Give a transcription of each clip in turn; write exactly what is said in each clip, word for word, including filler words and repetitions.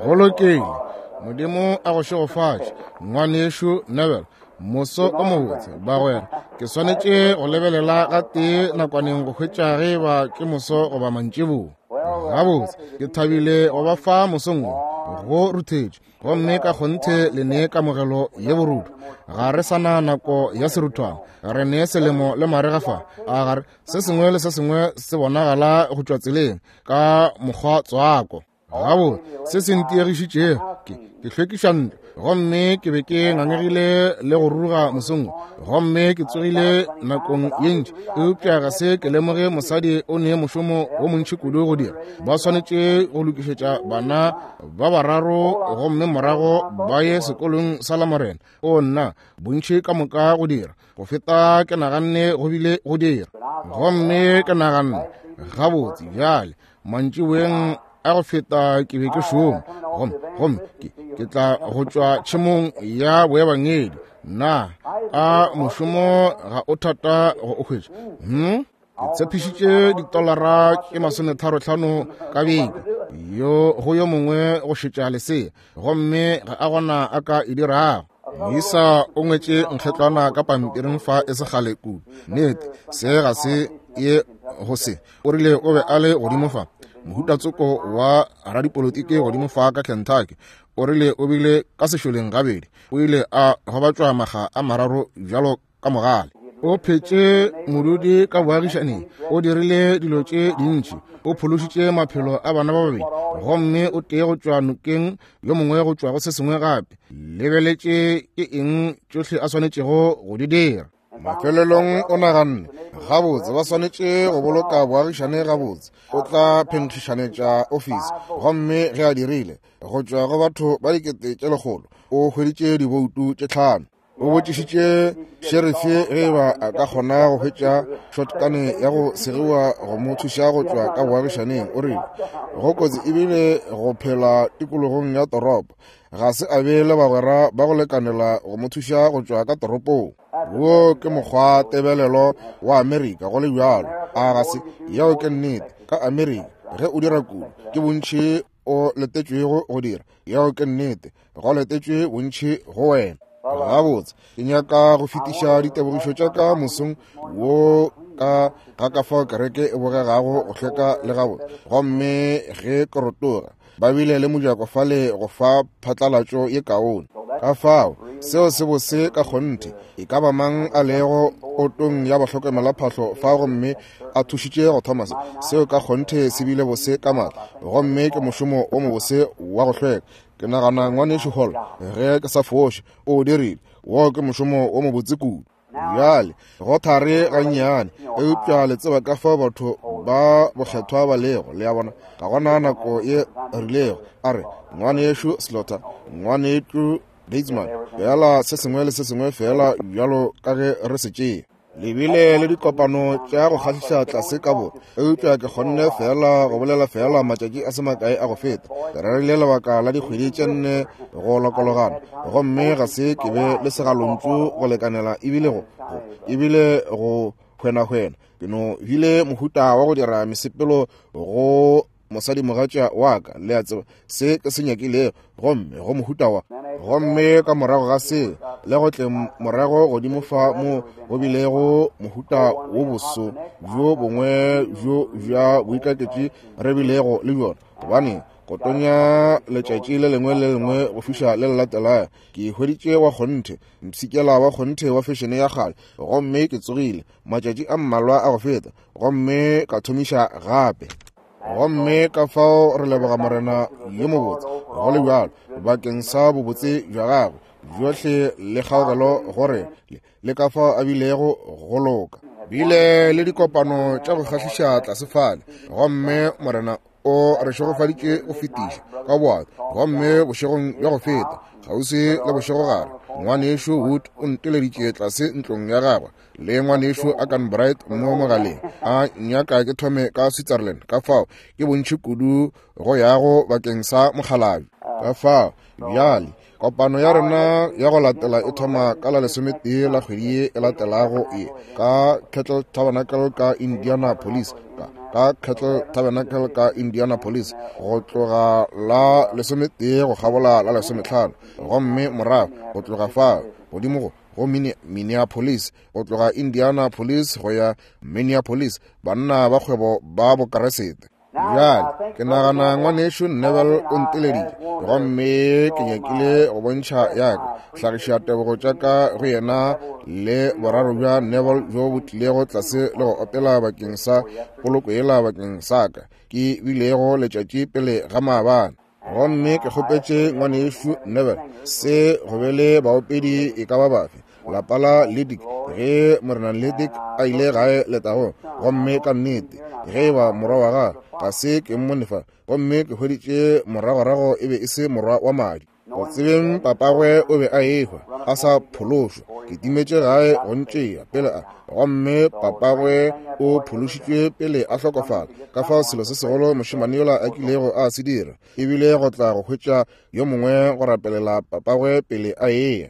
Go lokile. Modimo a go šegofatše, ngwanešu Neville. Moso o mobotse, bagwera. Ke swanetše go lebelela gatee nakwaneng go hwetša ge ba ke moso goba mantšiboa. Gabotse, ke thabile go ba fa mosong wo, go ruthetše, gomme ka kgonthe le nee kamogelo ye borutho. Ga re sana nako ya seruthwana, re nee selemo le marega fa. A gare se sengwe le se sengwe se bonagala go tšwa tseleng ka mokgwa tswako. Gabotse, se se ntiegišitšego ke ke hlwekiša ntlo, gomme ke be ke ngangegile le go ruruga mosong wo, gomme ke tsogile nakong ye ntši, eupša ga se ke lemoge mosadi o ne mošomo wo montši kudu go dira. Ba swanetše go lokišetša bana ba bararo gomme morago ba ye sekolong sa Lamorena. O nna, bontši ka moka go dira go feta ke naganne go bile go dira. Gomme ke naganne gabotse bjale mantšiboeng a go feta ke be ke šoma, gomme gomme ke ke tla go tšwa tšhemong ya boebangedi. Na a mošomo ga o thata go o hwetša? Hmm? Ke tshepišitše ditolara tše masometharo-hlano ka beke yo go yo mongwe go šetša lesea, gomme ga a gona a ka e dirago. Moisa o ngwetše nkgetlwana ka pampiring fa e se kgale kudu. Nnete, se ga se ye go se. O rile o be a le godimo fa, mohutatsoko wa radipolotiki godimo fa ka Kentucky. O rile o bile ka sešoleng gabedi. O ile a gobatšwa makga a mararo bjalo ka mogale. O phetše modudi ka boagišaneng. O dirile dilo tše dintši. O phološitše maphelo a bana ba babedi, gomme o tee go tšwa nokeng, yo mongwe go tšwa go se sengwe gape. Lebeletše ke eng tšohle a swanetšego go di dira. Mafelelong o naganne, gabotse ba swanetše go boloka boagišane gabotse. O tla phenkgišanetša ofisi, gomme ge a dirile, go tšwa go batho ba dikete tše lekgolo, o hweditše diboutu tše tlhano. O botšišitše šerife ge ba a ka kgona go hwetša shotgun ya go segiwa go mo thuša go tšwa ka boagišaneng. O rile go kotsi ebile go phela tikologong ya toropo. Ga se a be le bagwera ba go lekanela go mo thuša go tšwa ka toropong. Wo ke mokgwa tebelelo wa Amerika go le bjalo. A ga se yeo ke nnete. Ka Amerika ge o dira kudu ke bontši o letetšwego go dira. Yeo ke nnete, go letetšwe bontši go wena. Gabotse, ke nyaka go fetiša ditebogišo tša ka mosong wo ka ga ka fao kereke e bogegago go hlweka le gabotse. Gomme ge ke rotoga, ba bile le mojako fale go fa phatlalatšo ye kaone. Ka fao seo se bose ka kgonthe. E ka ba mang a lego otong ya bahlokomelaphahlo fa gomme a thušitše go thoma se, seo ka kgonthe se bile bose ka matla, gomme ke mošomo o mobose wa go hlweka. Ke nagana ngwanešu Hall, ge ke sa foše, o dirile. Wo ke mošomo o mobotse kudu. Bjale go thare gannyane, eupša le tseba ka fao batho ba bokgethwa ba lego, le a bona. Ga gona nako ye rilego a re ngwanešu Slaughter, ngwanešu Batesman, fela se sengwe le se sengwe fela bjalo ka ge re se tšea. Le bile le dikopano tša go kgahliša tlase ka borwa, eupša ke kgonne fela go bolela fela matšatši a se makae a go feta. Ke rerile lebaka la dikgwedi tše nne go lokologana, gomme ga se ke be le segalontšu go lekanela ebile go, go, ebile go hwenahwena. Ke no bile mohuta wa go dira mesepelo go mosadimogatša wa ka, le a tseba se ke se nyakilego, gomme go mohuta wa. Gomme ka morago ga se, le go tle morago godimo fa mo go bilego mohuta wo boso bjo bongwe bjo bja boikaketši re bilego le bjona, gobane go tonya letšatši le lengwe le lengwe go fiša le le latelago. Ke hweditše wa kgonthe mpshikela wa kgonthe wa fešene ya kgale, gomme ke tsogile matšatši a mmalwa a go feta, gomme ka thomiša gape. Gomme ka fao re leboga Morena yo mobotse go le bjalo bakeng sa bobotse bja gagwe bjohle le kgaogelo gore le ka fao a bilego go loka. Bile le dikopano tša go kgahliša tlase fale, gomme Morena o re šegofaditše go fetiša ka boato. Gomme bošegong bja go feta, kgauswi le bošegogare, ngwanešu Wood o nteleditše tlase ntlong ya gagwe le ngwanešu Akan Bright mo mogaleng, a nyaka ke thome ka Switzerland. Ka fao ke bontši kudu go yago bakeng sa mokgalabje. Ka fao bjale kopano ya rena ya go latela e thoma ka la lesometee la kgwedi ye e latelago ye ka Kettle Tabernacle ka Indianapolis, ka, ka Kettle Tabernacle ka Indianapolis, go tloga la lesometee go kgabola la lesometlhano, gomme morago go tloga fao godimo go go Minneapolis, go tloga Indianapolis go ya Minneapolis, banna ba kgwebo ba Bokeresete. Bjale ke nagana ngwanešu Neville o nteleditše, gomme ke nyakile go bontšha ya ka hlagiša tebogo tša ka go yena le boraro bja Neville bjo bo tlilego tlase le go opela bakeng sa poloko yela bakeng sa ka ke bilego letšatši pele ga maabane. Gomme ke kgopetše ngwanešu Neville se go be le baopedi e ka ba bafe lapa la Lidick ge Morena Lidick a ile gae letagong, gomme ka nnete ge e ba morwa wa gagwe ga se ke mmone fa, gomme ke hweditše moragorago e be e se morwa wa madi. Go tsebeng papagwe o be a ehwa a sa phološwa, ke timetše gae go ntšea pele a, gomme papagwe o phološitšwe pele a hlokofala. Ka fao selo se segolo mošemane yola a kilego a se dira ebile go tla go hwetša yo mongwe go rapelela papagwe pele a eya.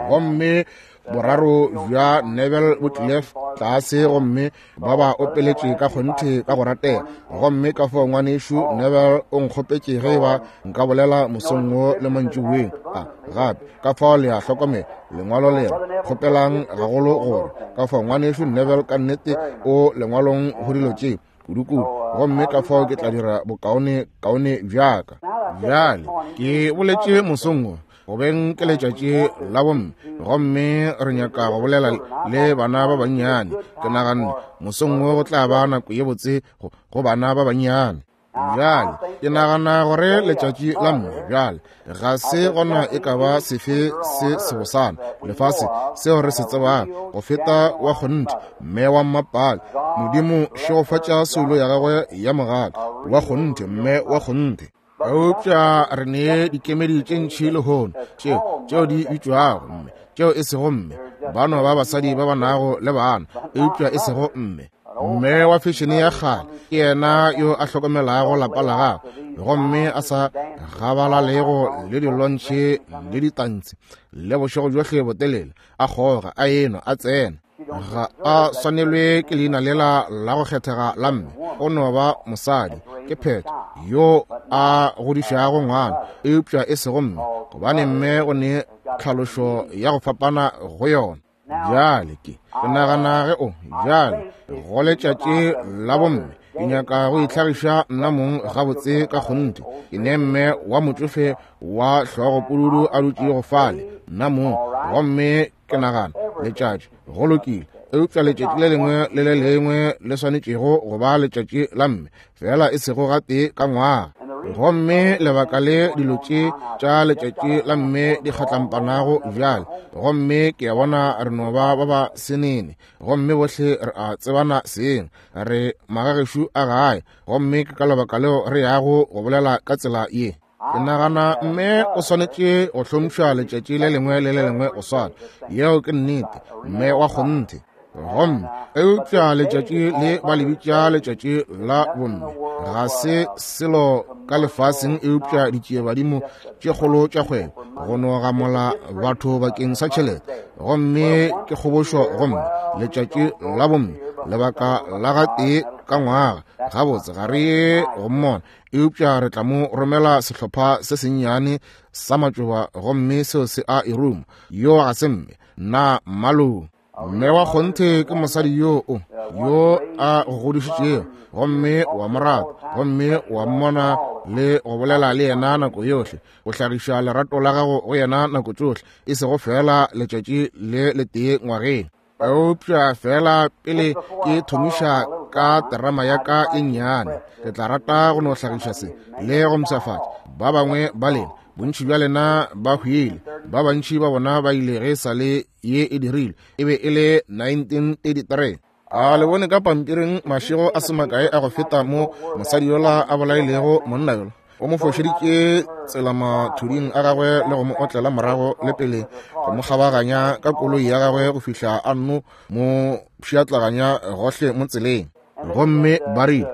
Gomme boraro bja Neville bo tlile tlase gomme ba ba opeletše ka kgonthe ka go ratega. Gomme ka fao ngwanešu Neville o nkgopetše ge ba nka bolela mosong wo le mantšiboeng a gape. Ka fao le a hlokomela lengwalo le re kgopelang gagolo gore ka fao ngwanešu Neville ka nnete o lengwalong go dilo tše kudu-kudu, gomme ka fao ke tla dira bokaone kaone bjaka. Bjale ke boletše mosong wo go beng ke letšatši la bomme, gomme re nyaka go bolela le bana ba bannyane. Ke naganne mosong wo go tla ba nako ye botse go, go bana ba bannyane. Bjale ke nagana gore letšatši la mme bjale ga se gona e ka ba sefe se sebosana lefase seo re se tsebago go feta wa kgonthe mme wa mmapale. Modimo šegofatša soulo ya gagwe ya mogala wa kgonthe mme wa kgonthe. Eupša re ne dikemedi tše ntši lehono tšeo tšeo di bitšwago mme, tšeo e sego mme, ba no ba basadi ba ba nago le bana, eupša e sego mme. Mme wa fešene ya kgale ke yena yo a hlokomelago lapa la gagwe, gomme a sa gabalalego le dilontšhe le ditantshi le bošego bjohle botelele, a kgoga a enwa a tsena. Ga a swanelwe ke leina lela la go kgethega la mme, o no ba mosadi, ke phetho yo a godišago ngwana, eupša e sego mme, gobane mme o ne tlhalošo ya go fapana go yona. Bjale ke ke nagana ge o bjale go letšatši la bomme ke nyaka go itlhagiša nna mong gabotse ka kgonthe. Ke ne mme wa motšofe wa hlogopududu a dutšego fale nna mong, gomme ke nagana letšatši go lokile, eupša letšatši le lengwe le le lengwe le swanetšego go ba letšatši la mme, fela e sego gatee ka ngwaga. Gomme lebaka le dilo tše tša letšatši la mme di kgatlampanago bjale, gomme ke a bona re no ba ba ba senene, gomme bohle re a tsebana seng, re magagešo a gae, gomme ke ka lebaka leo re yago go bolela ka tsela ye. Ke nagana mme o swanetše go hlompšha letšatši le lengwe le le lengwe go swana, yeo ke nnete, mme wa kgonthe. Gomme eupša letšatši le ba le bitša letšatši la bomme ga se selo ka lefaseng eupša ditšiebadimo tše kgolo tša kgwebo go no gamola batho bakeng sa tšhelete, gomme ke kgobošo. Gomme letšatši la bomme lebaka la gatee ka ngwaga, gabotse ga re ye go mmona, eupša re tla mo romela sehlopha se sennyane sa matšoba, gomme seo se a e ruma. Yo ga se mme, nna mmalong. Mme wa kgonthe ke mosadi yo o yo a go godišitšego, gomme wa mo rata, gomme wa mmona le go bolela le yena nako yohle, go hlagiša lerato la gago go yena nako tšohle, e sego fela letšatši le letee ngwageng. Eupša fela pele ke thomiša ka terama ya ka e nnyane, ke tla rata go no hlagiša se le go mpshafatša ba bangwe ba lena. Bontši bja lena ba hwile, ba bantši ba bona ba ile ge sa le ye e dirile, e be e le nineteen thirty-three. A le bone ka pampiring mašego a se makae a go feta mo mosadi yola a bolailego monna yola, o mo fošeditše tsela mathuding a gagwe le go mo otlela morago le pele go mo kgabaganya ka koloi ya gagwe go fihla a nno mo pšhatlaganya gohle mo tseleng. Gomme ba rile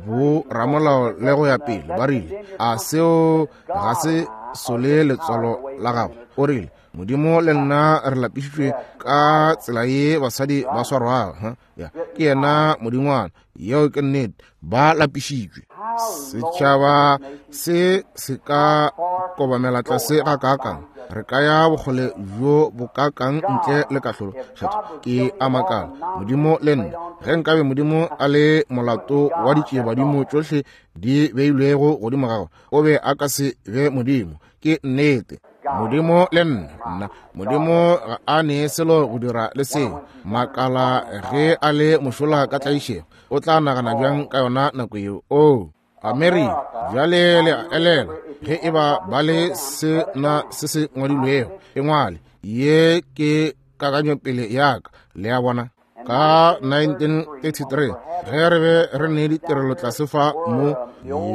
bo ramolao le go ya pele ba rile a seo ga se sole letswalo la gago. O rile, Modimo le nna re lapišitšwe ka tsela ye basadi ba swarwago. Ya, ke yena modingwana. Yeo ke nnete, ba lapišitšwe. Setšhaba se se ka kobamela tlase ga kakang. Re ka ya bokgole bjo bo kakang ntle le kahlolo. Kgetho ke a makala. Modimo le nna, ge nkabe Modimo a le molato wa ditšiebadimo tšohle di beilwego godimo gagwe, o be a ka se be Modimo. Ke nnete. Modimo le nna, nna Modimo ga a ne selo go dira le seo. Makala ge a le mošola ka tlaišego, o tla nagana bjang ka yona nako yeo? Oh, Amerika, bjale le a elela, ge e ba ba le se na se se ngwadilwego, e ngwale. Ye ke kakanyopele ya ka, le a bona. Ka nineteen thirty-three, ge re be re ne ditirelo tlase fa mo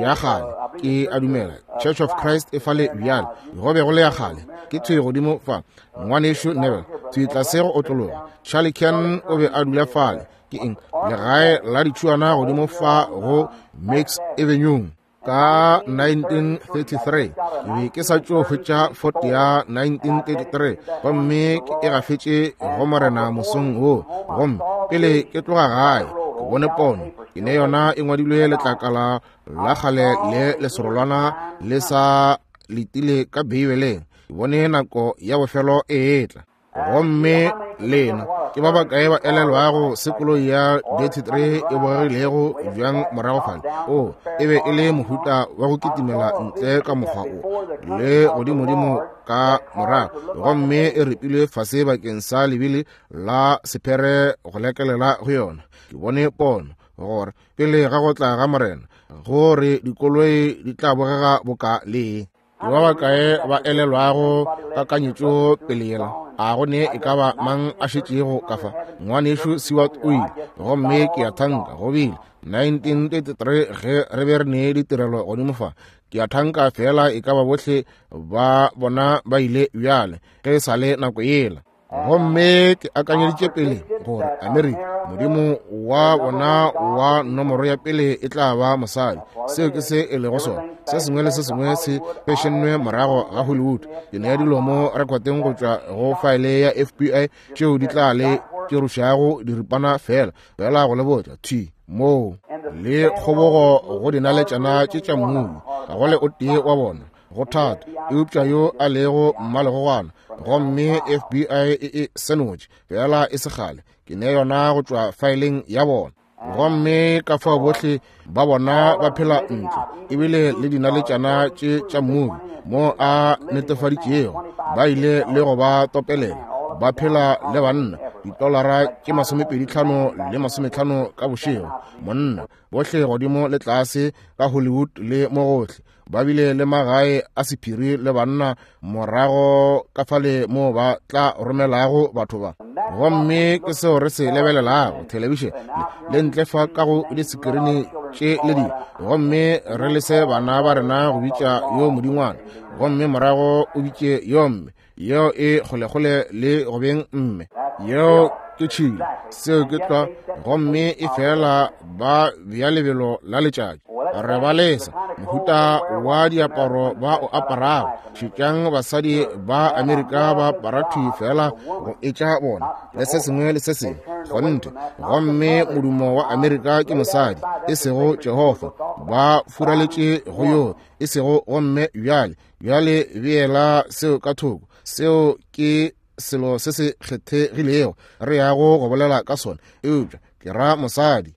ya kgale, ke a dumela Church of Christ e fale bjale, go be go le ya kgale, ke thwi godimo fa, ngwanešu Neville, thwi tlase go otlologa. Charlie Ken o be a dula fale, ke eng, legae la ditšhuana godimo fa go Mix Avenue. Ka nineteen thirty-three, ke be ke sa tšo hwetša Ford ya nineteen thirty-three, gomme ke e gafetše go Morena mosong wo. Gomme pele ke tloga gae, ke bone pono, ke ne yona e ngwadilwe letlakala la kgale le leserolwana le sa letile ka Beibeleng. Ke bone nako ya bofelo e etla. Gomme lena ke ba bakae ba elelwago se koloi ya thirty-three e bogegilego bjang morago fale? O, e be e le mohuta wa go kitimela ntle ka mokgwa o le godimodimo ka morago, gomme e ripilwe fase bakeng sa lebili la sephere go lekelela go yona. Ke bone pono gore pele ga go tla ga Morena, gore dikoloi di tla bogega boka le. Ke ba bakae ba elelwago kakanyetšo pele yela? A go ne e ka ba mang a šetšego ka fa? Ngwanešu Seward o ile, gomme ke a thanka go bile nineteen thirty-three ge re be re ne ditirelo godimo fa. Ke a thanka fela e ka ba bohle ba bona ba ile bjale ge e sa le nako yela. Gomme ke akanyeditše pele gore Amerika, Modimo wa bona wa nomoro ya pele e tla ba mosadi. Seo ke se e lego sona. Se sengwe le se sengwe se fešennwe morago ga Hollywood. Ke nea dilo mo rekoteng go tšwa go faele ya F B I tšeo di tla le tšerušago diripana fela, fela go le botša thwi moo le kgobogo go dinaletšana tše tša mmubi. Ga go le o tee wa bona go thata, eupša yo a lego mmalegogwana. Gomme F B I e e senotše fela e se kgale. Ke ne yona go tšwa faeleng ya bona. Gomme ka fao bohle ba bona ba phela ntle, ebile le dinaletšana tše tša mmubi mo a netefaditšego, ba ile le go ba topelela. Ba phela le banna ditolara tše masomepedi tlhano le masometlhano ka bošego, monna bohle godimo le tlase ka Hollywood le mo gohle. Ba bile le magae a sephiri le banna morago ka fale mo ba tla romelago batho ba. Gomme ke seo re se lebelelago thelebišene le ntle fa ka go disekirini tše le dingwe, gomme re lese bana ba rena go bitša yo modingwana, gomme morago o bitše yo mme, yeo e kgolekgole le go beng mme, yeo ke tšhilo, seo ke tlwa, gomme e fela ba bea lebelo la letšatši. Re ba lesa mohuta wa diaparo ba o aparago. Šetšang basadi ba Amerika ba apara thwi fela go etša bona le se sengwe le se sengwe, kgonthe. Gomme modumo wa Amerika ke mosadi, e sego Jehofa. Ba furaletše go yo, e sego gomme bjale. Bjale beela seo ka thoko. Seo ke selo se se kgethegilego re yago go bolela ka sona, eupša ke ra mosadi.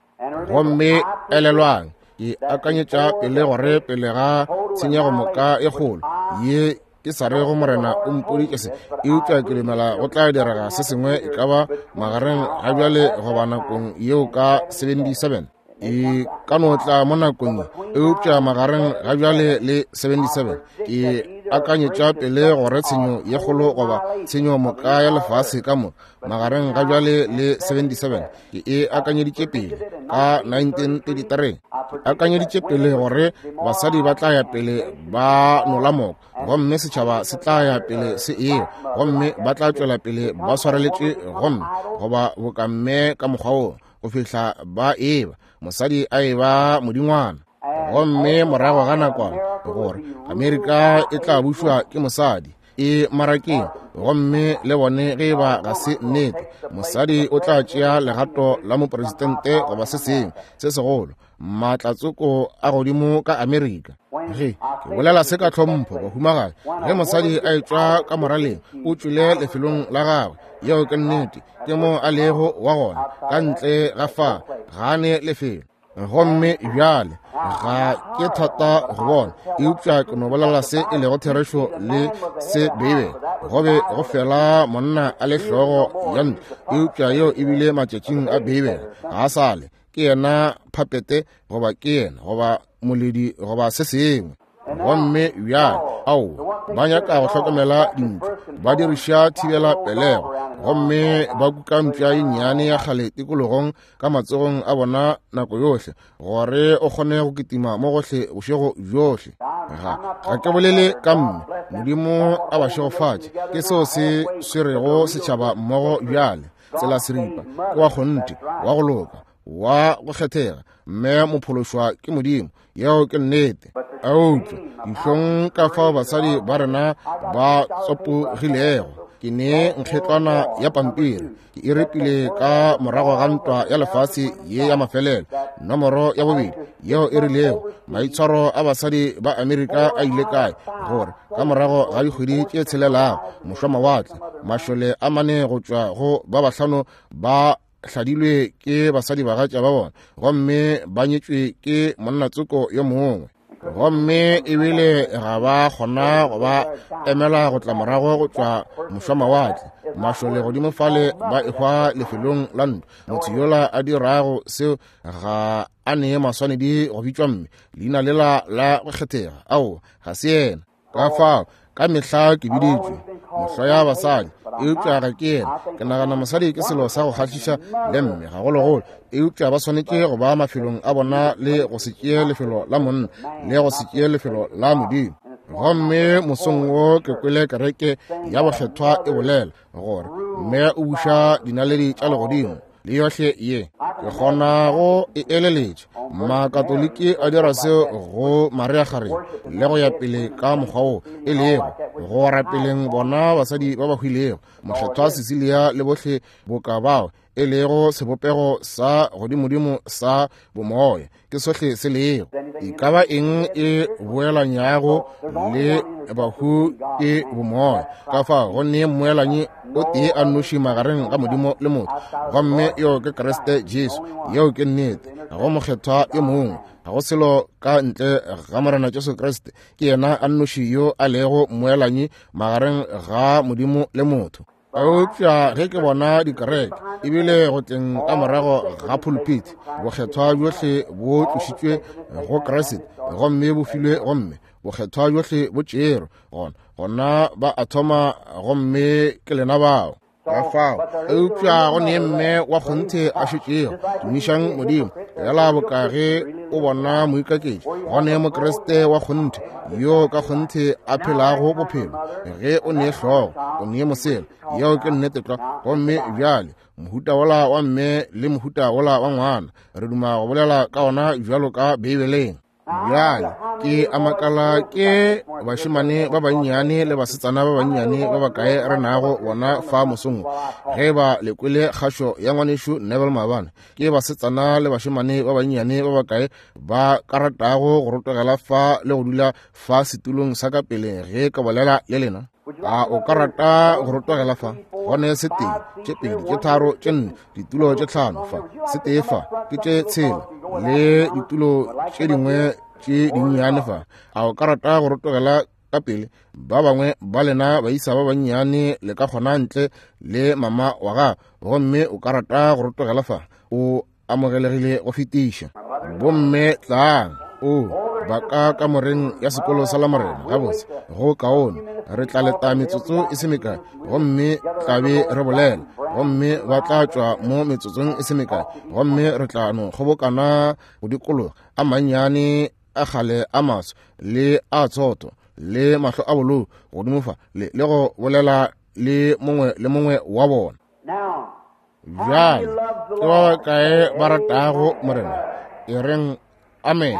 Gomme elelwang, ke akanyetša pele gore pele ga tshenyego moka e kgolo ye ke sa rego Morena o mpoditše se, eupša ke dumela go tla direga se sengwe e ka ba magareng ga bjale goba nakong yeo ka seventy-seven. E ka no tla mo nakong ye, eupša magareng ga bjale le seventy-seven ke akanyetša pele gore tshenyo ye kgolo goba tshenyo moka ya lefase ka moka magareng ga bjale le seventy-seven ke e akanyeditše pele ka nineteen thirty-three. Ke akanyeditše pele gore basadi ba tla ya pele ba nola moko, gomme setšhaba se tla ya pele se ewa, gomme ba tla tšwela pele ba swareletše gomme goba bokamme ka mokgwa wo go fihla ba eba mosadi a eba modingwana. Gomme morago ga nakwana gore Amerika e tla bušwa ke mosadi. E marakeng, gomme le bone ge ba ga se nnete. Mosadi o tla tšea legato la mopresidente goba se sengwe se segolo, maatlatsoko a godimo ka Amerika. Ge ke bolela se ka tlhompho, bahumagadi, ge mosadi a etšwa ka moraleng, o tšwele lefelong la gagwe. Yeo ke nnete, ke mo a lego wa gona, ka ntle ga fa, ga ne lefelo. Gomme bjale ga ke thata go bona, eupša ke no bolela se e lego therešo le se Beibele. Go be go fela monna a le hlogo ya ntlo, eupša yeo e bile matšatšing a Beibele. Ga a sale, ke yena phapete goba ke yena goba moledi goba se sengwe. Gomme bjale ao ba nyaka go hlokomela dintlo, ba diriša thibela pelego, gomme ba kuka mpša ye nnyane ya kgale tikologong ka matsogong a bona nako yohle, gore o kgone go kitima mo gohle bošego bjohle. Ga ga ke bolele ka mme, Modimo a ba šegofatše, ke seo se swerego setšhaba mmogo bjale. Tsela seripa ke wa kgonthe, wa go loka, wa go kgethega, mme mophološwa ke Modimo. Yeo ke nnete. Eupša dihlong ka fao basadi ba rena ba tsopogilego. Ke ne nkgetlwana ya pampiri, ke e repile ka morago ga ntwa ya lefase ye ya mafelelo, nomoro ya bobedi, yeo e rilego maitshwaro a basadi ba Amerika a ile kae, gore ka morago ga dikgwedi tše tshelelago mošwamawatle mašole a mane go tšwa go ba bahlano ba hladilwe ke basadi bagatša ba bona, gomme ba nyetšwe ke monnatsoko yo mongwe. Gomme ebile ga ba kgona go ba emela go tla morago go tšwa mošwamawatle. Mašole godimo fale ba ehwa lefelong la ntlo. Motho yola a dirago seo ga a nee maswanedi go bitšwa mme, leina lela la go kgethega, ao ga se yena. Ka fao ka mehla ke biditšwe mohlo ya basadi, eupša ga ke yena. Ke nagana mosadi ke selo sa go kgahliša le mme gagologolo, eupša ba swanetše go ba mafelong a bona le go se tšee lefelo la monna le go se tšee lefelo la Modimo. Gomme mosong wo ke kwele kereke ya bokgethwa e bolela gore mme o buša dinaledi tša legodimo le yohle ye. Ke kgona go e eleletša. Makatoliki a dira seo go Maria Kgarebe le go ya pele ka mokgwa wo e lego go rapeleng bona basadi ba ba hwilego, mokgethwa Cecilia le bohle boka bao e lego sebopego sa godimodimo sa bomoya. Ke sohle se lego. E ka ba eng e boelanyago le bahu ke bomoya. Ka fao go ne mmoelanyi o tee a nnoši magareng ga Modimo le motho, gomme yo ke Kriste Jesu. Yeo ke nnete. Ga go mokgethwa yo mongwe, ga go selo ka ntle ga Morena Jesu Kriste. Ke yena a nnoši yo a lego mmoelanyi magareng ga Modimo le motho. Eupša ge ke bona dikereke ebile go tleng ka morago ga pulpit, bokgethwa bjohle bo tlošitšwe go Kriste gomme bo filwe gomme bokgethwa bjohle bo tšerwe, gona gona ba a thoma, gomme ke lena bao. Ka fao eupša go ne mme wa kgonthe a šetšego. Tumišang Modimo. Fela boka ge o bona moikaketši, go ne Mokriste wa kgonthe yo ka kgonthe a phelago bophelo. Ge o ne hlogo, o ne mosela. Yeo ke nnete tlwa. Gomme bjale mohuta wola wa mme le mohuta wola wa ngwana, re duma go bolela ka ona bjalo ka Beibeleng. Bjale ke a makala ke bašemane ba bannyane le basetsana ba bannyane ba bakae re nago bona fa mosong. Ge ba le kwele kgašo ya ngwanešu Neville maabane, ke basetsana le bašemane ba bannyane ba bakae ba ka ratago go rotogela fa le go dula fa setulong sa ka pele ge ka bolela le lena? A o ka rata go rotogela fa? Gone se tee, tše pedi, tše tharo, tše nne, ditulo tše tlhano fa, se tee fa, ke tše tshela, le ditulo tše dingwe tše dinnyane fa. A o ka rata go rotogela ka pele? Ba bangwe ba lena baisa ba bannyane le ka kgona ntle le mama wa gago, gomme o ka rata go rotogela fa, o amogelegile go fetiša. Bomme tlang, o ba ka kamoreng ya sekolo sa Lamorena. Gabotse, go kaone. Re tla leta metsotso e se mekae, gomme tla be re bolela, gomme ba tla tšwa mo metsotsong e se mekae, gomme re tla no kgobokana go dikologa a mannyane a kgale a maso le a tsotho le mahlo a bolou godimo fa le le go bolela le mongwe le mongwe wa bona. Bjale ke ba bakae ba ratago Morena? E reng amen.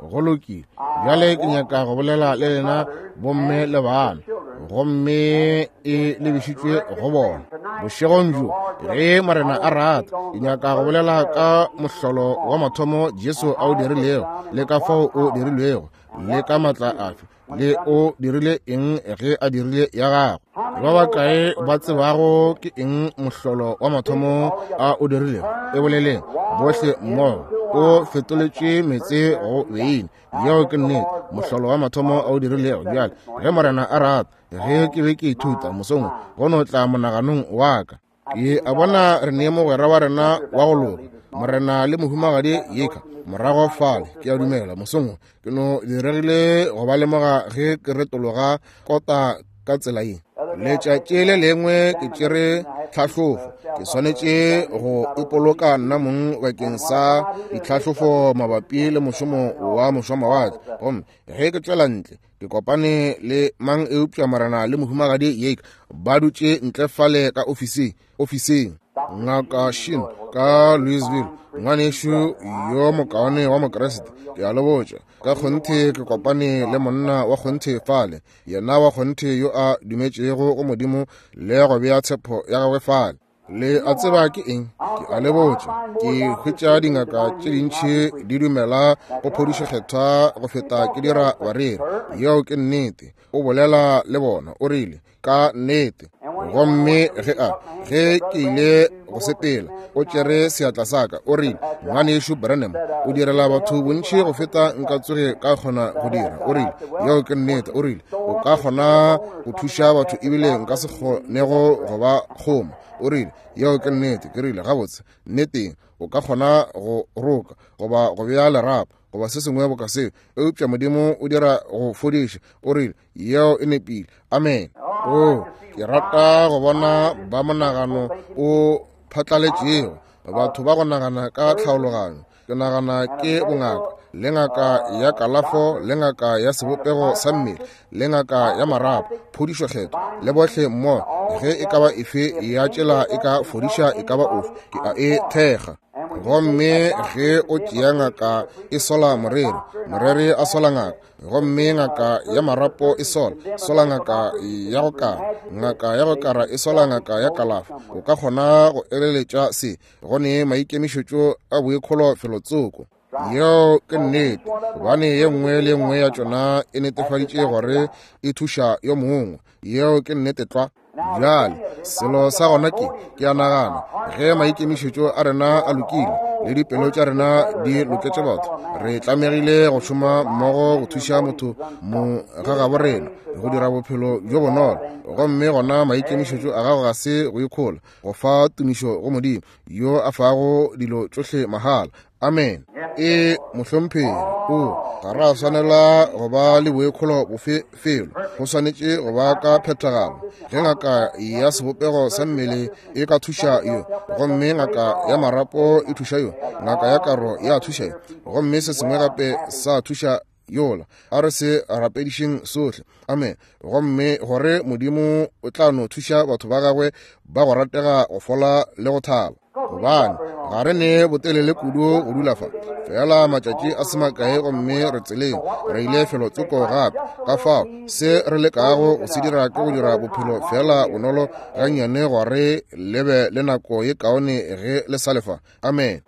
Go lokile. Bjale ke nyaka go bolela le lena bomme le bana, gomme e lebišitšwe go bona. Bošegong bjo, ge Morena a rata, ke nyaka go bolela ka mohlolo wa mathomo Jesu a o dirilego, le ka fao o dirilwego, le ka matla afe, le o dirile eng ge a dirile ya gagwe. Ba bakae ba tsebago ke eng mohlolo wa mathomo a o dirilego? E boleleng bohle mmogo. O fetoletše meetse go beine. Yeo ke nnete, mohlolo wa mathomo a o dirilego. Bjale ge Morena a rata, ge ke be ke ithuta mosong, go no tla monaganong wa ka, ke a bona re ne mogwera wa rena wa go loka, Morena le mohumagadi Yeka, morago fale. Ke a dumela mosong ke no diregile go ba lemoga ge ke retologa kota ka tsela ye. Letšatši le lengwe ke tšere tlhahlofo. Ke swanetše go ipoloka nna mong bakeng sa ditlhahlofo mabapi le mošomo wa mošomawatle. Gomme ge ke tšwela ntle, ke kopane le mang eupša Morena le mohumagadi Yeka ba dutše ntle fale ka ofising ofising. Ngaka Shin ka Louisville, ngwanešu yo mokaone wa Mokriste, ke a le botša, ka kgonthe ke kopane le monna wa kgonthe fale, yena wa kgonthe yo a dumetšego go Modimo le go bea tshepo ya gagwe fale. Le a tseba ke eng? Ke a le botša, ke hwetša dingaka tše dintši di dumela go phodišo kgethwa go feta ke dira bareri. Yeo ke nnete. O bolela le bona, o rile, ka nnete. Gomme ge a ge ke ile go sepela, o tšere seatla sa ka, o rile, ngwanešu Branham, o direla batho bontši go feta nka tsoge ka kgona go dira. O rile, yeo ke nnete. O rile, o ka kgona go thuša batho ebile nka se kgonego go ba kgoma. O rile, yeo ke nnete. Ke rile, gabotse, nneteng, o ka kgona go roka goba go bea lerapo goba se sengwe boka seo, eupša Modimo o dira go fodiša. O rile, yeo e nepile. Amen. O, ke rata go bona ba monagano o phatlaletšego, batho ba go nagana ka tlhaologanyo. Ke nagana ke bongaka, le ngaka ya kalafo, le ngaka ya sebopego sa mmele, le ngaka ya marapo, phodišo kgetho, le bohle mmogo. Ge e ka ba efe ya tšela e ka fodiša e ka ba ofe, ke a e thekga. Gomme ge o tšea ngaka e sola moreri, moreri a sola ngaka, gomme ngaka ya marapo e sola sola ngaka ya go kara, ngaka ya go kara e sola ngaka ya kalafo. O ka kgona go eleletša se go ne maikemišetšo a boikholo felotsoko. Yeo ke nnete, gobane ye nngwe le nngwe ya tšona e netefaditše gore e thuša yo mongwe. Yeo ke nnete tlwa. Bjale selo sa gona ke, ke a nagana, ge maikemišetšo a rena a lokile le dipelo tša rena di loketše batho, re tlamegile go šoma mmogo go thuša motho mo ga gabo rena go dira bophelo bjo bonolo. Gomme gona maikemišetšo a gago ga se go ikhola, go fa tumišo go Modimo yo a fago dilo tšohle mahala. Amen. E mohlomphegi, o ga ra swanela go ba le boikholo bofe felo, go swanetše go ba ka phethagalo. Ge ngaka ya sebopego sa mmele e ka thuša yo, gomme ngaka ya marapo e thuša yo, ngaka ya karo ya thuša yo, gomme se sengwe gape sa thuša yola, a re se rapedišeng sohle. Amen. Gomme gore Modimo o tla no thuša batho ba gagwe ba go ratega go fola le go thaba, gobane ga re ne botelele kudu go dula fa, fela matšatši a se makae, gomme re tseleng re ile felotsoko gape. Ka fao se re lekago go se dira ke go dira bophelo fela bonolo gannyane, gore le be le nako ye kaone ge le sa lefa. Amen.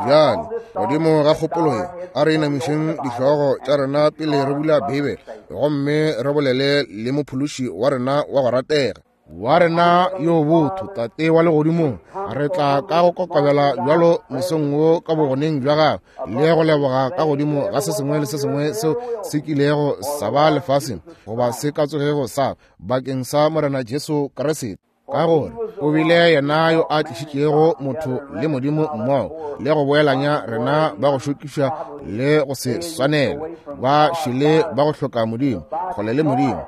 Bjale godimo ga kgopolo ye, a re inamišeng dihlogo tša rena pele re bula Beibele, gomme re bolele le mophološi wa rena wa go ratega, wa rena yo botho, Tate wa legodimong. Re tla ka go kokobela bjalo mosong wo ka bogoneng bja gago, le go leboga ka godimo ga se sengwe le se sengwe seo se kilego sa ba lefaseng goba se ka tsogego sa bakeng sa Morena Jesu Kriste, ka gore o bile yena yo a tlišitšego motho le Modimo mmogo, le go boelanya rena ba go šokiša le go se swanele, ba šele ba go hloka Modimo, kgole le Modimo,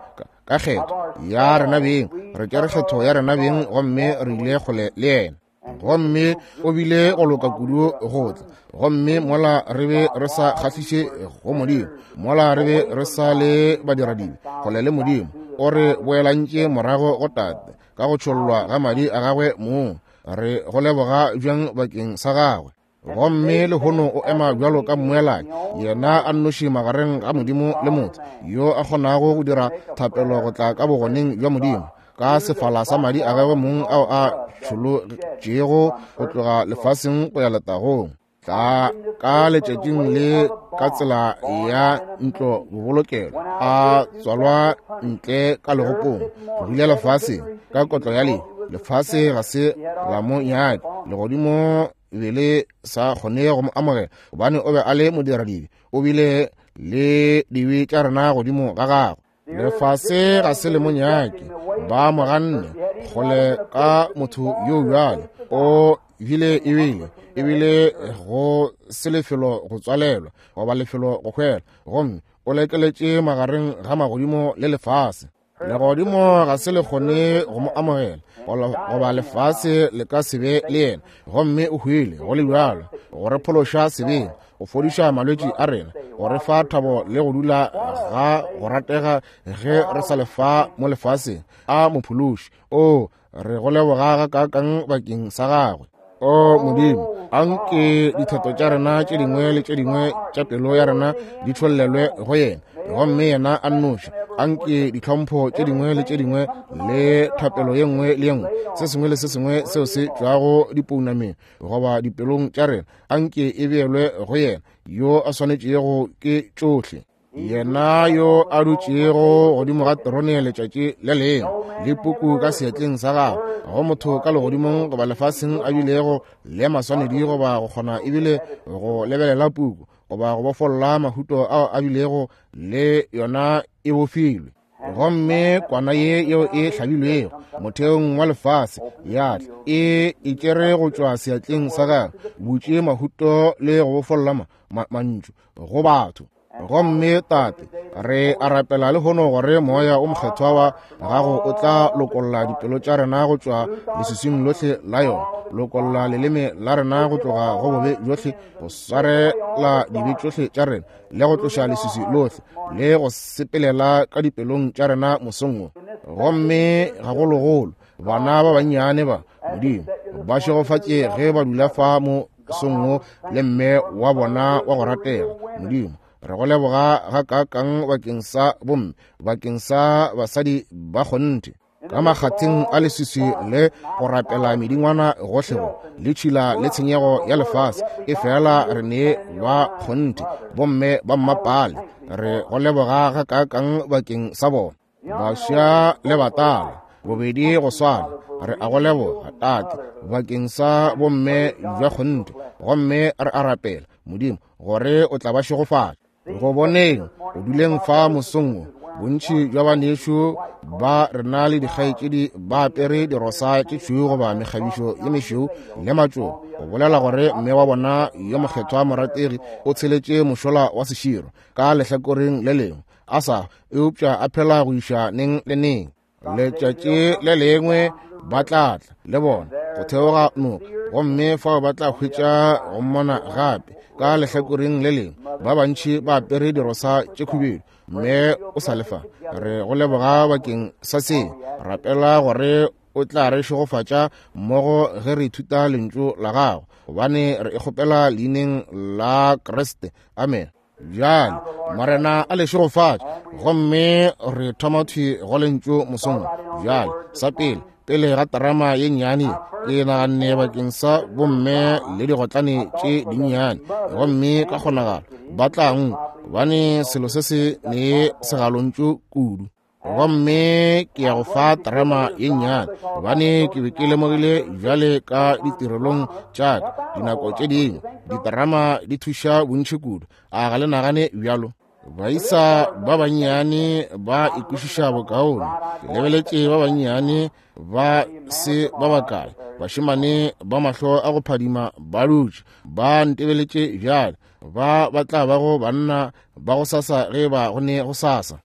ka kgetho ya rena beng. Re tšere kgetho ya rena beng, gomme re ile kgole le yena. Gomme o bile go loka kudu go tla, gomme mola re be re sa kgahliše go Modimo, mola re be re sa le badiradibe kgole le Modimo, o re boelantše morago go Tate ka go tšhollwa ga madi a gagwe mong. Re go leboga bjang bakeng sa gagwe. Gomme lehono o ema bjalo ka mmoelanyi, yena a nnoši magareng ga Modimo le motho, yo a kgonago go dira thapelo go tla ka bogoneng bja Modimo ka sefala sa madi a gagwe mong ao a tšholotšego go tloga lefaseng go ya letagong. Tla ka letšatšing le ka tsela ya ntlo bobolokelo, a tswalwa ntle ka legopong, tlogile lefaseng ka kotlo ya lehu. Lefase ga se la mo nyake, legodimo be le sa kgone go mo amogela, gobane o be a le modiradibe, o bile le dibe tša rena godimo ga gagwe. Lefase ga se le mo nyake, ba mo ganne kgole ka motho yo bjalo. O bile ebile ebile go se lefelo go tswalelwa goba lefelo go hwela, gomme o lekeletše magareng ga magodimo le lefase. Legodimo ga se le kgone go mo amogela, goba lefase le ka se be le yena, gomme o hwile go le bjalo go re phološa sebeng, go fodiša malwetši a rena, go re fa thabo le go dula ga go ratega ge re sa lefa mo lefaseng. A mophološi, o re go leboga gakaakang bakeng sa gagwe. O Modimo, anke dithato tša rena tše dingwe le tše dingwe tša pelo ya rena di tšhollelwe go yena, gomme yena a nnoši. Anke ditlhompho tše dingwe le tše dingwe le thapelo ye nngwe le ye nngwe, se sengwe le se sengwe seo se tšwago dipounameng goba dipelong tša rena, anke e beelwe go yena yo a swanetšego ke tšohle. Yena yo a dutšego godimo ga terone letšatši le lengwe, le puku ka seatleng sa gagwe, go motho ka legodimong goba lefaseng a bilego le maswanedi goba go kgona ebile go lebelela puku goba go bofolla mahuto ao a bilego le yona e bofilwe. Gomme kwana ye yeo e hlabilwego motheong wa lefase ya tla e e tšere go tšwa seatleng sa gagwe, butše mahuto le go bofolla ma, ma, mantšu go batho. Gomme Tate, re a rapela lehono gore moya o mokgethwa wa gago o tla lokolla dipelo tša rena go tšwa leswiswing lohle la yona, lokolla leleme la rena go tloga go bobe bjohle, go swarela dibe tšohle tša rena, le go tloša leswiswi lohle, le go sepelela ka dipelong tša rena mosong wo. Gomme gagologolo bana ba bannyane ba Modimo ba šegofatše ge ba dula fa mosong wo le mme wa bona wa go ratega. Modimo, re go leboga gakaakang bakeng sa bomme, bakeng sa basadi ba kgonthe, ka makgatheng a leswiswi le go rapela medingwana gohle go le tšhila le tshenyego ya lefase, e fela re ne ba kgonthe bomme ba mmapale. Re go leboga gakaakang bakeng sa bona, baswa le batala bobedi go swana. Re a go leboga Tate bakeng sa bomme bja kgonthe, gomme re a rapela Modimo gore o tla ba šegofatša. Go boneng o duleng fa mosong wo, bontši bja banešu ba rena le dikgaetšedi ba apere dirosa tše tšhweu goba mekgabišo ye mešweu le matšoba, go bolela gore mme wa bona yo mokgethwa morategi o tsheletše mošola wa seširo ka lehlakoreng le lengwe a sa eupša a phela go iša neng le neng. Letšatši le lengwe ba tla tla le bona go theoga noka, gomme fao ba tla hwetša go mmona gape ka lehlakoreng le lengwe. Ba bantši ba apere dirosa tše khubedu, mme o sa lefa. Re go leboga bakeng sa se. Rapela gore o tla re šegofatša mmogo ge re ithuta lentšu la gago, gobane re e kgopela leineng la Kriste. Amen. Bjale Morena a le šegofatše. Gomme re thoma thwi go lentšu mosong. Bjale sa pele, pele ga terama ye nnyane, ke naganne bakeng sa bomme le digotlane tše dinnyane, gomme ka kgonagalo ba tla nkwa, gobane selo se se ne segalontšu kudu. Gomme ke ya go fa terama ye nnyane, gobane ke be ke lemogile bjale ka ditirelong tša ka dinako tše dingwe diterama di thuša bontši kudu. A ga le nagane bjalo? Baisa ba bannyane ba ikwešiša bokaone. Ke lebeletše ba bannyane ba se ba bakae, bašemane ba mahlo a go phadima ba dutše ba ntebeletše bjale, ba ba tla bago banna ba go sasa ge ba go ne go sasa.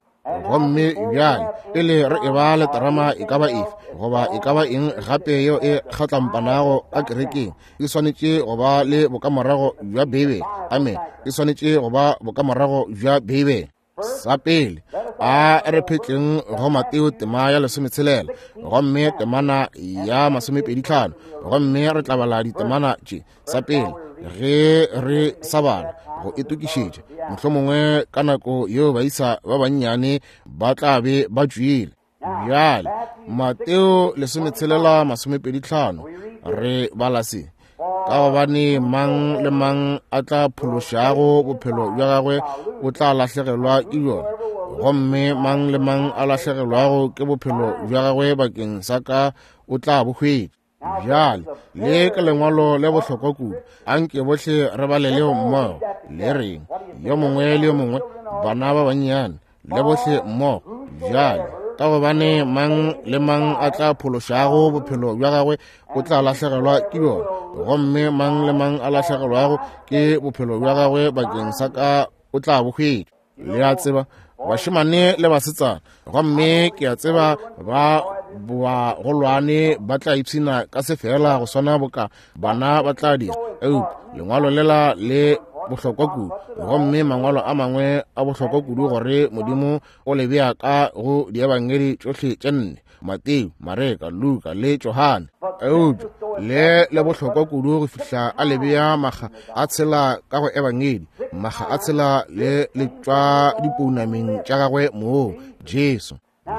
Gomme bjale pele re eba le terama e ka ba efe goba e ka ba eng gape yeo e kgatlampanago ka kerekeng, e swanetše go ba le bokamorago bja Beibele. Amen. E swanetše go ba bokamorago bja Beibele. Sa pele, a re phetleng go Mateo tema ya lesometshelela gomme temana ya masomepedi tlhano, gomme re tla bala ditemana tše. Sa pele, ge re sa bala go itokišetša, mohlomongwe ka nako yeo baisa ba bannyane ba tla be ba tšwile. Bjale Mateo lesometshelela masomepedi tlhano re bala se: ka gobane mang le mang a tla phološago bophelo bja gagwe o tla lahlegelwa ke bjona, gomme mang le mang a lahlegelwago ke bophelo bja gagwe bakeng sa ka o tla bo hwetša. Bjale le ke lengwalo le bohlokwa kudu, anke bohle re bale leo mmogo. Le reng yo mongwe le yo mongwe, bana ba bannyane le bohle mmogo. Bjale ka gobane mang le mang a tla phološago bophelo bja gagwe o tla lahlegelwa ke bjona, gomme mang le mang a lahlegelwago ke bophelo bja gagwe bakeng sa ka o tla bo hwetša. Le a tseba, bašemane le basetsana, gomme ke a tseba ba bagolwane ba tla ipshina ka se fela go swana boka bana ba tla dira, eupša lengwalo lela le bohlokwa kudu, gomme mangwalo a mangwe a bohlokwa kudu gore Modimo o le bea ka go diebangedi tšohle tše nne, Mateo, Mareka, Luka le Johane. Eupša le le bohlokwa kudu go fihla a le bea makga a tshela ka go ebangedi, makga a tshela le le tšwa dipounameng tša gagwe moo Jesu.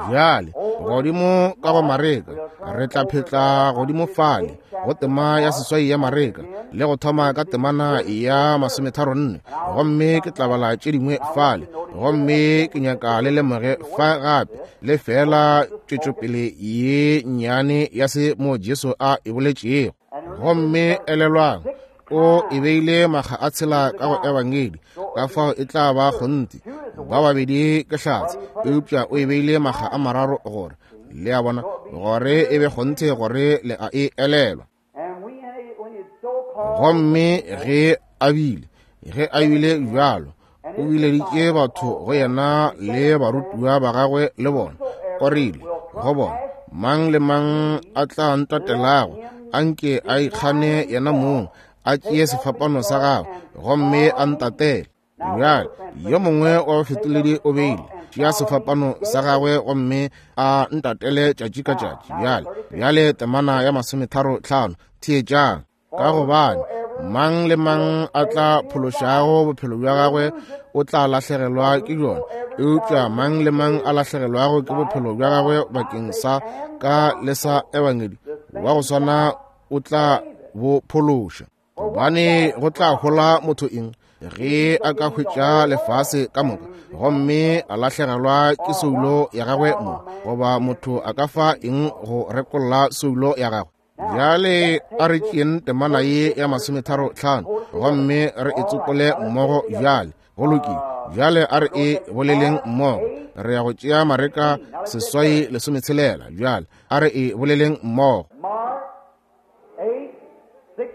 Bjale godimo ka go Mareka re tla phetla godimo fale go tema ya seswai ya Mareka le go thoma ka temana ya masometharo nne, gomme ke tla bala tše dingwe fale, gomme ke nyaka le lemoge fa gape le fela tšwetšopele ye nnyane ya se mo Jesu a e boletšego. Gomme elelwang, o e beile makga a tshela ka go ebangedi, ka fao e tla ba kgonthe ba babedi ke hlatse, eupša o e beile makga a mararo gore le a bona gore e be kgonthe gore le a e elelwa. Gomme ge a bile ge a bile bjalo, o bileditše batho go yena le barutiwa ba gagwe le bona, o rile go bona, mang le mang a tla ntatelago anke a ikgane yena mong, a tšee sefapano sa gagwe gomme a ntatele. Bjale yo mongwe wa bafetoledi o beile tšea sefapano sa gagwe gomme a ntatele tšatši ka tšatši. Bjale bjale temana ya masometharo tlhano, theetšang: ka gobane mang le mang a tla phološago bophelo bja gagwe o tla lahlegelwa ke bjona, eupša mang le mang a lahlegelwago ke bophelo bja gagwe bakeng sa ka le sa ebangedi wa go swana o tla bo phološa. Gobane go tla hola motho eng ge a ka hwetša lefase ka moka gomme a lahlegelwa ke soulo ya gagwe mo? Goba motho a ka fa eng go rekolla soulo ya gagwe? Bjale a re tšeeng temana ye ya masometharo tlhano gomme re e tsopole mmogo. Bjale go lokile, bjale a re e boleleng mmogo. Re ya go tšea Mareka seswai lesometshelela. Bjale a re e boleleng mmogo.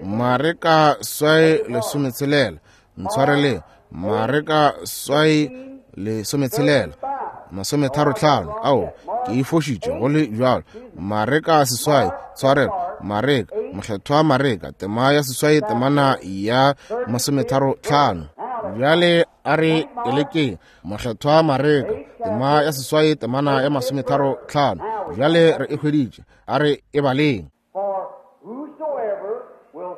Mareka swai lesometshelela, ntshwareleng, Mareka swai lesometshelela masometharo tlhano. Ao, ke e fošitše go le bjalo. Mareka seswai, tshwarelo, Mareka, mokgethwa Mareka, tema ya seswai, temana ya masometharo tlhano. Bjale a re elekeng mokgethwa Mareka, tema ya seswai, temana ya masometharo tlhano. Bjale re e hweditše, a re e baleng.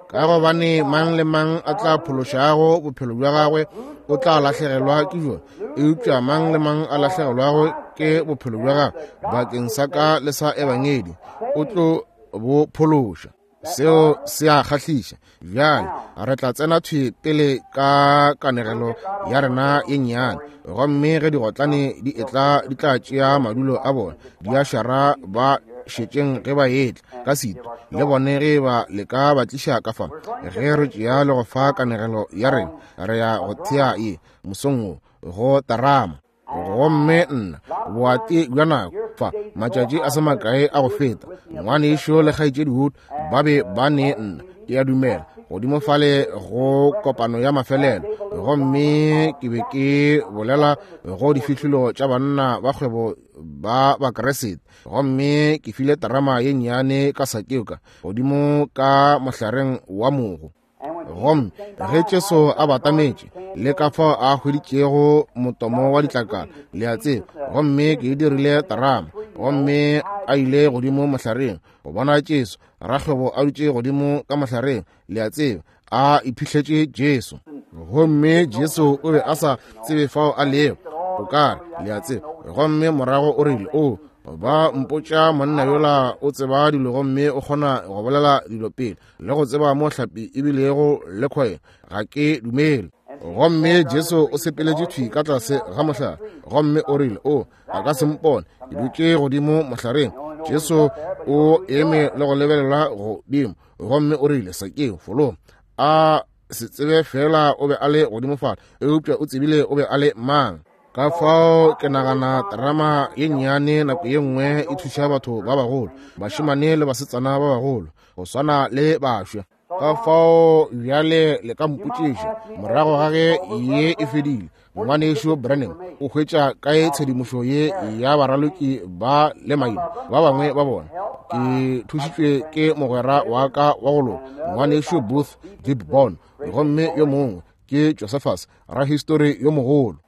Ka gobane mang le mang a tla phološago bophelo bja gagwe o tla lahlegelwa ke bjona, eupša mang le mang a lahlegelwago ke bophelo bja gagwe bakeng sa ka le sa ebangedi o tlo bo phološa. Seo se a kgahliša. Bjale re tla tsena thwi pele ka kanegelo ya rena ye nnyane, gomme ge digotlane di etla di tla tšea madulo a bona, di a šara ba šetšeng ge ba etla ka sito le bone ge ba le ka ba tliša ka fa. Ge re tšea le go fa kanegelo ya rena, re ya go thea ye mosong wo go tarama. Gomme nna boati bja nako fa matšatši a se makae a go feta, ngwanešo le kgaetšedi Wood ba be ba ne nna, ke a dumela, godimo fale go kopano ya mafelelo, gomme ke be ke bolela go difihlolo tša banna ba kgwebo ba Bakeresete, gomme ke file terama ye nnyane ka Sakeo godimo ka mohlareng wa mogo. Gomme ge Jesu a batametše le ka fao a hweditšego motomo wa ditlakala, le a tseba, gomme ke e dirile terama, gomme a ile godimo mohlareng go bona Jesu, rakgwebo a dutše godimo ka mohlareng, le a tseba, a iphihletše Jesu. Gomme Jesu o be a sa tsebe fao a lego, o ka re, le a tseba. Gomme morago o rile, o ba mpotša monna yola o tseba dilo gomme o kgona go bolela dilo pele le go tseba mo hlapi ebilego le kgwebo. Ga ke dumele. Gomme Jesu o sepeletše thwi ka tlase ga mohlare, gomme o rile, o a ka se mpone, ke dutše godimo mohlareng. Jesu o eme le go lebelela godimo, gomme o rile, Sakeo, fologa. A se tsebe fela o be a le godimo fale, eupša o tsebile o be a le mang. Ka fao ke nagana terama ye nnyane nako ye nngwe e thuša batho ba bagolo, bašemane le basetsana ba bagolo, go swana le bašwa. Ka fao bjale le ka mpotšiša morago ga ge ye e fedile, ngwanešu Branham o hwetša kae tshedimošo ye ya baraloki ba le maina ba bangwe ba bona? Ke thušitšwe ke mogwera wa ka wa go loka, ngwanešu Booth Gibson, gomme yo mongwe ke Josephus, rahistori yo mogolo.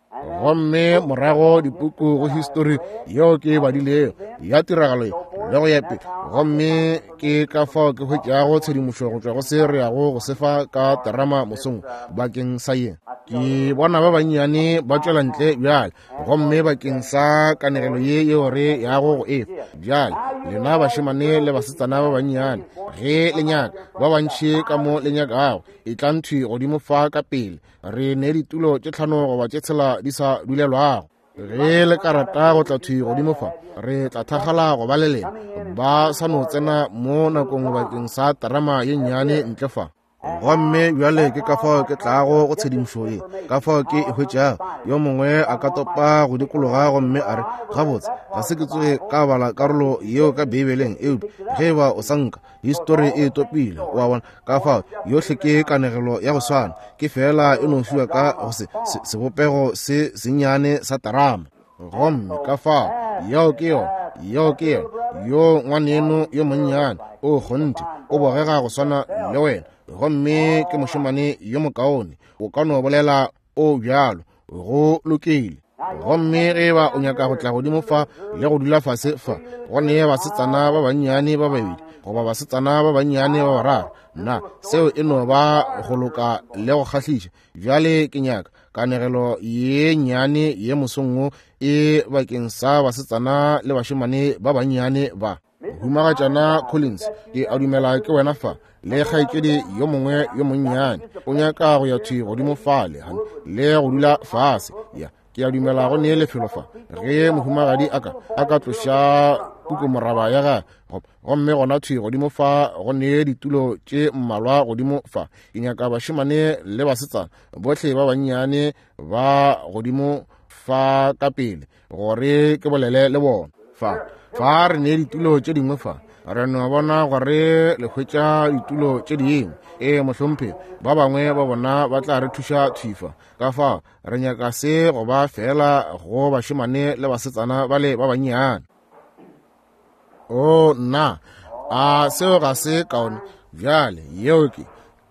Gomme morago dipuku go histori yeo ke e badilego ya tiragalo ye le go ya pele. Gomme ke ka fao ke hwetšago tshedimošo go tšwa go se re yago go sefa ka terama mosong bakeng sa ye. Ke bona ba bannyane ba tšwela ntle bjale, gomme bakeng sa kanegelo ye yeo re yago go efa bjale, lena bašemane le basetsana ba bannyane, ge le nyaka ba bantši ka mo le nyakago, e tla nthwi godimo fa ka pele. Re ne ditulo tše tlhano goba tše tshela di sa dulelwago. Ge le ka rata go tla thwi godimo fa, re tla thakgala go ba le lena. Ba sa no tsena mo nakong bakeng sa terama ye nnyane ntle fa. Gomme bjale ke ka fao ke tlago go tshedimošo ye, ka fao ke e hwetšago. Yo mongwe a ka topa go dikologa gomme a re, gabotse, ga se ke tsoge ka bala karolo yeo ka Beibeleng, eupša ge eba o sa nka, histori e topile, wa bona. Ka fao yohle ke kanegelo ya go swana, ke fela e no fiwa ka go se, se, sebopego se sennyane sa terama. Gomme ka fao yeo ke yona, yeo ke yona. Yo ngwaneno yo monnyane o kgonthe o bogega go swana le wena, gomme ke mošemane yo mokaone, o ka no bolela o bjalo, go lokile. Gomme ge ba o nyaka go tla godimo fa le go dula fase fa, go ne basetsana ba bannyane ba babedi goba basetsana ba bannyane ba bararo, nna seo e no ba go loka le go kgahliša. Bjale ke nyaka kanegelo ye nnyane ye mosong wo e bakeng sa basetsana le bašemane ba bannyane ba. Humagatšana Collins, ke a dumela ke wena fa, le kgaetšedi yo mongwe yo monnyane o nyaka go ya thwi godimo fale le go dula fase. Ya, ke a dumela go ne lefelo fa ge mohumagadi a ka a ka tloša pukumoraba ya gagwe, gomme gona thwi godimo fa go ne ditulo tše mmalwa godimo fa. Ke nyaka bašemane le basetsana bohle ba bannyane ba godimo fa ka pele gore ke bolele le bona. Fa fa re ne ditulo tše dingwe fa, re no bona gore le hwetša ditulo tše dingwe. Ee mohlomphegi, ba bangwe ba bona ba tla re thuša thwi fa. Ka fao re nyaka se go ba fela go bašemane le basetsana bale ba bannyane. O nna, a seo ga se kaone? Bjale yeo ke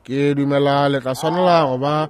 ke dumela le tla swanela go ba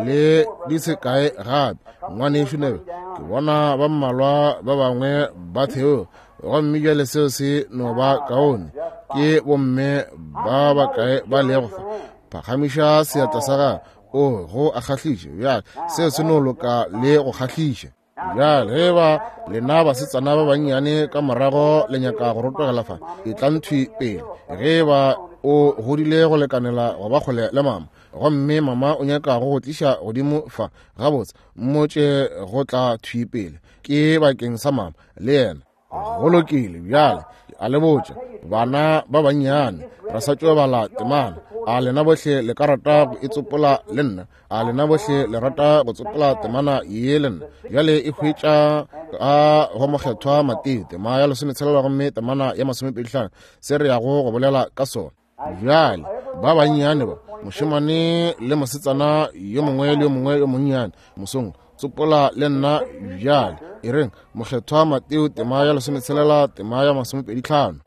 le di se kae gape, ngwanešu Nebe. Ke bona ba mmalwa ba bangwe ba theo, gomme bjale seo se no ba kaone. Ke bomme ba bakae ba lego fa? Phagamiša seatla sa gago. O go a kgahliša. Bjale seo se no loka le go kgahliša. Bjale ge ba lena basetsana ba bannyane ka morago le nyaka go rotogela fa, e tla nthwi pele. Ge ba o godile go lekanela go ba kgole le mama, gomme mama o nyaka go go tliša godimo fa, gabotse mmotše go tla thwi pele, ke bakeng sa mama le yena. Go lokile. Bjale a le botša bana ba bannyane, re sa tšo bala temana. A lena bohle le ka rata go e tsopola le nna? A lena bohle le rata go tsopola temana ye le nna? Bjale e hwetša ka go mokgethwa Mateo, tema ya lesometshelela gomme temana ya masomepedi hlano, se re yago go bolela ka sona. Bjale ba bannyane ba, mošemane le mosetsana yo mongwe le yo mongwe yo monnyane mosong, tsopola le nna bjale. E reng mokgethwa Mateo tema ya lesometshelela tema ya masomepedi hlano.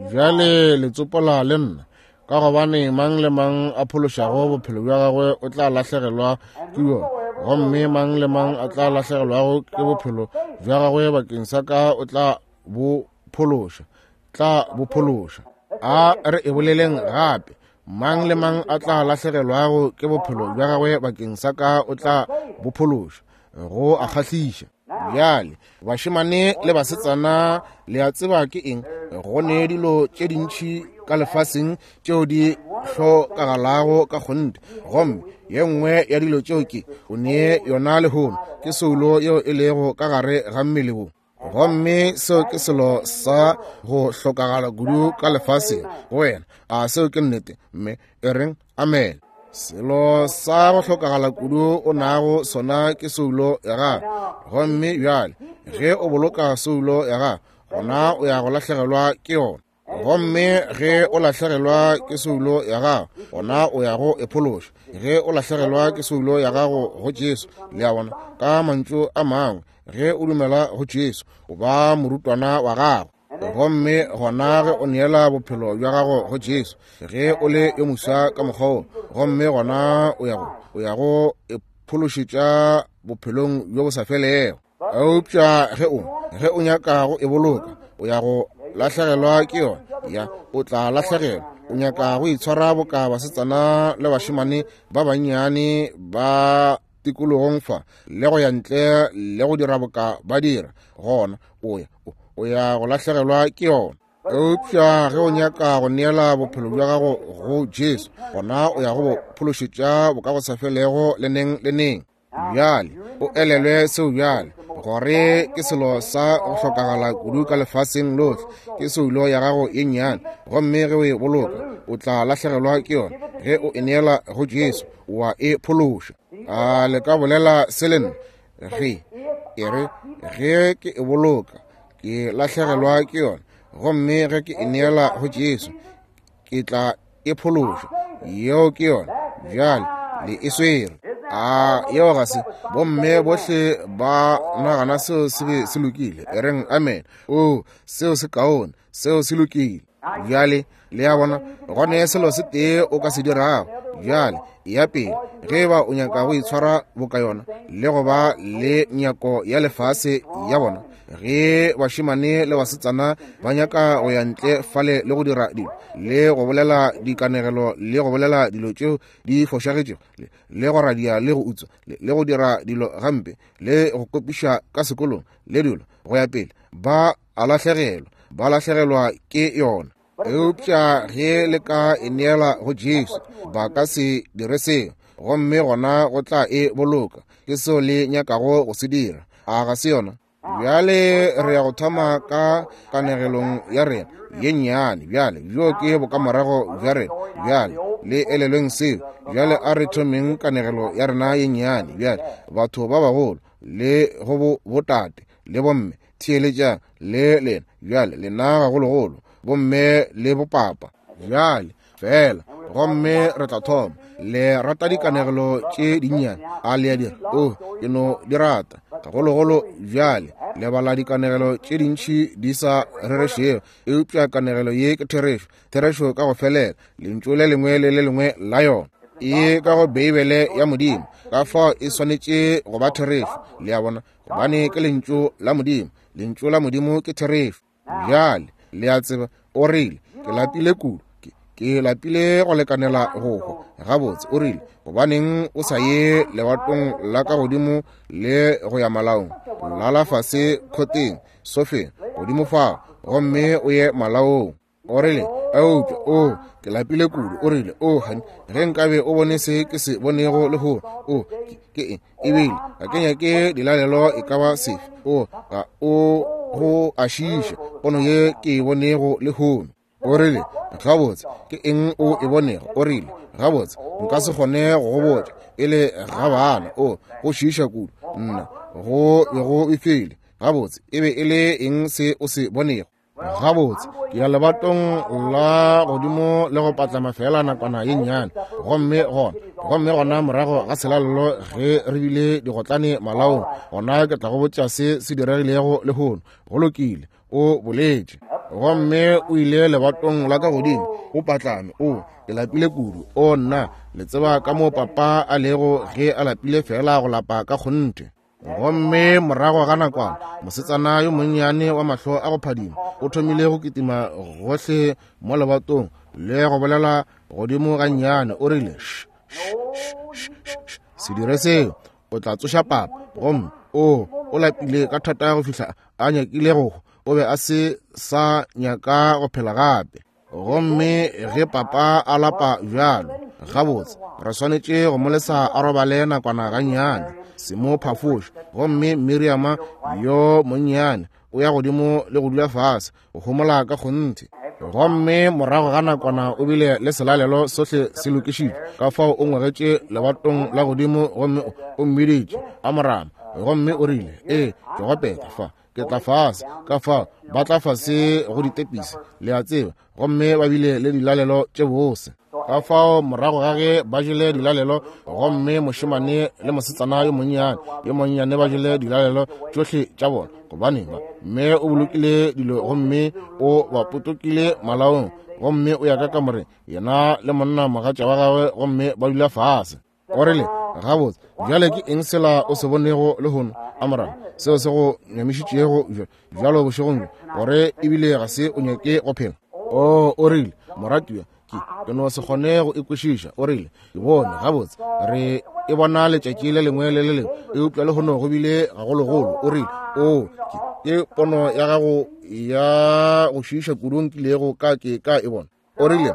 Bjale le tsopola le nna, ka gobane mang le mang a phološago bophelo bja gagwe o tla lahlegelwa ke bjona, gomme mang le mang a tla lahlegelwago ke bophelo bja gagwe bakeng sa ka o tla bo phološa, tla bo phološa. A re e boleleng gape. Mang le mang a tla lahlegelwago ke bophelo bja gagwe bakeng sa ka o tla bo phološa. Go a kgahliša. Bjale, bašemane le basetsana, le a tseba ke eng? Go ne dilo tše dintši ka lefaseng tšeo di hlokagalago ka kgonthe. Gomme ye nngwe ya dilo tšeo ke o ne yona lehono ke soulo yeo e lego ka gare ga mmele wo. Gomme seo ke selo sa go hlokagala kudu ka lefaseng go wena. A seo ke nnete? Mme e reng amen. Selo sa go hlokagala kudu o nago sona ke soulo ya gago. Gomme bjale ge o boloka soulo ya gago, gona o ya go lahlegelwa ke yona. Gomme ge o lahlegelwa ke soulo ya gago, gona o ya go e phološa. Ge o lahlegelwa ke soulo ya gago go Jesu, le a bona, ka mantšu a mangwe, ge o dumela go Jesu, o ba morutwana wa gago. Gomme gona ge o neela bophelo bja gago go Jesu, ge o le yo moswa ka mokgwa wo, gomme gona o ya go o ya go e phološetša bophelong bjo bo sa felego. Eupša ge o ge o nyaka go e boloka, o ya go lahlegelwa ke yona. Ya, o tla lahlegelwa. O nyaka go itshwara boka basetsana le bašemane ba bannyane ba tikologong fa, le go ya ntle le go dira boka ba dira, gona o ya o ya go lahlegelwa ke yona. Eupša ge o nyaka go neela bophelo bja gago go Jesu, gona o ya go bo phološetša bokagosafelego le neng le neng. Bjale o elelwe seo bjale, gore ke selo sa go hlokagala kudu ka lefaseng lohle, ke soulo ya gago ye nnyane. Gomme ge o e boloka, o tla lahlegelwa ke yona. Ge o e neela go Jesu, wa e phološa. A le ka bolela se le nna? Ge e re ge ke e boloka, ke lahlegelwa ke yona. Gomme ge ke e neela go Jesu, ke tla e phološa. Yeo ke yona. Bjale le e swere. A yeo ga se bomme bohle ba nagana seo se be se lokile? E reng amen. O, seo se kaone, seo se lokile. Bjale le a bona, gone selo se tee o ka se dirago. Bjale ya pele, ge ba o nyaka go itshwara boka yona le go ba le nyako ya lefase ya bona, ge bašemane le basetsana ba nyaka go ya ntle fale le go dira dilo le go bolela dikanegelo le go bolela dilo tšeo di fošagetšego le go radia le go utswa le go dira dilo gampe le go kopiša ka sekolong le dilo go ya pele, ba a lahlegelwa, ba lahlegelwa ke yona. Eupša ge le ka e neela go Jesu, ba ka se dire seo, gomme gona go tla e boloka. Ke seo le nyakago go se dira. A ga se yona? Bjale re ya go thoma ka kanegelong ya rena ye nnyane. Bjale bjo ke bokamorago bja rena. Bjale le elelweng seo. Bjale a re thomeng kanegelo ya rena ye nnyane. Bjale batho ba bagolo le go bo botate le bomme, theeletšang le lena. Bjale lena gagologolo, bomme le bopapa. Bjale fela, gomme re tla thoma. Le rata dikanegelo tše dinnyane? A le a dira? O, ke no di rata gagologolo. Bjale le bala dikanegelo tše dintši di sa rerešego, eupša kanegelo ye ke therešo, therešo ka go felela, lentšu le lengwe le le lengwe la yona e ka go Beibele ya Modimo. Ka fao e swanetše go ba therešo, le a bona, gobane ke lentšu la Modimo. Lentšu la Modimo ke therešo. Bjale le a tseba, o rile, ke lapile kudu, ke lapile go lekanela go hwa. Gabotse, o rile, gobaneng o sa ye lebatong la ka godimo le go ya malaong? Lala fase khoteng, sofeng, godimo fao, gomme o ye malaong. O rile, eupša, o, ke lapile kudu. O rile, o, honey, ge nkabe o bone se ke se bonego lehono, o, ke eng? Ebile ga ke nyake dilalelo e ka ba sefe. O, ga o go a šiša pono ye ke e bonego lehono. O rile, gabotse, ke eng o e bonego? O rile, gabotse, nka se kgone go go botša e le ga bana. O, go šiša kudu nna, go be go befile. Gabotse, e be e le eng se o se bonego? Gabotse, ke ya lebatong la godimo le go patlama fela nakwana ye nnyane. Gomme gona, gomme gona morago ga selalelo ge re bile digotlane malaong, gona ke tla go botša se se diregilego lehono. Go lokile, o boletše. Gomme o ile lebatong la ka godimo, o patlame. O, ke lapile kudu. O nna, le tseba ka mo papa a lego ge a lapile fela go lapa ka kgonthe. Gomme morago ga nakwana mosetsana yo monnyane wa mahlo a go phadima o thomile go kitima gohle mo lebatong le go bolela godimo gannyane. O rile, se dire seo, o tla tsoša papa. Gomme o o lapile ka thata go fihla a nyakile go hwa. O be a se sa nyaka go phela gape. Gomme ge papa a lapa bjalo, gabotse re swanetše go mo lesa a robale nakwana gannyane, se mo phafoše. Gomme Miriama yo monnyane o ya godimo le go dula fase go homola ka kgonthe. Gomme morago ga nakwana o bile le selalelo sohle se lokišitšwe, ka fao o ngwegetše lebatong la godimo gomme o mmiditše Amorama. Gomme o rile, ee, ke gopeta fa, ke tla fase. Ka fao ba tla fase go ditepisi, le a tseba, gomme ba bile le dilalelo tše bose. Ka fao morago ga ge ba jele dilalelo, gomme mošemane le mosetsana yo monnyane yo monnyane ba jele dilalelo tšohle tša bona, gobane ba mme o bolokile dilo gomme o ba potokile malaong, gomme o ya ka kamoreng yena le monna mogatša wa gagwe, gomme ba dula fase. O rile, gabotse bjale ke eng sela o se bonego lehono, Amorama, seo se go nyamišitšego bjalo bošegong bjo, gore ebile ga se o nyake go phela? O o rile, moratiwa, ke ke no se kgone go e kwešiša. O rile, ke bone gabotse re e bona letšatši le lengwe le le lengwe, eupša lehono go bile gagologolo. O rile, o ke ke pono ya gago ya go šiiša kudu nkilego ka ke ka e bona. O rile,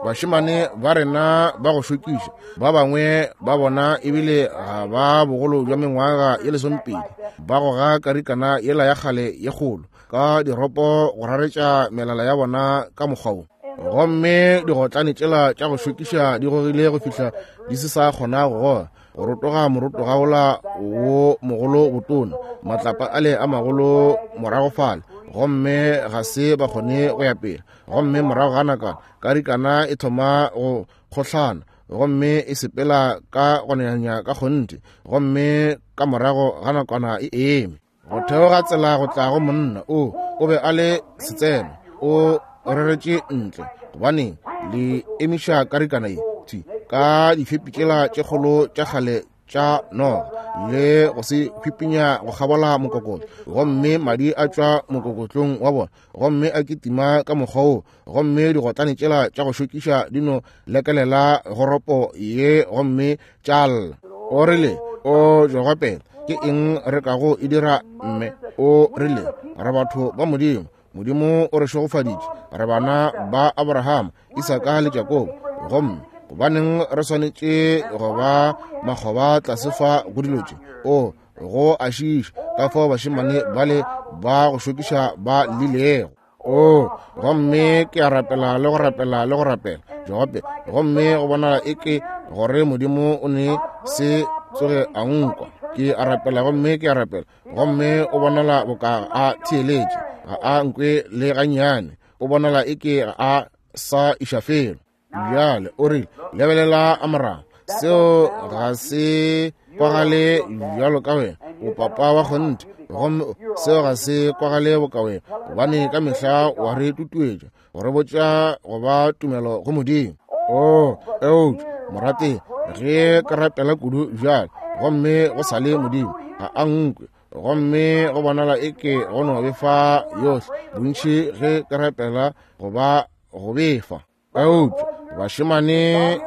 bašemane ba rena ba go šokiša, ba bangwe ba bona ebile ga ba bogolo bja mengwaga ye lesomepedi, ba goga karikana yela ya kgale ye kgolo ka diropo go raretša melala ya bona ka mokgwa wo. Gomme digotlane tšela tša go šokiša di gogile go fihla di se sa kgona go goga, go rotoga morotoga wola wo mogolo botona, matlapa ale a magolo morago fale, gomme ga se ba kgone go ya pele. Gomme morago ga nakwana karikana e thoma go kgohlana, gomme e sepela ka go nanya ka kgonthe, gomme ka morago ga nakwana e eme. Go theoga tsela go tla go monna o o be a le setseno, o reretše ntle, gobane le emiša karikana ye thwi ka difepi tšela tše kgolo tša kgale tša noga le go se hwipinya go kgabola mokokotlo, gomme madi a tšwa mokokotlong wa bona, gomme a kitima ka mokgwa wo, gomme digotlane tšela tša go šokiša di no lekelela goropo ye gomme tša lla. O rile, o jogopela, ke eng re kago e dira mme? O rile, re batho ba Modimo, Modimo o re šegofaditše, re bana ba Abrahama, Isaka le Jakobo, gomme gobaneng re swanetše go ba makgoba tlase fa go dilo tše? O go a šiiša ka fao bašemane bale ba go šokiša ba llilego. O gomme ke a rapela le go rapela le go rapela Jope, gomme go bonala eke gore Modimo o ne se tsoge a nkwa. Ke a rapela gomme ke a rapela, gomme o bonala boka a theeletše, ga a nkwe le gannyane, o bonala eke ga a sa iša felo. Bjale o rile, lebelela Amorama, seo ga se kwagale bjalo ka wena, o papa wa kgonthe, gomme seo ga se kwagale boka wena, gobane ka mehla wa re tutuetša go re botša go ba tumelo go Modimo. O eupša morate, ge ke rapela kudu bjale, gomme go sa le Modimo ga a nkwe, gomme go bonala eke go no befa yohle bontši ge ke rapela go ba go befa. Eupša bašemane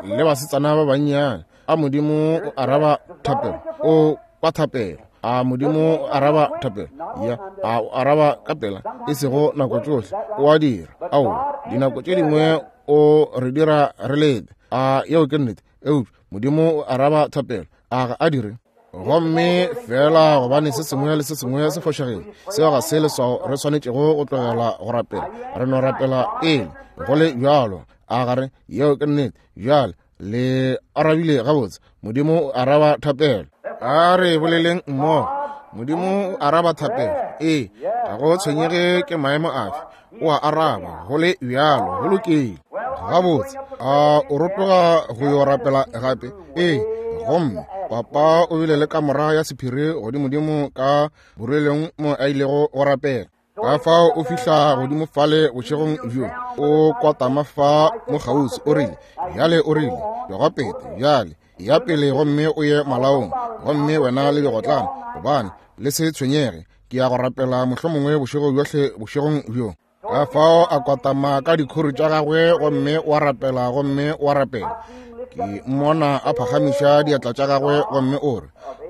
le basetsana ba bannyane, a Modimo o araba thapelo, o kwa thapelo. A Modimo o araba thapelo? Ya, a o araba ka pela, e sego nako tšohle o a dira. Aowa, dinako tše dingwe o re dira re lete. A yeo ke nnete. Eupša Modimo o araba thapelo, a ga a dire? Gomme fela gobane se sengwe le se sengwe se fošagile, seo ga se leswao re swanetšego go tlogela go rapela. Re no rapela pele go le bjalo. A gare yeo ke nnete. Bjale le arabile gabotse. Modimo o araba thapelo. A re boleleng mmogo. Modimo o araba thapelo. Ee, ga go tshwenyege ke maemo afe, o a araba go le bjalo. Go lokile gabotse. A o rotoga go yo rapela gape? Ee. Gomme papa o bile le kamora ya sephiri godimodimo ka borelong mo a ilego go rapela. Ka fao o fihla godimo fale bošegong bjo, o kwatama fa mo kgauswi. O rile, bjale o rile, Jogopete, bjale Ya pele gomme o ye malaong, gomme wena le digotlane, gobane le se tshwenyege, ke ya go rapela mohlomongwe bošego bjohle bošegong bjo. Ka fao a kwatama ka dikhuru tša gagwe gomme wa rapela gomme wa rapela. Ke mmona a phagamiša diatla tša gagwe gomme o re,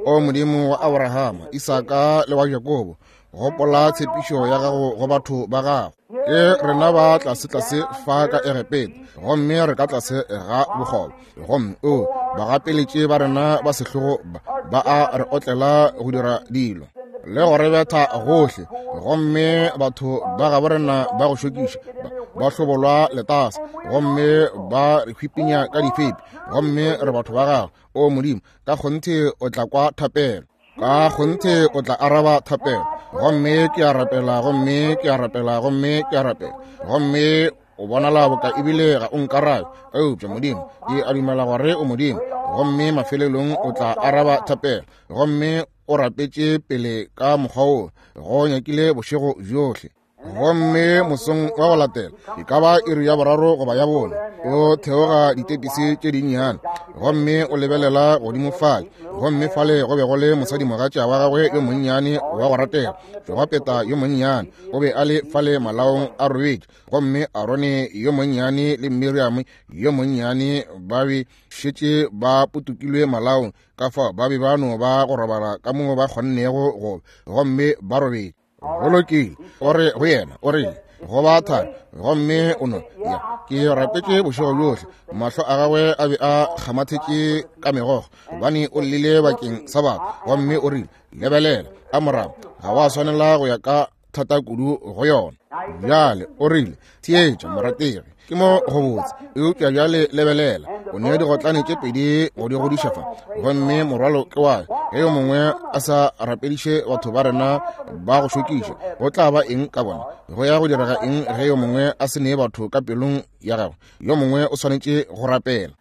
O Modimo wa Abrahama, Isaka le wa Jakobo, gopola tshepišo ya gago go batho ba gago. Ke rena ba tlase tlase fa ka Egepeta, gomme re ka tlase ga bokgoba. Gomme o bagapeletše ba rena ba sehlogo ba, ba a re otlela go dira dilo le go re betha gohle, gomme batho ba gabo rena ba go šokiša, ba, ba hlobolwa letase, gomme ba re hwipinya ka difepi, gomme re batho ba gago. O Modimo, ka kgonthe o tla kwa thapelo, ka kgonthe o tla araba thapelo. Gomme ke a rapela, gomme ke a rapela, gomme ke a rapela, gomme o bonala boka ebile ga o nkarabe, eupša Modimo, ke a dumela gore o Modimo, gomme mafelelong o tla araba thapelo. Gomme o rapetše pele ka mokgwa wo go nyakile bošego bjohle. Gomme mosong wa go latela, e ka ba iri ya boraro goba ya bone, o theoga ditepisi tše dinnyane, gomme o lebelela godimo fale, gomme fale go be go le mosadimogatša wa gagwe yo monnyane wa go ratega, Jogapeta yo monnyane, o be a le fale malaong a robetše, gomme Arone yo monnyane le Miriam yo monnyane ba be šetše ba potokilwe malaong, ka fao ba be ba no ba go robala ka mo ba kgonnego go, gomme ba robetše. Go lokile, o re go yena, o rile go ba thari, gomme o no ya. Ke rapetše bošego bjohle. Mahlo a gagwe a be a kgamathetše ka megokgo, gobane o llile bakeng sa batho. Gomme o rile, lebelela, Amoramo, ga wa swanela go ya ka thata kudu go yona. Bjale o rile, theetša morategi, ke mo go botse, eupša bjale lebelela, o ne digotlane tše pedi go di godiša fa, gomme morwalo ke wa ge yo mongwe a sa rapediše batho ba rena ba go šokiša, go tla ba eng ka bona? Go ya go direga eng ge yo mongwe a se nee batho ka pelong ya gagwe? Yo mongwe o swanetše go rapela.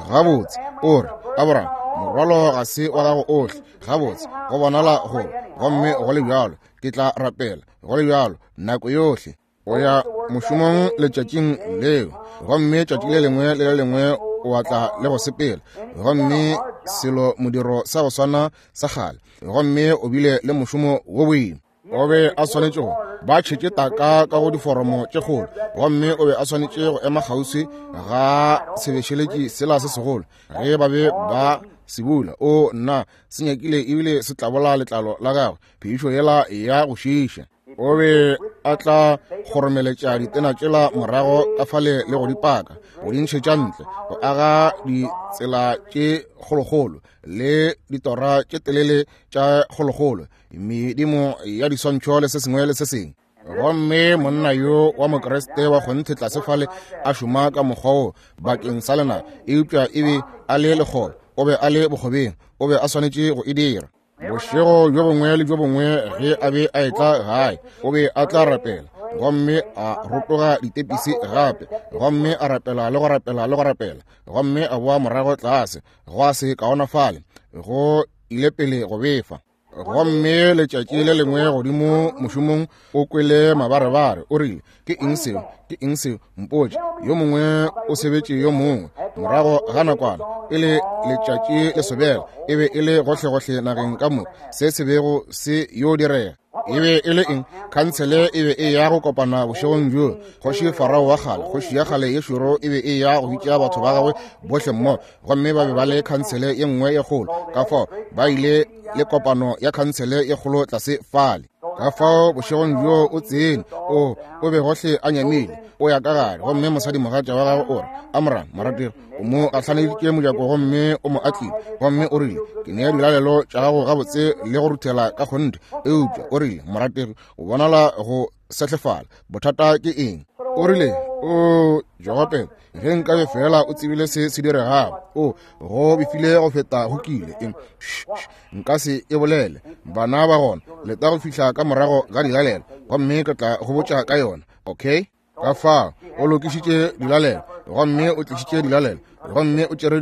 Gabotse, o re, Abraham, morwalo ga se wa gago ohle. Gabotse, go bonala go, gomme go le bjalo, ke tla rapela, go le bjalo, nako yohle. O ya mošomong letšatšing leo, gomme tšatši le lengwe le le lengwe o atla le go sepela, gomme selo modiro sa go swana sa kgale, gomme o bile le mošomo wo boima. O be a swanetše go ba tšhetše taka ka go diforomo tše kgolo, gomme o be a swanetše go ema kgauswi ga sebešeletši sela se segolo ge ba be ba se bula. O nna, se nyakile ebile se tlabola letlalo la gagwe, phišo yela ya go šiiša. O be a tla kgoromeletša ditena tšela morago ka fale le go di paka, go di ntšhetša ntle, go aga ditsela tše kgolokgolo le ditora tše telele tša kgolokgolo, medimo ya diswantšho le se sengwe le se sengwe. Gomme monna yo wa Mokriste wa kgonthe tlase fale a šoma ka mokgwa wo bakeng sa lena, eupša e be a le lekgoba, o be a le bokgobeng, o be a swanetše go e dira. Bošego bjo bongwe le bjo bongwe ge a be a etla gae, o be a tla rapela, gomme a rotoga ditepisi gape, gomme a rapela le go rapela le go rapela, gomme a boa morago tlase, gwa se kaonafale, go ile pele go befa. Gomme letšatši le lengwe godimo mošomong o kwele mabarebare, o rile, ke eng seo? Ke eng seo? Mpotše. Yo mongwe o sebetše yo mongwe. Morago ga nakwana, pele letšatši le sobela, e be e le gohlegohle nageng ka moka se se bego se yo direga. E be e le eng? Khansele e be e ya go kopana bošegong bjo. Kgoši Farao wa kgale, kgoši ya kgale ye šoro, e be e ya go bitša batho ba gagwe bohle mmogo, gomme ba be ba le khansele ye nngwe ye kgolo. Ka fao ba ile le kopano ya khansele ye kgolo tlase fale. Ka fao bošegong bjo o tsene, o o be gohle a nyamile, o ya ka gare, gomme mosadimogatša wa gagwe o re, Amram, morategi, o mo gahlaneditše mojako gomme o mo atlile, gomme o rile, ke nea dilalelo tša gago gabotse le go ruthela ka kgonthe, eupša o rile, morategi, o bonala go sehlefala, bothata ke eng? O rile, o Jogopela, ge nkabe fela o tsebile se se diregago, o go befile go feta go kile. Nka se e bolele, bana ba gona, leta go fihla ka morago ga dilalelo, gomme ke tla go botša ka yona. Okay? Ka fao o lokišitše dilalelo, gomme o tlišitše dilalelo, gomme o tšere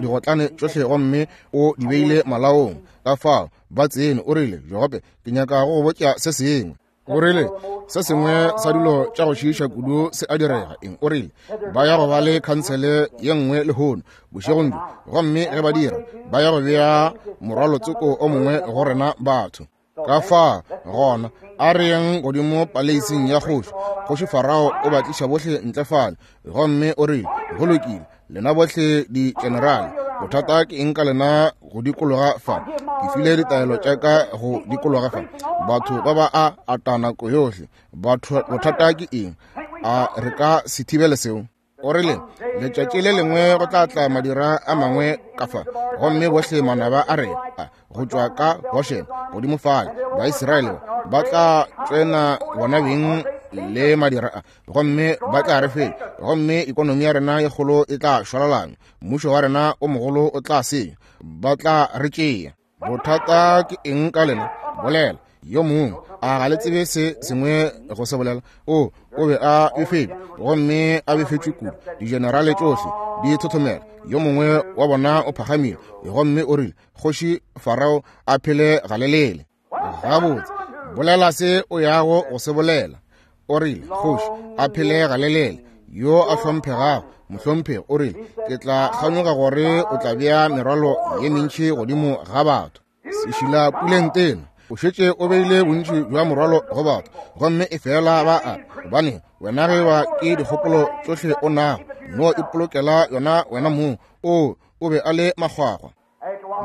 digotlane tšohle gomme o di beile malaong. Ka fao ba tsene, o rile, Jogope, ke nyaka go go botša se sengwe. O rile, se sengwe sa dilo tša go šiiša kudu se a direga. Eng? O rile, ba ya go ba le khansele ye nngwe lehono bošegong bjo, gomme ge ba dira, ba ya go bea morwalotsoko o mongwe go rena batho. Ka fa gona a re yeng godimo paleising ya kgoši. Kgoši Farao o ba tliša bohle ntle fale, gomme o rile, go lokile, lena bohle di-generale, bothata ke eng ka lena go dikologa fa? Ke file ditaelo tša ka go dikologa fa. Batho ba ba a ata nako yohle. Batho, bothata ke eng? A re ka se thibele seo? O rile, letšatši le lengwe go tla tla madira a mangwe ka fa, gomme bohle manaba a rena go tšwa ka Goshen godimo fale, Baisraele ba tla tsena bona beng le madira a, gomme ba tla re fetša, gomme ikonomi ya rena ye kgolo e tla šwalalanywa, mmušo wa rena o mogolo o tla senywa, ba tla re tšea. Bothata ke eng ka lena? Bolela yo mongwe. A ga le tsebe se sengwe go se bolela? O o be a befetšwe, gomme a befetšwe kudu. Digenerale tšohle di thothomela. Yo mongwe wa bona o phagamile gomme o rile, kgoši Farao a phele galelele. Gabotse, bolela se o yago go se bolela. O rile, kgoši a phele galelele, yo a hlomphegago mohlomphegi. O rile, ke tla kganyoga gore o tla bea merwalo ye mentši godimo ga batho. Sešila puleng tena, o šetše o beile bontši bja morwalo go batho, gomme e fela ba a gobane wena ge ba ke dikgopolo tšohle o nago, no ipolokela yona wena mong. O o be a le makgwakgwa.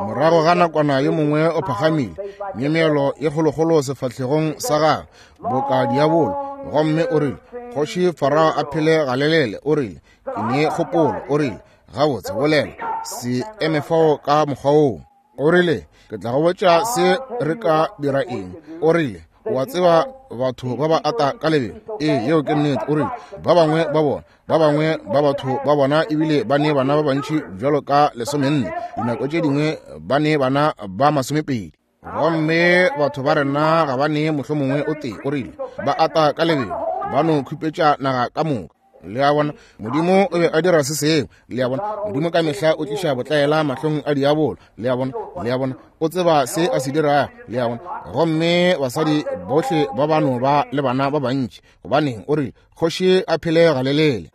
Morago ga nakwana yo mongwe o phagamile, myemyelo ye kgolokgolo sefahlegong sa gagwe boka diabolo, gomme o rile, kgoši Farao a phele galelele. O rile, ke ne kgopolo. O rile, gabotse, bolela, se eme fao ka mokgwa woo. O rile, ke tla go botša se re ka dira eng. O rile, wa tseba batho ba ba ata ka lebelo. Ee, yeo ke nnete. O rile, ba bangwe ba bona, ba bangwe ba batho ba bona ebile ba ne bana ba bantši bjalo ka lesomenne, dinako tše dingwe ba ne bana ba masomepedi, gomme batho ba rena ga ba ne mohlomongwe o tee. O rile, ba ata ka lebelo, ba no khupetša naga ka moka. Le a bona, Modimo o be a dira se sengwe. Le a bona, Modimo ka mehla o tliša botlaela mahlong a diabolo. Le a bona, le a bona, o tseba se a se dirago. Le a bona, gomme basadi bohle ba ba no ba le bana ba bantši. Gobaneng, o rile, kgoši a phele galelele.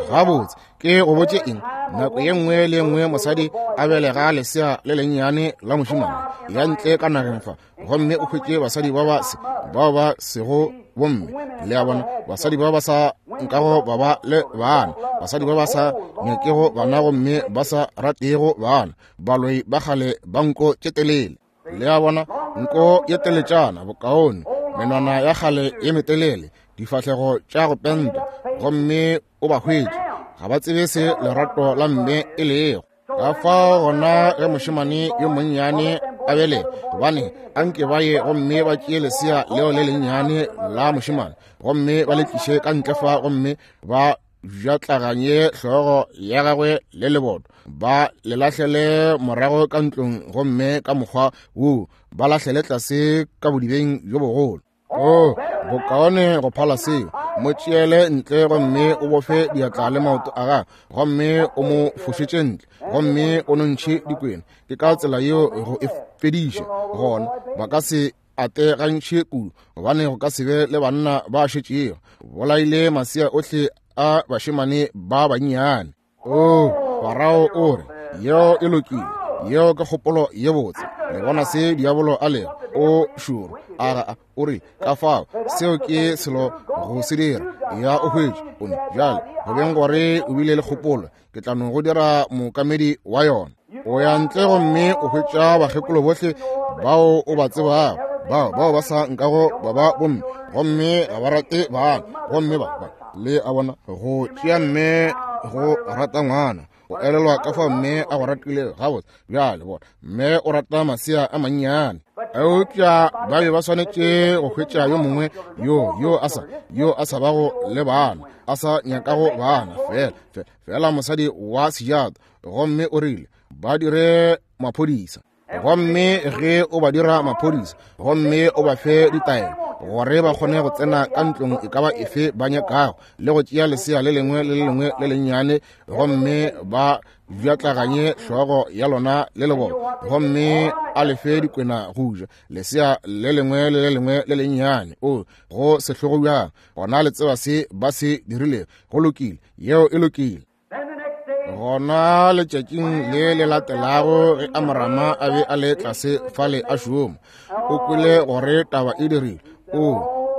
Gabotse, ke go botše eng? Nako ye nngwe le nngwe mosadi a belega lesea le lennyane la mošemane ya ntle ka nageng fa, gomme o hwetše basadi ba ba se bao ba sego bomme. Le a bona, basadi ba ba sa nkago ba ba le bana, basadi ba ba sa nyakego bana gomme ba sa ratego bana, baloi ba kgale ba nko tše telele. Le a bona, nko ye teletšana bokaone, menwana ya kgale ye metelele, difahlego tša go penta, gomme o ba hwetše ga ba tsebe se lerato la mme e lego. Ka fao gona ge mošemane yo monnyane a bele, gobane anke ba ye gomme ba tšee lesea leo le lennyane la mošemane gomme ba le tliše ka ntle fa, gomme ba bjatlaganye hlogo ya gagwe le leboto, ba le lahlele morago ka ntlong, gomme ka mokgwa woo ba lahlele tlase ka bodibeng bjo bogolo. O bokaone go phala seo, mo tšeele ntle gomme o bofe diatla le maoto a gagwe, gomme o mo fošetše ntle, gomme o nontšhe dikwena. Ke ka tsela yeo go e fediša. Gona ba ka se ate gantši kudu, gobane go ka se be le banna ba šetšego. Bolaile masea ohle a bašemane ba bannyane. O Farao o re, yeo e lokile, yeo ke kgopolo ye botse. Le bona se diabolo a lego, o šoro a ga o re ka fao seo ke selo go se dira. Ya o hwetše o ne bjale go beng gore o bile le kgopolo, ke tla no go dira mookamedi wa yona. O ya ntle gomme o hwetša bakgekolo bohle bao o ba tsebago, bao bao ba sa nkago ba ba bomme, gomme ga ba rate bana, gomme ba ba le a bona go tšea mme go rata ngwana, o elelwa ka fao mme a go ratile gabotse. Bjale bona, mme o rata masea a mannyane, eupša ba be ba swanetše go hwetša yo mongwe yo yo a sa yo a sa bago le bana, a sa nyakago bana, fela fela mosadi wa sejato. Gomme o rile ba dire maphodisa, gomme ge o ba dira maphodisa gomme o ba fe ditaelo, gore ba kgone go tsena ka ntlong e ka ba efe ba nyakago, le go tšea lesea le lengwe le le lengwe le lennyane, gomme ba bjatlaganye hlogo ya lona le lebolo, gomme a lefe dikwena go ja lesea le lengwe le le lengwe le lennyane. O go sehlogo bjang! Gona le tseba se ba se dirilego. Go lokile, yeo e lokile. Gona letšatšing le le latelago ge Amorama a be a le tlase fale a šoma, o kwele gore taba e dirile. O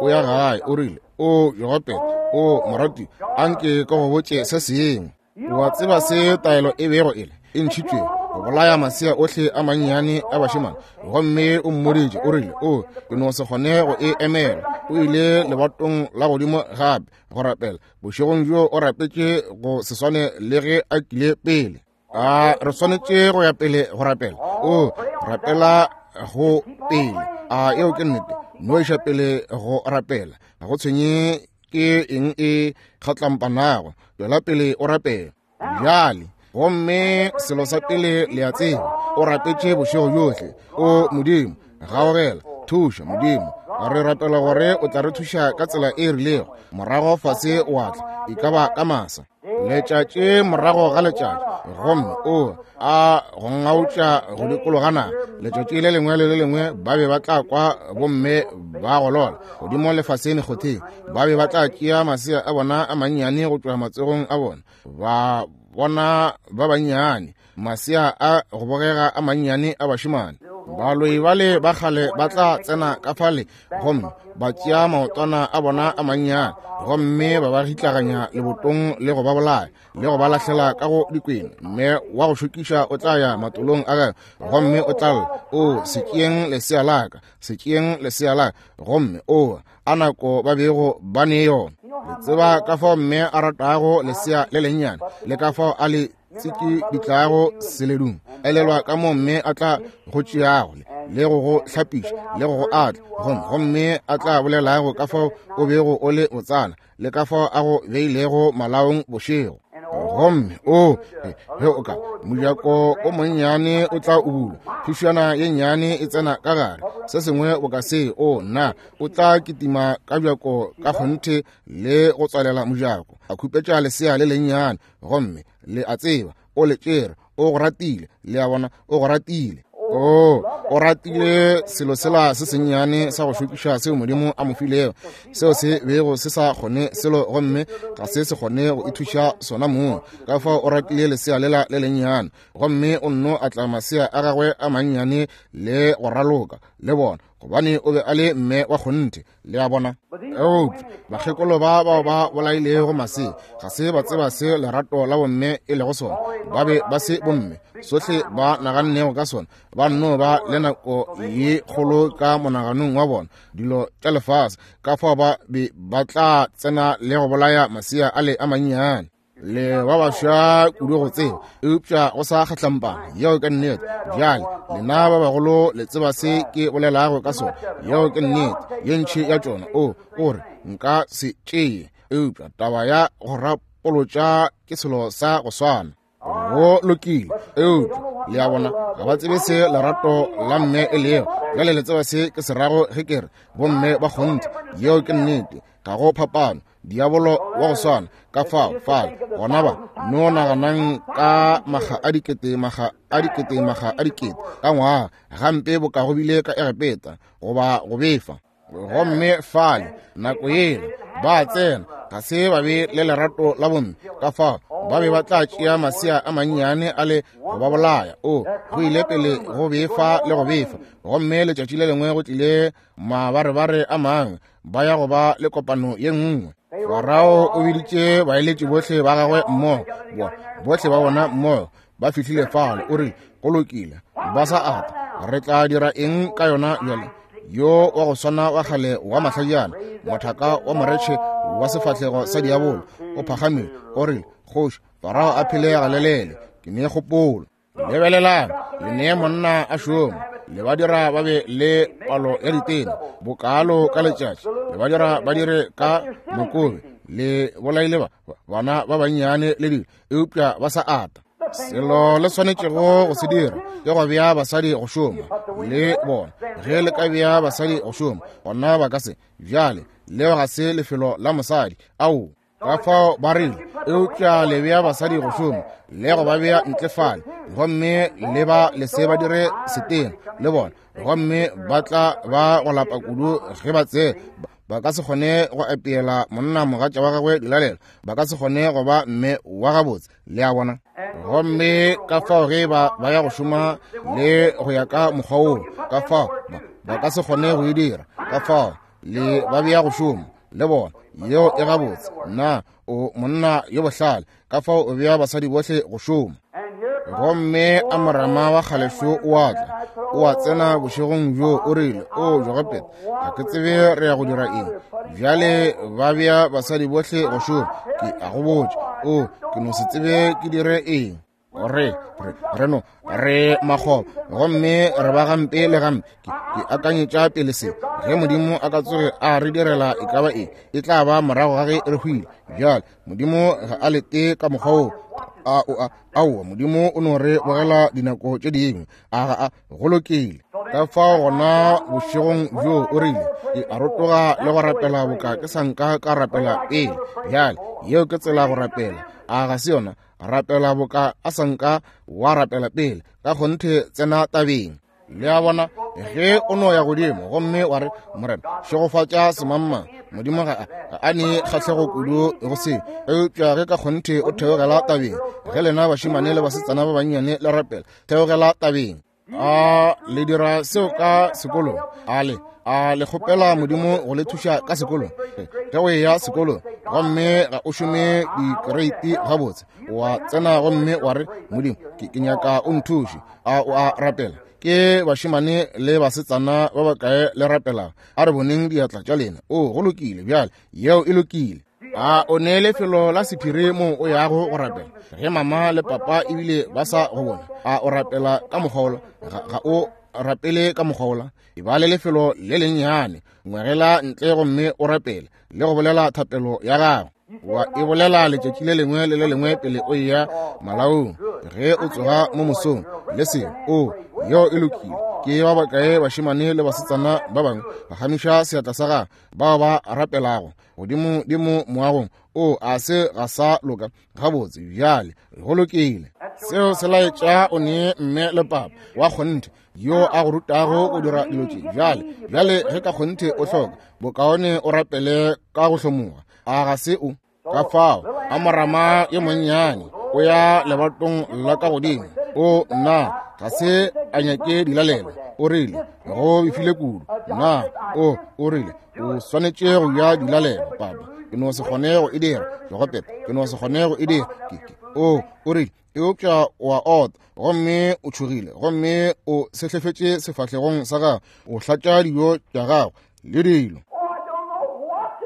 o ya gae, o rile, o Jogopet, o morati, anke ka go botše se sengwe. Wa tseba se taelo e bego e le e ntšhitšwego go bolaya masea ohle a mannyane a bašemane. Gomme o mmoditše, o rile, o ke no se kgone go e emela. O ile lebatong la godimo gape go rapela. Bošegong bjo o rapetše go se swane le ge a kile pele. A re swanetše go ya pele go rapela. O rapela go pele. A eo ke nnete. No iša pele go rapela. Ga go tshwenye ke eng e kgatlampanago, tšwela pele o rapela. Bjale gomme selo sa pele le a tseba, o rapetše bošego bjohle. O Modimo, gaogela, thuša Modimo. Re rapela gore o tla re thuša ka tsela e rilego. Morago fase wa tla, e ka ba ka masa, letšatši morago ga letšatši, gomme o a go ngautša go dikologa naga. Letšatši le lengwe le le lengwe ba be ba tla kwa bomme ba golola godimo lefaseng kgotheng. Ba be ba tla tšea masea a bona a mannyane go tšwa matsogong a bona, ba bona ba bannyane, masea a go bogega a mannyane a bašemane. Baloi bale ba kgale ba tla tsena ka fale gomme ba tšea maotwana a bona a mannyane, gomme ba ba gitlaganya lebotong le go ba bolaya le go ba lahlela ka go dikwena. Mme wa go šokiša o tla ya matolong a gagwe gomme o tla lla, o se tšeeng lesea la ka, se tšeeng lesea la ka. Gomme o a nako ba bego ba ne yona. Le tseba ka fao mme a ratago lesea le lennyane, le ka fao a le tsiki ditlago seledung. Elelwa ka mo mme a tla go tšeago le go go hlapiša le go go atla, gomme gomme a tla bolelago ka fao o bego o le botsana, le ka fao a go beilego malaong bošego. Gomme o ge o ka mojako o monnyane o tla o bula, phušana ye nnyane e tsena ka gare, se sengwe boka se. O nna o tla kitima ka bjako ka kgonthe le go tswalela mojako, a khupetša lesea le lennyane. Gomme le a tseba o le tšere, o go ratile. Le a bona, o go ratile. O o ratile selo sela se sennyane sa go šokiša seo Modimo a mo filego, seo se bego se sa kgone selo gomme ga se se kgone go ithuša sona mong. Ka fao o ratile lesea lela le lennyane, gomme o nno atla masea a gagwe a mannyane le go raloka le bona, gobane o be a le mme wa kgonthe. Le a bona. Eupša bakgekolo ba bao ba bolailego masea ga se ba tseba se lerato la bomme e lego sona. Ba be ba se bomme, sohle ba nagannego ka sona. Ba nno ba le nako ye kgolo ka monaganong wa bona, dilo tša lefase. Ka fao ba be ba tla tsena le go bolaya masea a le a mannyane. Le ba baswa kudu go tseba, eupša go sa kgatlampana. Yeo ke nnete. Bjale lena ba bagolo le tseba se ke bolelago ka sona. Yeo ke nnete. Ye ntši ya tšona o o re nka se tšee, eupša taba ya go rapolotša ke selo sa go swana. Go lokile, eupša le a bona ga ba tsebe se lerato la mme e lego. Bjale le tseba se ke se rago ge ke re bomme ba kgonthe. Yeo ke nnete. Ga go phapano. Diabolo wa go swana ka fao fale gona ba no naganang ka maga a dikete, maga a dikete, maga a dikete ka ngwaga, gampe boka go bile ka Egepeta goba go befa. Gomme fale nako yela ba tsena, ga se ba be le lerato la bomme, ka fao ba be ba tla tšea masea a mannyane a le go ba bolaya. O go ile pele go befa le go befa. Gomme letšatši le lengwe go tlile mabarebare a mangwe, ba ya go ba le kopano ye nngwe. Farao o biditše baeletši bohle ba gagwe mmogo, bohle ba bona mmogo ba fihlile fale. O rile, go lokile, ba sa ata, re tla dira eng ka yona bjale? Yo wa go swana wa kgale wa mahlajana, mothaka wa moretšhe wa sefahlego sa diabolo, o phagamile, o rile, kgoši Farao a phele galelele, ke ne kgopolo. Lebelelang, le nee monna a šoma, le ba dira ba be le palo ya ditena bokalo ka letšatši, le ba dira ba dire ka mokobe, le bolaile ba bana ba bannyane le dilo, eupša ba sa ata. Selo le swanetšego go se dira ke go bea basadi go šoma le bona. Ge le ka bea basadi go šoma, gona ba ka se. Bjale leo ga se lefelo la mosadi. Ao, ka fao ba rile, eupša le bea basadi go šoma le go ba bea ntle fale, gomme le ba le se ba dire setena le bona, gomme ba tla ba go lapa kudu ge ba tsee. Ba ka se kgone go apeela monna mogatša wa gagwe dilalelo, ba ka se kgone go ba mme wa gabotse, le a bona. Gomme ka fao ge ba ba ya go šoma le go ya ka mokgwa woo, ka fao ba, ba ka se kgone go e dira. Ka fao le ba bea go šoma le bona, yeo e gabotse. Na o monna yo bohlale, ka fao o bea basadi bohle go šoma. Gomme Amorama wa kgalešo o a tla, o a tsena bošegong bjo, o rile, o Jogopet, ga ke tsebe re ya go dira eng. Bjale ba bea basadi bohle go šoma, ke a go botša, o ke no se tsebe ke dire eng. Re, re, re no, re makgoba, gomme re ba gampe le gampe. Ke, ke akanyetša pele se, ge Modimo a ka tsoge a re direla e ka ba eng, e tla ba morago ga ge re hwile. Bjale Modimo ga a lete ka mokgwa woo. A o a aowa, Modimo o no re bogela dinako tše dingwe. A ga a go lokile. Ka fao gona bošegong bjo o rile, ke a rotoga le go rapela boka ke sa nka ka rapela pele. Bjale yeo ke tsela go rapela, a ga se yona? Rapela boka a sa nka wa rapela pele, ka kgonthe tsena tabeng. Le a bona, ge o no ya godimo gomme wa re, Morena, šegofatša semangmang, Modimo ga a, ga a ne kgahlego kudu go se. Eupša ge ka kgonthe o theogela tabeng, ge lena bašemane le basetsana ba bannyane le rapela, theogela tabeng. A le dira seo ka sekolong? A le a le kgopela Modimo go le thuša ka sekolong? Ge o eya sekolong gomme ga o šome dikereiti gabotse, wa tsena gomme wa re, Modimo, ke, ke nyaka o nthuše. A o a rapela? Ke bašemane le basetsana ba bakae le rapelago? A re boneng diatla tša lena. O, go lokile bjale, yeo e lokile. A o ne lefelo la sephiri mo o yago go rapela? Ge mama le papa ebile ba sa go bona, a o rapela ka mokgwa wola? Ga, ga o rapele ka mokgwa wola. E ba le lefelo le lennyane, ngwegela ntle gomme o rapele le go bolela thapelo ya gago. Wa e bolela letšatši le lengwe le le lengwe pele o eya malaong, ge o tsoga mo mosong le seo. O, yeo e lokile. Ke ba bakae bašemane le basetsana ba bangwe ba gamiša seatla sa gagwe bao ba rapelago godimo dimo moagong? O, a se ga sa loka gabotse. Bjale go lokile. Seo se laetša o ne mme le papa wa kgonthe yo a go rutago go dira dilo tše. Bjale, bjale ge ka kgonthe o hloka, bokaone o rapele ka go hlomoga. A ga se o? Ka fao Amorama yo monnyane o ya lebatong la ka godimo. O, nna ga se a nyake dilalelo. O rile go befile kudu. Nna o, o rile o swanetše go ja dilalelo, papa. Ke no se kgone go e dira, Jogopet. Ke no se kgone go e dira. Ke, ke, o, o rile, eupša o a ota, gomme o tšhogile, gomme o sehlefetše sefahlegong sa gago, o hlatša dijo tša gago le dilo.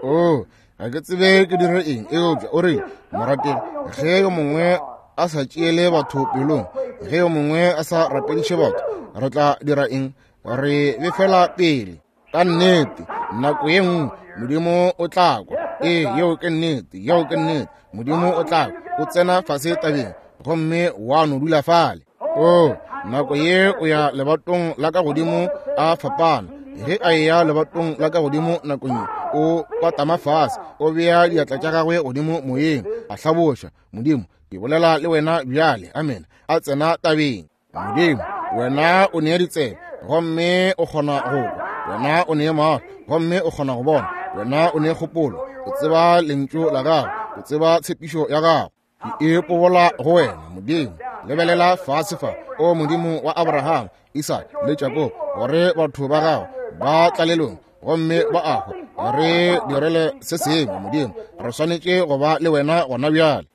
O, ga ke tsebe ke dire eng. Eupša o rile, morategi, ge yo mongwe a sa tšeele batho pelong, ge yo mongwe a sa rapediše batho, re tla dira eng? Re befela pele. Ka nnete, nako ye nngwe Modimo o tla kwa. Ee, yeo ke nnete, yeo ke nnete. Modimo o tla kwa. O tsena fase tabeng gomme wa no dula fale. O, nako ye o ya lebatong la ka godimo a fapana. Ge a eya lebatong la ka godimo nakong ye, o kwatama fase, o bea diatla tša gagwe godimo moyeng, a hlaboša, Modimo, ke bolela le wena bjale. Amen. A tsena tabeng. Modimo, wena o nea ditsebe gomme o kgona go kwa, wena o nea mahlo gomme o kgona go bona, wena o nea kgopolo, o tseba lentšu la gago, o tseba tshepišo ya gago. Ke e pobola go wena, Modimo. Lebelela fase fa, o Modimo wa Abraham, Isaka le Jakobo, gore batho ba gago ba tlalelong gomme ba a hwa. Re direle se sengwe, Modimo. Re swanetše go ba le wena gona bjale.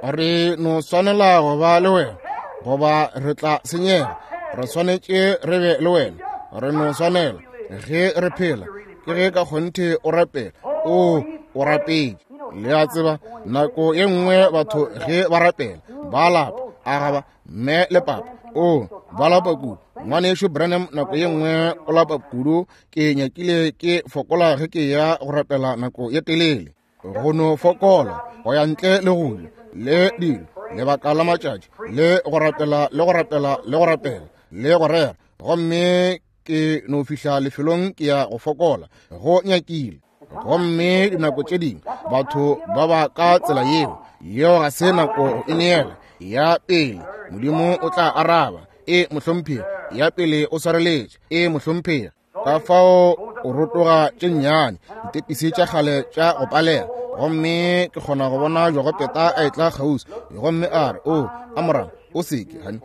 Re no swanela go ba le wena, goba re tla senyega. Re swanetše re be le wena. Re no swanela ge re phela, ke ge ka kgonthe o rapela. O, o rapetše. Le a tseba, nako ye nngwe batho ge ba rapela ba lapa. A ga ba mme le papa? O, ba lapa kudu. Ngwanešu Branham nako ye nngwe o lapa kudu. Ke nyakile ke fokola ge ke ya go rapela nako ye telele. Go no fokola go ya ntle le go ja le dilo, lebaka la matšatši, le go rapela le go rapela le go rapela le go rera, gomme ke no fihla lefelong ke ya go fokola go nyakile. Gomme dinako tše dingwe batho ba ba ka tsela yeo, yeo ga se nako go ineela. Ya pele Modimo o tla araba, e mohlomphegi. Ya pele o swareletše, e mohlomphegi. Ka fao o rotoga tše nnyane ditepisi tša kgale tša go palela, gomme ke kgona go bona Jogopeta a etla kgauswi, gomme a re, o Amram, o seke, hani,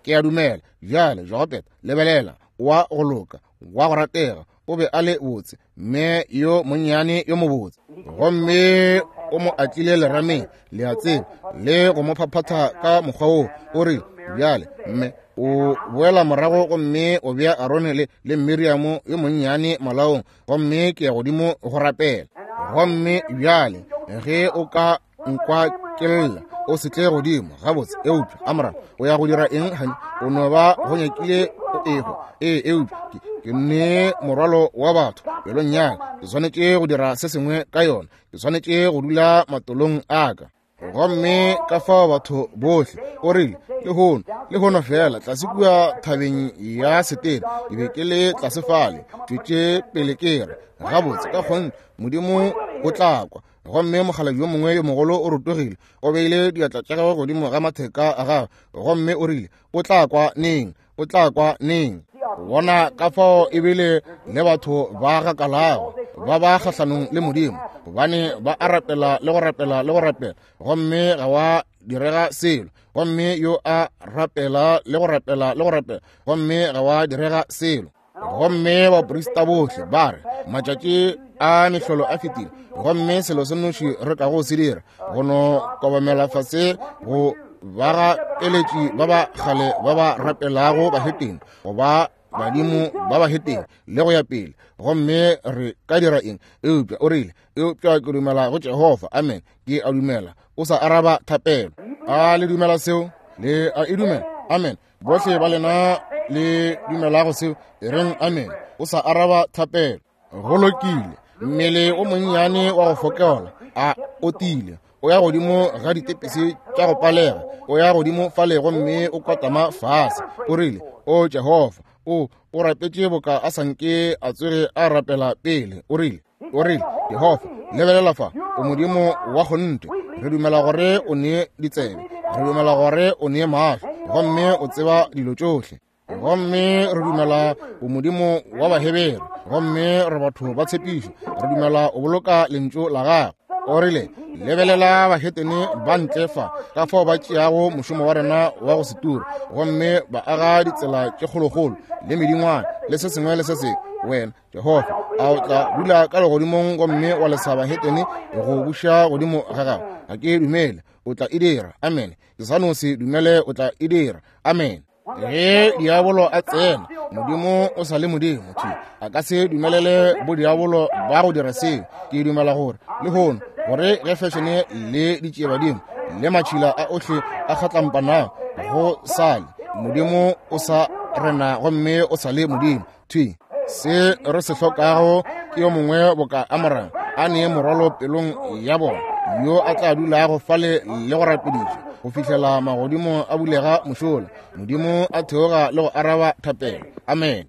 ke a dumela. Bjale Jogopeta, lebelela, wa go loka, wa go ratega, o be a le botse, mme yo monnyane yo mobotse. Gomme o mo atlile lerameng, le a tseba, le go mo phaphatha ka mokgwa woo. O re, bjale mme o boela morago gomme o bea Arone le, le Miriamo yo monnyane malaong, gomme ke ya godimo go rapela. Gomme bjale ge o ka nkwa ke lla, o se tle godimo gabotse. Eupša Amram, o ya go dira eng, hani? O no ba go nyakile o ehwa. Ee, eupša ke, ke nne morwalo wa batho pelong ya ka. Ke swanetše go dira se sengwe ka yona. Ke swanetše go dula matolong a ka. Gomme ka fao batho bohle, o rile, lehono, lehono fela, tlase kua thabeng ya Setere, ke be ke le tlase fale, tšwetše pele ke re, gabotse ka kgonthe Modimo o tla kwa. Gomme mokgalabje yo mongwe yo mogolo o rotogile, o beile diatla tša gagwe godimo ga matheka a gagwe, gomme o rile, o tla kwa neng? O tla kwa neng? Bona ka fao ebile le batho ba gakalago ba ba kgahlanong le Modimo, gobane ba a rapela le go rapela le go rapela, gomme ga wa direga selo. Gomme yo a rapela le go rapela le go rapela, gomme ga wa direga selo. Gomme baprista bohle ba re, matšatši a mehlolo a fetile, gomme selo se nnoši re kago se dira go no kobamela fase go bagapeletši ba ba kgale ba ba rapelago bahetene, goba badimo ba bahetene, le go ya pele. Gomme re ka dira eng? Eupša o rile, eupša ke dumela go Jehofa. Amen. Ke a dumela o sa araba thapelo. A le dumela seo? Le a e dumela? Amen. Bohle ba lena le dumelago seo, e reng amen. O sa araba thapelo. Go lokile. Mmele o monnyane wa go fokola a o tile, o ya godimo ga ditepisi tša go palega, o ya godimo fale gomme o kwatama fase. O rile, o Jehofa, o o rapetše boka a sanke a tsoge a rapela pele. O rile, o rile, Jehofa, lebelela fa, o Modimo wa kgonthe. Re dumela gore o nee ditsebe, re dumela gore o nee mahlo, gomme o tseba dilo tšohle. Gomme re dumela o Modimo wa Bahebere, gomme re batho ba tshepišo. Re dumela o boloka lentšu la gago. O rile, lebelela bahetene ba ntle fa, ka fao ba tšeago mošomo wa rena wa go se tura, gomme ba aga ditsela tše kgolokgolo le medingwana le se sengwe le se sengwe. Wena Jehofa, a o tla dula ka legodimong gomme wa lesa bahetene go buša godimo ga gago? Ga ke dumele o tla e dira. Amen. Ke sa no se dumele o tla e dira. Amen. Ge diabolo a tsena, Modimo o sa le Modimo. Thwi a ka se dumelele bodiabolo ba go dira seo. Ke dumela gore lehono, gore ge fešene le ditšiebadimo le matšhila a ohle a kgatlampanago go sale, Modimo o sa rena gomme o sa le Modimo. Thwi se re se hlokago ke yo mongwe boka Amram, a nee morwalo pelong ya bona, yo a tla dulago fale le go rapediša go fihlela magodimo a bulega mošola, Modimo a theoga le go araba thapelo. Amen.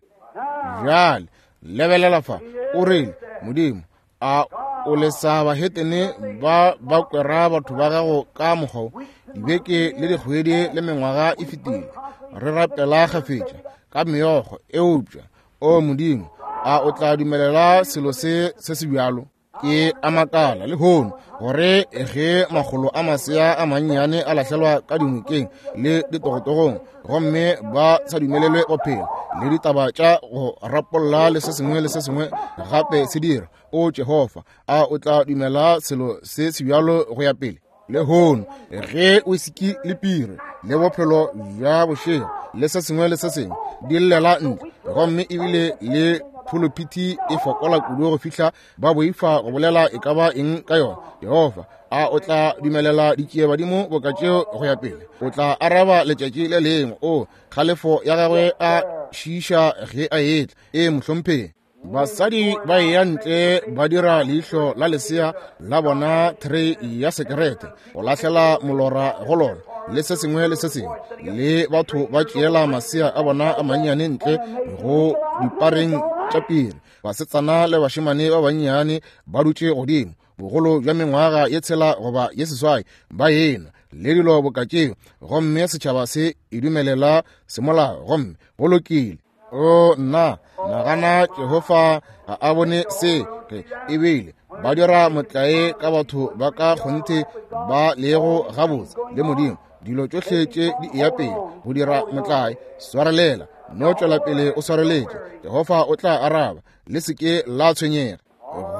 Bjale lebelela fa, o rile, Modimo, a o lesa bahetene ba ba kwera batho ba gago ka mokgwa? Dibeke le dikgwedi le mengwaga e fetile, re rapela kgafetša ka meokgo, eupša o Modimo, a o tla dumelela selo se se se bjalo? Ke a makala lehono gore ge makgolo a masea a mannyane a lahlelwa ka dinokeng le ditogotogong, gomme ba sa dumelelwe go phela, le ditaba tša go rapolla le se sengwe le se sengwe gape se dira, o Jehofa, a o tla dumela selo se se bjalo go ya pele? Lehono ge whisky le pire le bophelo bja bošego le se sengwe le se sengwe di llela ntle, gomme ebile le phuluphithi e fokola kudu go fihla ba boifa go bolela e ka ba eng ka yona, Jehofa, a o tla dumelela ditšiebadimo boka tšeo go ya pele? O tla araba letšatši le lengwe. O kgalefo ya gagwe a šiiša ge a etla. E mohlomphegi. Basadi ba eya ntle ba dira leihlo la lesea la bona tray ya sekerete, go lahlela molora go lona, le se sengwe le se sengwe, le batho ba tšeela masea a bona a mannyane ntle go dipareng tša piri. Basetsana le bašemane ba bannyane ba dutše godimo, bogolo bja mengwaga ye tshela goba ye seswai, ba enwa le dilo boka tšeo, gomme setšhaba se e dumelela semolao, gomme go lokile. O nna, nagana Jehofa ga a bone se, ge ebile ba dira motlae ka batho ba ka kgonthe ba lego gabotse le Modimo. Dilo tšohle tše di eya pele go dira motlae. Swarelela, no tšwela pele o swareletše. Jehofa o tla araba, le se ke la tshwenyega.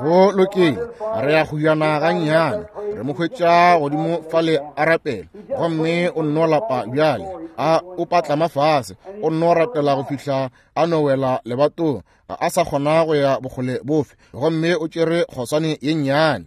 Go lokile, re ya go yana gannyane. Re mo hwetša godimo fale a rapela, gomme o nno lapa bjale, a o patlama fase, o nno rapela go fihla a no wela lebatong, ga a sa kgona go ya bokgole bofe, gomme o tšere kgoswane ye nnyane.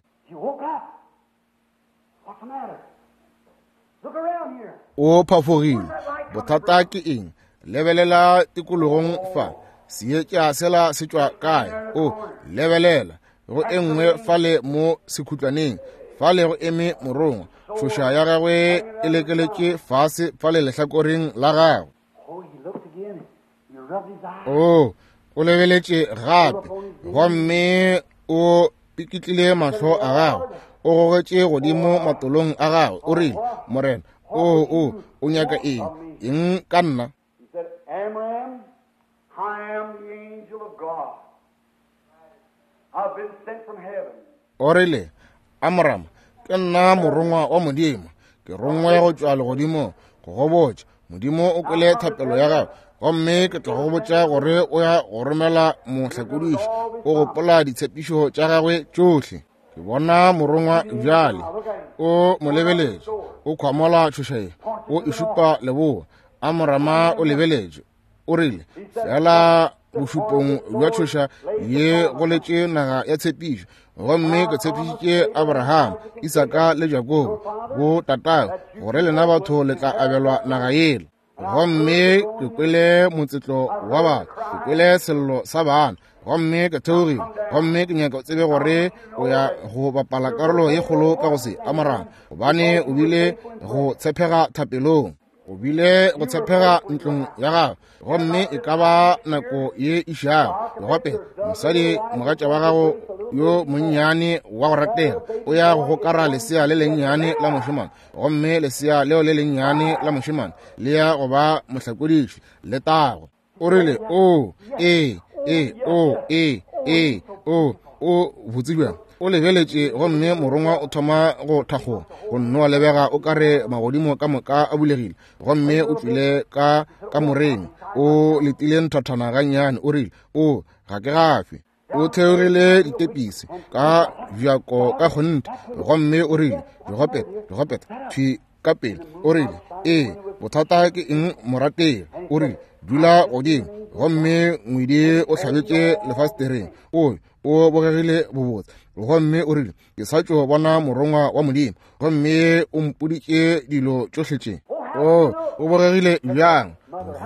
O phafogile. Bothata ke eng? Lebelela tikologong fa. Seetša sela se tšwa kae? O lebelela go e nngwe fale mo sekhutlwaneng, fale go eme morongwa, tšhoša ya gagwe e lekeletše fase fale lehlakoreng la gagwe. O o lebeletše gape, gomme o pikitlile mahlo a gagwe, o gogetše godimo matolong a gagwe, o rile, Morena, o o o nyaka eng? Eng ka nna? O rile, Amram, ke nna morongwa wa Modimo, ke rongwe go tšwa legodimong go go botša. Modimo o kwele thapelo ya gago, gomme ke tla go botša gore o ya go romela mohlakodiši. O gopola ditshepišo tša gagwe tšohle. Ke bona morongwa bjale, o mo lebeletše, o khwamola tšhoša ye, o e šupa leboa. Amorama o lebeletše, o rile, fela bošupong bja tšhoša ye go letše naga ya tshepišo, gomme ke tshepišitše Abraham, Isaka le Jakobo bo tatago, gore lena batho le tla abelwa naga yela. Gomme ke kwele motsetlo wa batho, ke kwele sello sa bana, gomme ke theogile, gomme ke nyaka o tsebe gore o ya go bapala karolo ye kgolo ka go se Amorama, gobane o bile go tshepega thapelong, o bile go tshepega ntlong ya gago, gomme e ka ba nako ye išago. Gape mosadi mogatša wa gago yo monnyane wa go ratega o ya go gokara lesea le lennyane la mošemane, gomme lesea leo le lennyane la mošemane le ya go ba mohlakodiši le tago. O rile, o ee ee o ee ee o o botse bjang. O lebeletše, gomme morongwa o thoma go thakgoga, go nno lebega o kare magodimo ka moka a bulegile, gomme o tšwile ka kamoreng, o letile nthathana gannyane. O rile, o ga ke gafe. O theogile ditepisi ka bjako ka kgonthe, gomme o rile, Jogopeta, Jogopeta, thwi ka pele. O rile, ee, bothata ke eng morategi? O rile, dula godimo. Gomme ngwedi o hlabetše lefastereng, o o bogegile bobotse, gomme o rile, ke sa tšo bona morongwa wa Modimo, gomme o mpoditše dilo tšohle tše. O o bogegile bjang?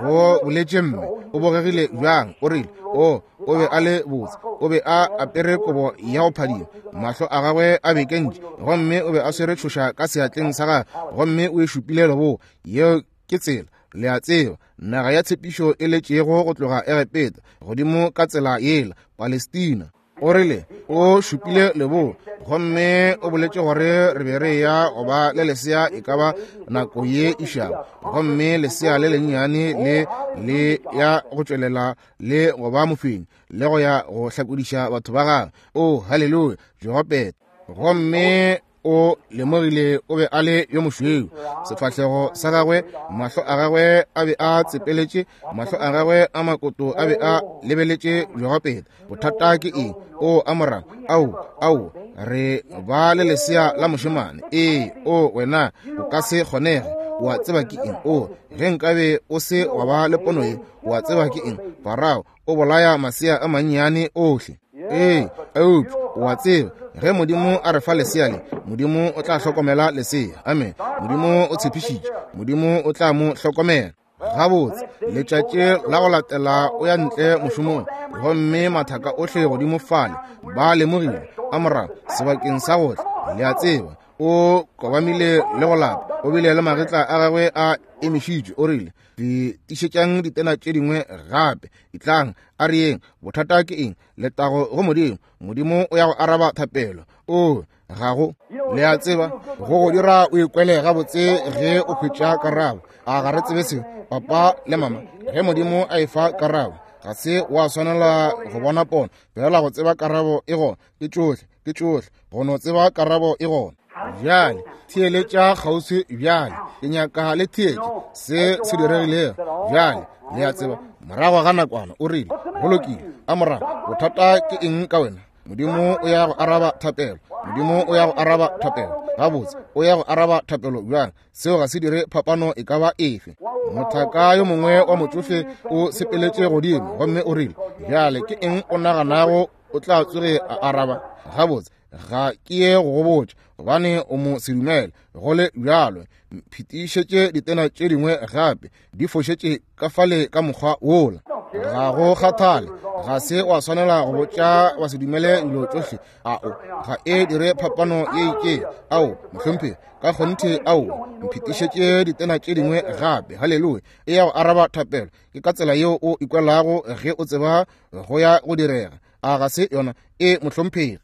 Go boletše mme, o bogegile bjang? O rile, o o be a le botse, o be a apere kobo ya go phadima, mahlo a gagwe a bekentše, gomme o be a swere tšhoša ka seatleng sa gagwe, gomme o e šupile leboa. Yeo ke tsela, le a tseba, naga ya tshepišo e letšego go tloga Egepeta godimo ka tsela yela, Palestina. O rile, o šupile leboa, gomme o boletše gore re be re ya go ba le lesea e ka ba nako ye išago, gomme lesea le lennyane le le ya go tšwelela le go ba mofenyi le go ya go hlakodiša batho ba gagwe. O haleluya, Jogopeta. Gomme o lemogile o be a le yo mošweu, sefahlego sa gagwe, mahlo a gagwe a be a tsepeletše, mahlo a gagwe a makoto a be a lebeletše Jogopeta. Bothata ke eng? O Amorama, ao ao re ba le lesea la mošemane. Ee, o wena o ka se kgonege. O a tseba ke eng? O ge nkabe o se wa ba le pono ye, o a tseba ke eng? Farao o bolaya masea a mannyane ohle. Ee, eupša o a tseba, ge Modimo a re fa lesea le, Modimo o tla hlokomela lesea. Amen. Modimo o tshepišitše, Modimo o tla mo hlokomela. Gabotse, letšatši la go latela o ya ntle mošomong, gomme mathaka ohle godimo fale ba lemogile Amram sebakeng sa gohle, le a tseba, o kobamile le go lapa, o bile le magetla a gagwe a emišitšwe. O rile, fetišetšang ditena tše dingwe gape, etlang a re yeng. Bothata ke eng? Letago go Modimo. Modimo o ya go araba thapelo. O ga go, le a tseba, go go dira o ikwele gabotse ge o hwetša karabo. A ga re tsebe seo, papa le mama? Ge Modimo a efa karabo, ga se wa swanela go bona pono, fela go tseba karabo e gona. Ke tšohle, ke tšohle, go no tseba karabo e gona. Bjale theeletša kgauswi bjale, ke nyaka le theetše se se diregilego. Bjale le a tseba, morago ga nakwana o rile, go lokile Amram, bothata ke eng ka wena? Modimo o ya go araba thapelo. Modimo o ya go araba thapelo. Gabotse, o ya go araba thapelo bjang? Seo ga se dire phapano e ka ba efe. Mothaka yo mongwe wa motsofe o sepeletše godimo gomme o rile, bjale ke eng o naganago o tla tsoge a araba? Gabotse, ga ke ye go go botša, gobane o mo se dumele. Go le bjalo, phetišetše ditena tše dingwe gape, di fošetše ka fale ka mokgwa wola. Ga go kgathale, ga se wa swanela go botša wa se dumele dilo tšohle. Ao, ga e dire phapano ye itšeng. Ao, mohlomphegi, ka kgonthe, ao, mphetišetše ditena tše dingwe gape. Haleluya! E ya go araba thapelo. Ke ka tsela yeo o ikwelago ge o tseba go ya go direga. A ga se yona? E, mohlomphegi.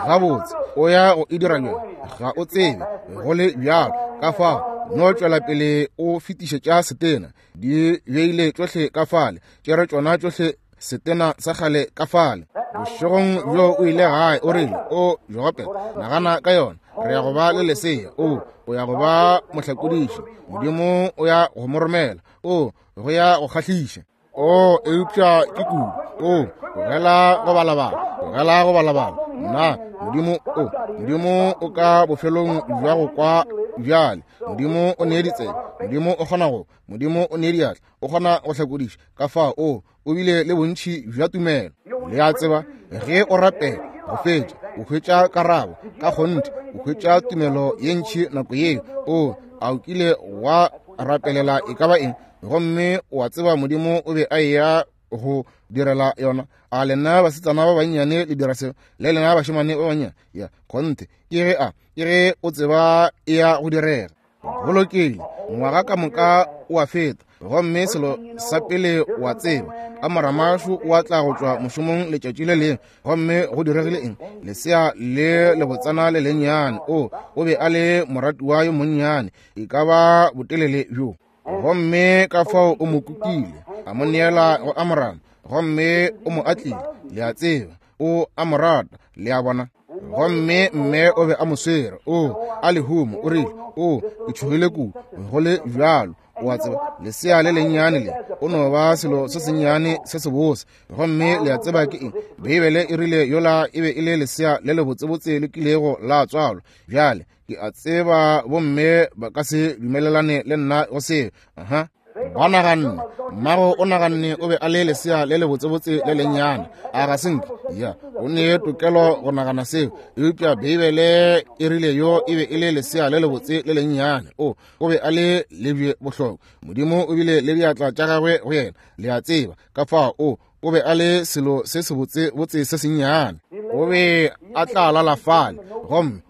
Gabotse, o ya go e dira bjang? Ga o tsebe go le bjalo. Ka fao no tšwela pele o fetišetša setena. Di beile tšohle ka fale, tšere tšona tšohle setena sa kgale ka fale. Bošegong bjo o ile gae, o rile, o Jogopela, nagana ka yona, re ya go ba le lesea. O, o ya go ba mohlakodiši. Modimo o ya go mo romela. O, go ya go kgahliša. O, eupša ke kudu. O, tlogela go balabala, tlogela go balabala. Nna, Modimo o, Modimo o ka bofelong bja go kwa bjale. Modimo o nee ditsebe, Modimo o kgona go, Modimo o nee diatla, o kgona go hlakodiša. Ka fao o, o bile le bontši bja tumelo. Le a tseba, ge o rapela go fetša, o hwetša karabo. Ka kgonthe, o hwetša tumelo ye ntši nako yeo. O, a o kile wa rapelela e ka ba eng, gomme o a tseba Modimo o be a eya go direla yona? A lena basetsana ba bannyane le dira seo, le lena bašemane ba bannyane? Ya kgonthe, ke ge a ke ge o tseba e ya go direga. Go lokile, ngwaga ka moka o a feta, gomme selo sa pele o a tseba, Amoramašu o a tla go tšwa mošomong letšatši le lengwe, gomme go diregile eng? Lesea le lebotsana le lennyane. O, o be a le moratiwa yo monnyane, e ka ba botelele bjo. Gomme ka fao o mo kukile, a mo neela go Amram, gomme o mo atlile. Le a tseba, o a mo rata, le a bona. Gomme mme o be a mo swere, o a lehumo, o rile, o, ke tšhogile kudu. Go le bjalo, o a tseba, lesea le lennyane le o no ba selo se sennyane se sebose. Gomme le a tseba ke eng? Beibele e rile yola e be e le lesea le lebotsebotse le kilego la tswalwa. Bjale ke a tseba bomme ba ka se dumelelane le nna go seo. Aha, ba naganne, mmago o naganne o be a le lesea le lebotsebotse le lennyane. A ga se nke? Ya, o ne tokelo go nagana seo, eupša Beibele e rile yo e be e le lesea le lebotse le lennyane. O, o be a le lebje bohlokwa. Modimo o bile le diatla tša gagwe go yena, le a tseba. Ka fao o, o be a le selo se sebotse botse se sennyane. O be a tla lala fale, gomme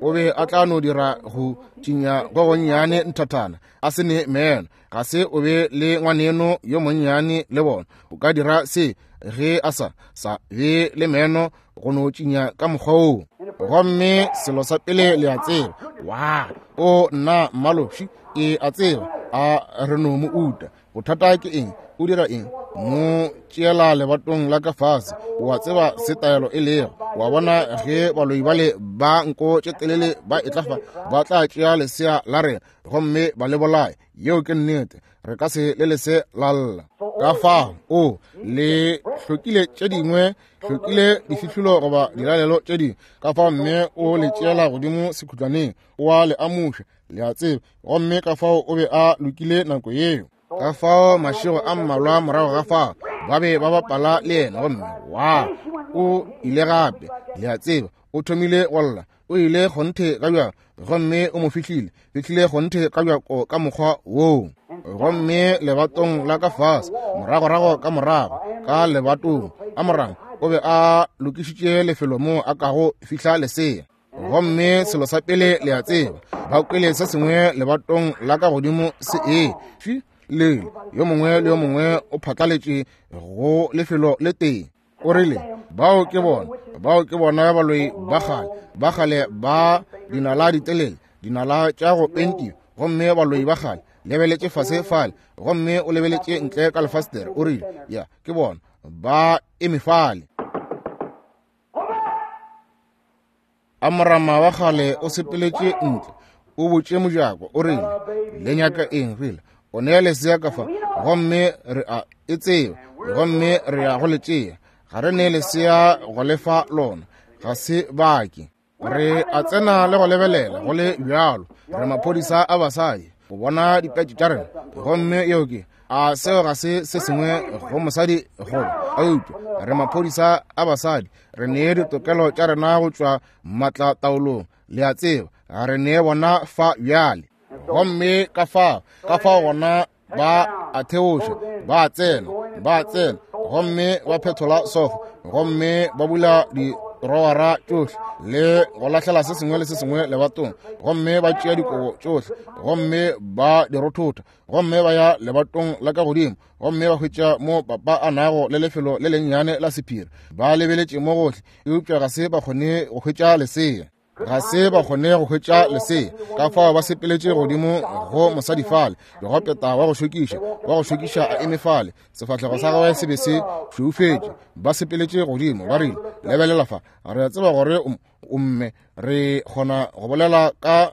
o be a tla no dira go tšinya go gonnyane nthathana, a se ne meno. Ga se o be le ngwaneno yo monnyane le bona. O ka dira se ge a sa sa be le meno, go no tšinya ka mokgwa woo. Gomme selo sa pele le a tseba, wa o nna mmaloši, ke a tseba a re no mo uta. Bothata ke eng? O dira eng? Mo tšeela lebatong la ka fase. O a tseba se taelo e lego. Wa bona ge baloi bale ba nko tše telele ba etla fa, ba tla tšea lesea la rena gomme ba le bolaye. Yeo ke nnete, re ka se le lese la lla. Ka fao o le hlokile tše dingwe, hlokile difihlolo goba dilalelo tše dingwe. Ka fao mme o le tšeela godimo sekhutlwaneng, o a le amuša, le a tseba. Gomme ka fao o be a lokile nako yeo. Ka fao mašego a mmalwa morago ga fao ba be ba bapala le yena, gomme wa o ile gape, le a tseba, o thomile go lla. O ile kgonthe ka bjako, gomme o mo fihlile, fihlile kgonthe ka bjako ka mokgwa woo. Gomme lebatong la ka fase, moragorago ka morago ka lebatong, Amorama o be a lokišitše lefelo moo a kago fihla lesea. Gomme selo sa pele le a tseba, ba kwele se sengwe lebatong la ka godimo se e fi le yo mongwe le yo mongwe o phatlaletše go lefelo le tee. O rile, bao ke bona, bao ke bona baloi ba kgale, ba kgale ba dinala ditelele, dinala tša go pentiwa, gomme baloi ba kgale. Lebeletše fase fale, gomme o lebeletše ntle ka lefastere. O rile, ya, ke bona ba eme fale. Amorama wa kgale o sepeletše ntle, o botše mojako, o rile, le nyaka eng? Rile, o nea lesea ka fa, gomme re a e tseba, gomme re ya go le tšea. Ga re ne lesea go lefa lona, ga se bake. Re a tsena le go lebelela go le bjalo, re maphodisa a basadi go bona dipetše tša rena. Gomme yeo ke a seo ga se se sengwe go mosadi goba, eupša re maphodisa a basadi, re nee ditokelo tša rena go tšwa matlataolong, le a tseba, ga re nee bona fa bjale. Gomme ka fao, ka fao gona ba a theoša, ba tsena, ba tsena, gomme ba phethola sofa, gomme ba bula dirowara tšohle le go lahlela se sengwe le se sengwe lebatong, gomme ba tšea dikobo tšohle, gomme ba di rothotha, gomme ba ya lebatong la ka godimo, gomme ba hwetša mo papa a nago le lefelo le lennyane la sephiri. Ba lebeletše mo gohle, eupša ga se ba kgone go hwetša lesea. Ga se ba kgone go hwetša lesea. Ka fao ba sepeletše godimo go mosadi fale, legopeta wa go šokiša, wa go šokiša a eme fale, sefahlego sa gagwe se be se šweufetše. Ba sepeletše godimo, ba rile, lebelela fa, re a tseba gore o mme, re kgona go bolela ka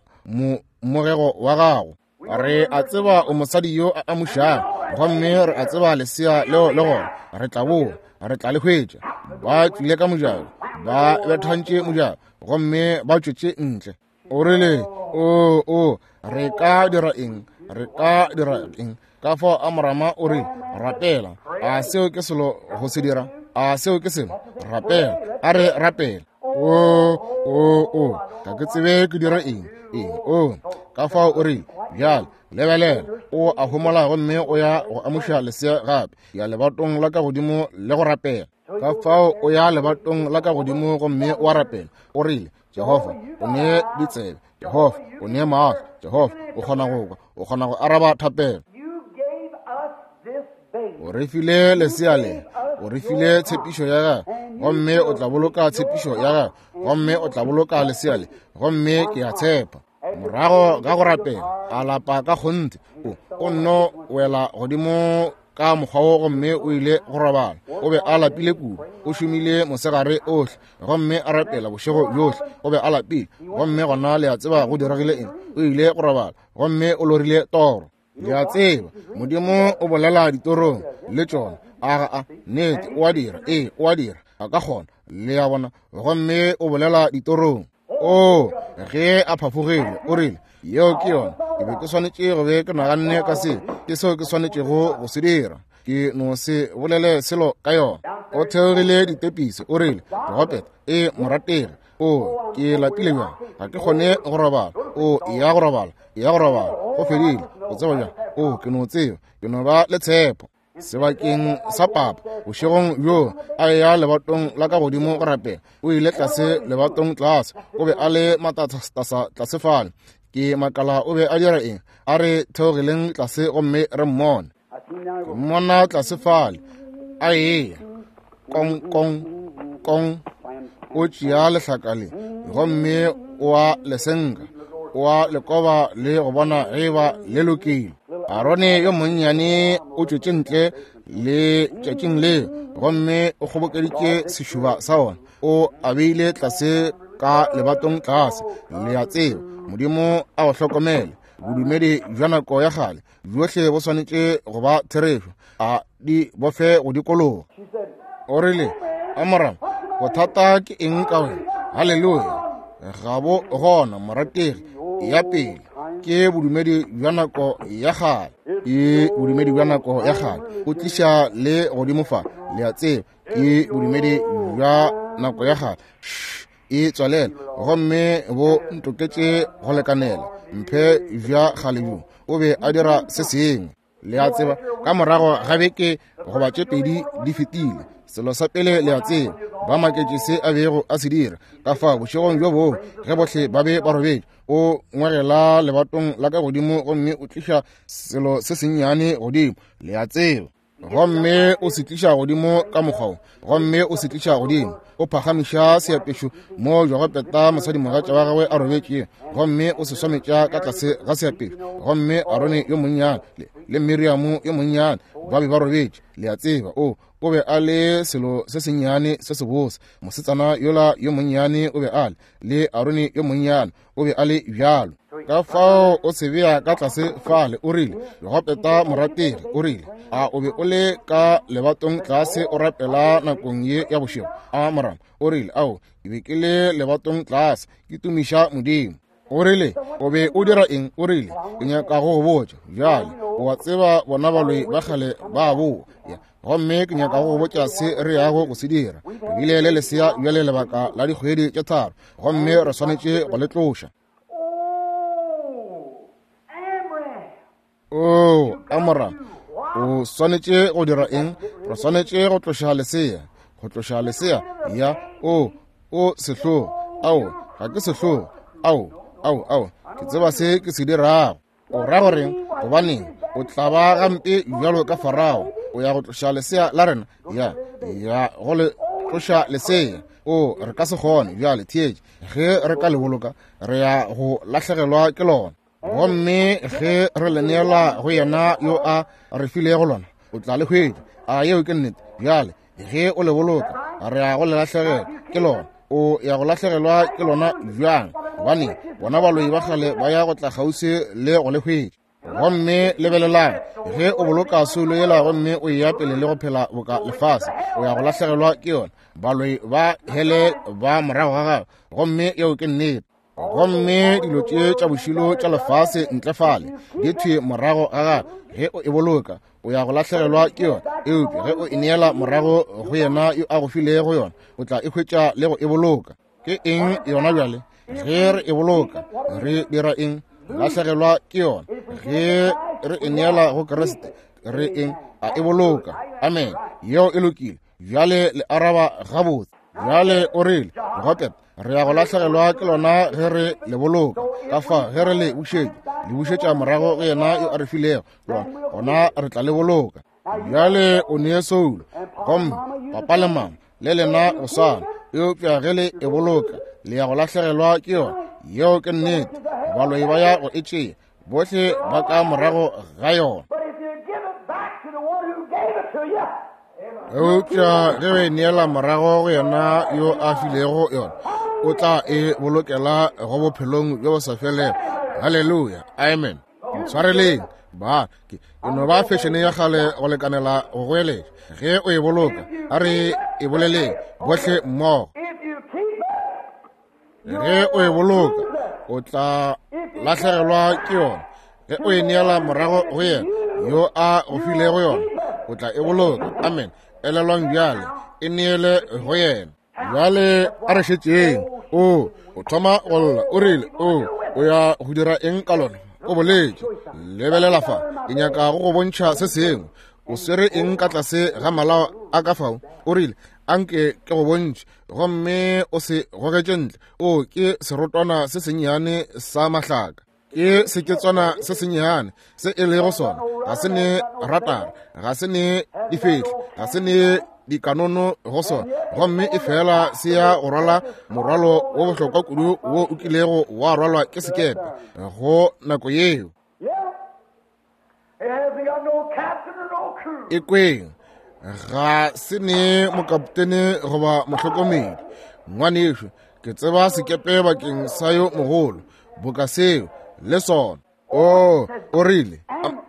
mogego wa gago. Re a tseba o mosadi yo a amušago, gomme re a tseba lesea leo le gona, re tla boa, re tla le hwetša. Ba tšwile ka mojako, ba bethantše mojako, gomme ba tšwetše ntle. O rile, o o re ka dira eng? Re ka dira eng? Ka fao Amorama o rile, rapela. A seo ke selo go se dira? A seo ke selo? Rapela. A re rapela. O o o ga ke tsebe ke dira eng eng. O ka fao o rile, bjale lebelela, o a homola gomme o ya go amuša lesea gape, ya lebatong la ka godimo le go rapela. Ka fao o ya lebatong la ka godimo gomme o a rapela. O rile, Jehofa, o nee ditsebe, Jehofa, o nee maahlo, Jehofa, o kgona go kwa, o kgona go araba thapelo. O re file lesea le, o re file tshepišo ya gagwe, gomme o tla boloka tshepišo ya gagwe, gomme o tla boloka lesea le, gomme ke a tshepa. Morago ga go rapela, a lapa ka kgonthe, o o nno wela godimo ka mokgwa wo, gomme o ile go robala. O be a lapile kudu, o šomile mosegare ohle, gomme a rapela bošego bjohle. O be a lapile, gomme gona le a tseba go diregile eng? O ile go robala, gomme o lorile toro. Le a tseba, Modimo o bolela ditorong le tšona. A ga a nnete, o a dira, ee, o a dira, a ka kgona, le a bona, gomme o bolela ditorong. O ge a phafogile, o rile, yeo ke yona, ke be ke swanetše go be ke naganne ka se, ke seo ke swanetšego go se dira, ke no se bolele selo ka yona. O theogile ditepisi, o rile, Robert, e morategi, o ke lapile bjang, ga ke kgone go robala. O ya go robala, ya go robala, go fedile, o tseba bjang? O ke no tseba, ke no ba le tshepo. Sebakeng sa papa bošegong bjo a ya lebatong la ka godimo go rapela, o ile tlase lebatong tlase, o be a le matatasa tlase fale. Ke makala o be a dira eng? A re theogileng tlase gomme re mmone. Ke mmona tlase fale a eya kong kong kong, o tšea lehlaka le gomme o a lesenka, o a lekoba le go bona ge ba le lokile. Arone yo monnyane o tšwetše ntle le tšatšing leo, gomme o kgobokeditše sešuba sa ona, o a beile tlase ka lebatong tlase. Le a tseba, Modimo a go hlokomele. Bodumedi bja nako ya kgale bjohle bo swanetše go ba therešo, a di bofe go dikologa. O rile, Amorama, bothata ke eng ka wena? Haleluya, ga bo gona morategi. Ya pele ke bodumedi bja nako ya kgale, ke bodumedi bja nako ya kgale, o tliša le godimo fa, le a tseba, ke bodumedi bja nako ya kgale. E tswalela, gomme bo ntoketše go lekanela, mphe bja kgale bjo. O be a dira se sengwe. Le a tseba, ka morago ga beke goba tše pedi di fetile, selo sa pele le a tseba, ba maketše se a bego a se dira. Ka fao bošegong bjo bongwe ge bohle ba be ba robetše, o ngwegela lebatong la ka godimo gomme o tliša selo se sennyane godimo, le a tseba, gomme o se tliša godimo ka mokgwa wo, gomme o se tliša godimo, o phagamiša seapešo mo Jogopeta mosadimogatša wa gagwe a robetšego, gomme o se swametša ka tlase ga seapešo. Gomme Arone yo monnyane le, le Miriamo yo monnyane ba be ba robetše, le a tseba. O o be a le selo se sennyane se sebose, mosetsana yola yo monnyane o be a le, le Arone yo monnyane o be a le bjalo. Ka fao o se bea ka tlase fale, o rile, Jogopeta morategi, o rile, a o be o le ka lebatong tlase o rapela nakong ye ya bošego? A morama, o rile, ao, ke be ke le lebatong tlase ke tumiša Modimo. O rile, o be o dira eng? O rile, ke nyaka go go botša bjale, o a tseba bona baloi ba kgale ba boa, gomme ke nyaka go go botša se re yago go se dira. Re bile le lesea bjale lebaka la dikgwedi tše tharo, gomme re swanetše go le tloša. O Amora, o swanetše go dira eng? Re swanetše go tloša lesea, go tloša lesea. Ya, o o sehlogo. Ao, ga ke sehlogo. Ao, ao, ao, ke tseba se ke se dirago. O ra goreng? Gobaneng o tla ba gampe bjalo ka Farao? O ya go tloša lesea la rena? Ya, ya go le tloša lesea. O, re ka se kgone bjale. Theetše, ge re ka le boloka, re ya go lahlegelwa ke lona. Gomme ge re le neela go yena yo a re filego lona, o tla le hwetša. A yeo ke nnete? Bjale ge o le boloka, re ya go le lahlegelwa ke lona. O ya go lahlegelwa ke lona bjang? Gobane bona baloi ba kgale ba ya go tla kgauswi le go le hwetša. Gomme lebelelang, ge o boloka soulo yela gomme o eya pele le go phela boka lefase, o ya go lahlegelwa ke yona. Baloi ba hele ba morago ga gago, gomme yeo ke nnete. Gomme dilo tše tša bošilo tša lefase ntle fale di thwe morago ga gago. Ge o e boloka, o ya go lahlegelwa ke yona, eupša ge o e neela morago go yena yo a go filego yona, o tla e hwetša le go e boloka. Ke eng yona bjale? Ge re e boloka, re dira eng? Lahlegelwa ke yona. Ge re e neela go Kriste, re eng? A e boloka. Amen. Yeo e lokile. Bjale le araba gabotse. Bjale o rile, Jogopeta, re ya go lahlegelwa ke lona ge re le boloka. Ka fa ge re le bušetša, le bušetša morago go yena yo a re filego lona, gona re tla le boloka. Bjale o nee soulo, gomme papa le mama le lena go swana, eupša ge le e boloka, le ya go lahlegelwa ke yona. Yeo ke nnete. Baloi ba ya go e tšea, bohle ba ka morago ga yona. Eupša ge o e neela morago go yena yo a filego yona, o tla e bolokela go bophelong bjo bo sa felego. Haleluya, amen. Tshwareleng ba ke no ba fešene ya kgale go lekanela go goeletša. Ge o e boloka, a re e boleleng bohle mmogo. Ge o e boloka, o tla lahlegelwa ke yona. Ge o e neela morago go yena yo a go filego yona, o tla e boloka. Amen. Elelwang bjale, e neele go yena. Bjale a re šetšeng. O o thoma go lla, o rile, o o ya go dira eng ka lona? O boletše, lebelela fa, ke nyaka go go bontšha se sengwe. O swere eng ka tlase ga malao a ka fao? O rile, anke ke go bontšhe. Gomme o se gogetše ntle. O ke serotwana se sennyane sa mahlaka, ke seketswana se sennyane se e lego sona. Ga se ne ratara, ga se ne difehle, ga se ne dikanono go sona, gomme e fela se ya go rwala morwalo wo bohlokwa kudu wo o kilego wa rwalwa ke sekepe go nako yeo. E kweng, ga se ne mokaptene goba mohlokomedi. Ngwanešo, ke tseba sekepe bakeng sa yo mogolo boka seo le sona. O o rile,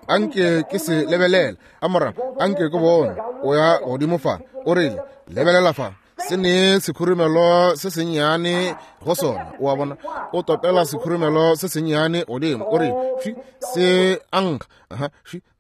anke ke se lebelela. Amora, anke ke bone. O ya godimo fa. O rile, lebelela fa, se ne sekhurumelo se sennyane go sona. O a bona, o topela sekhurumelo se sennyane godimo. O rile, se ankga. Aha,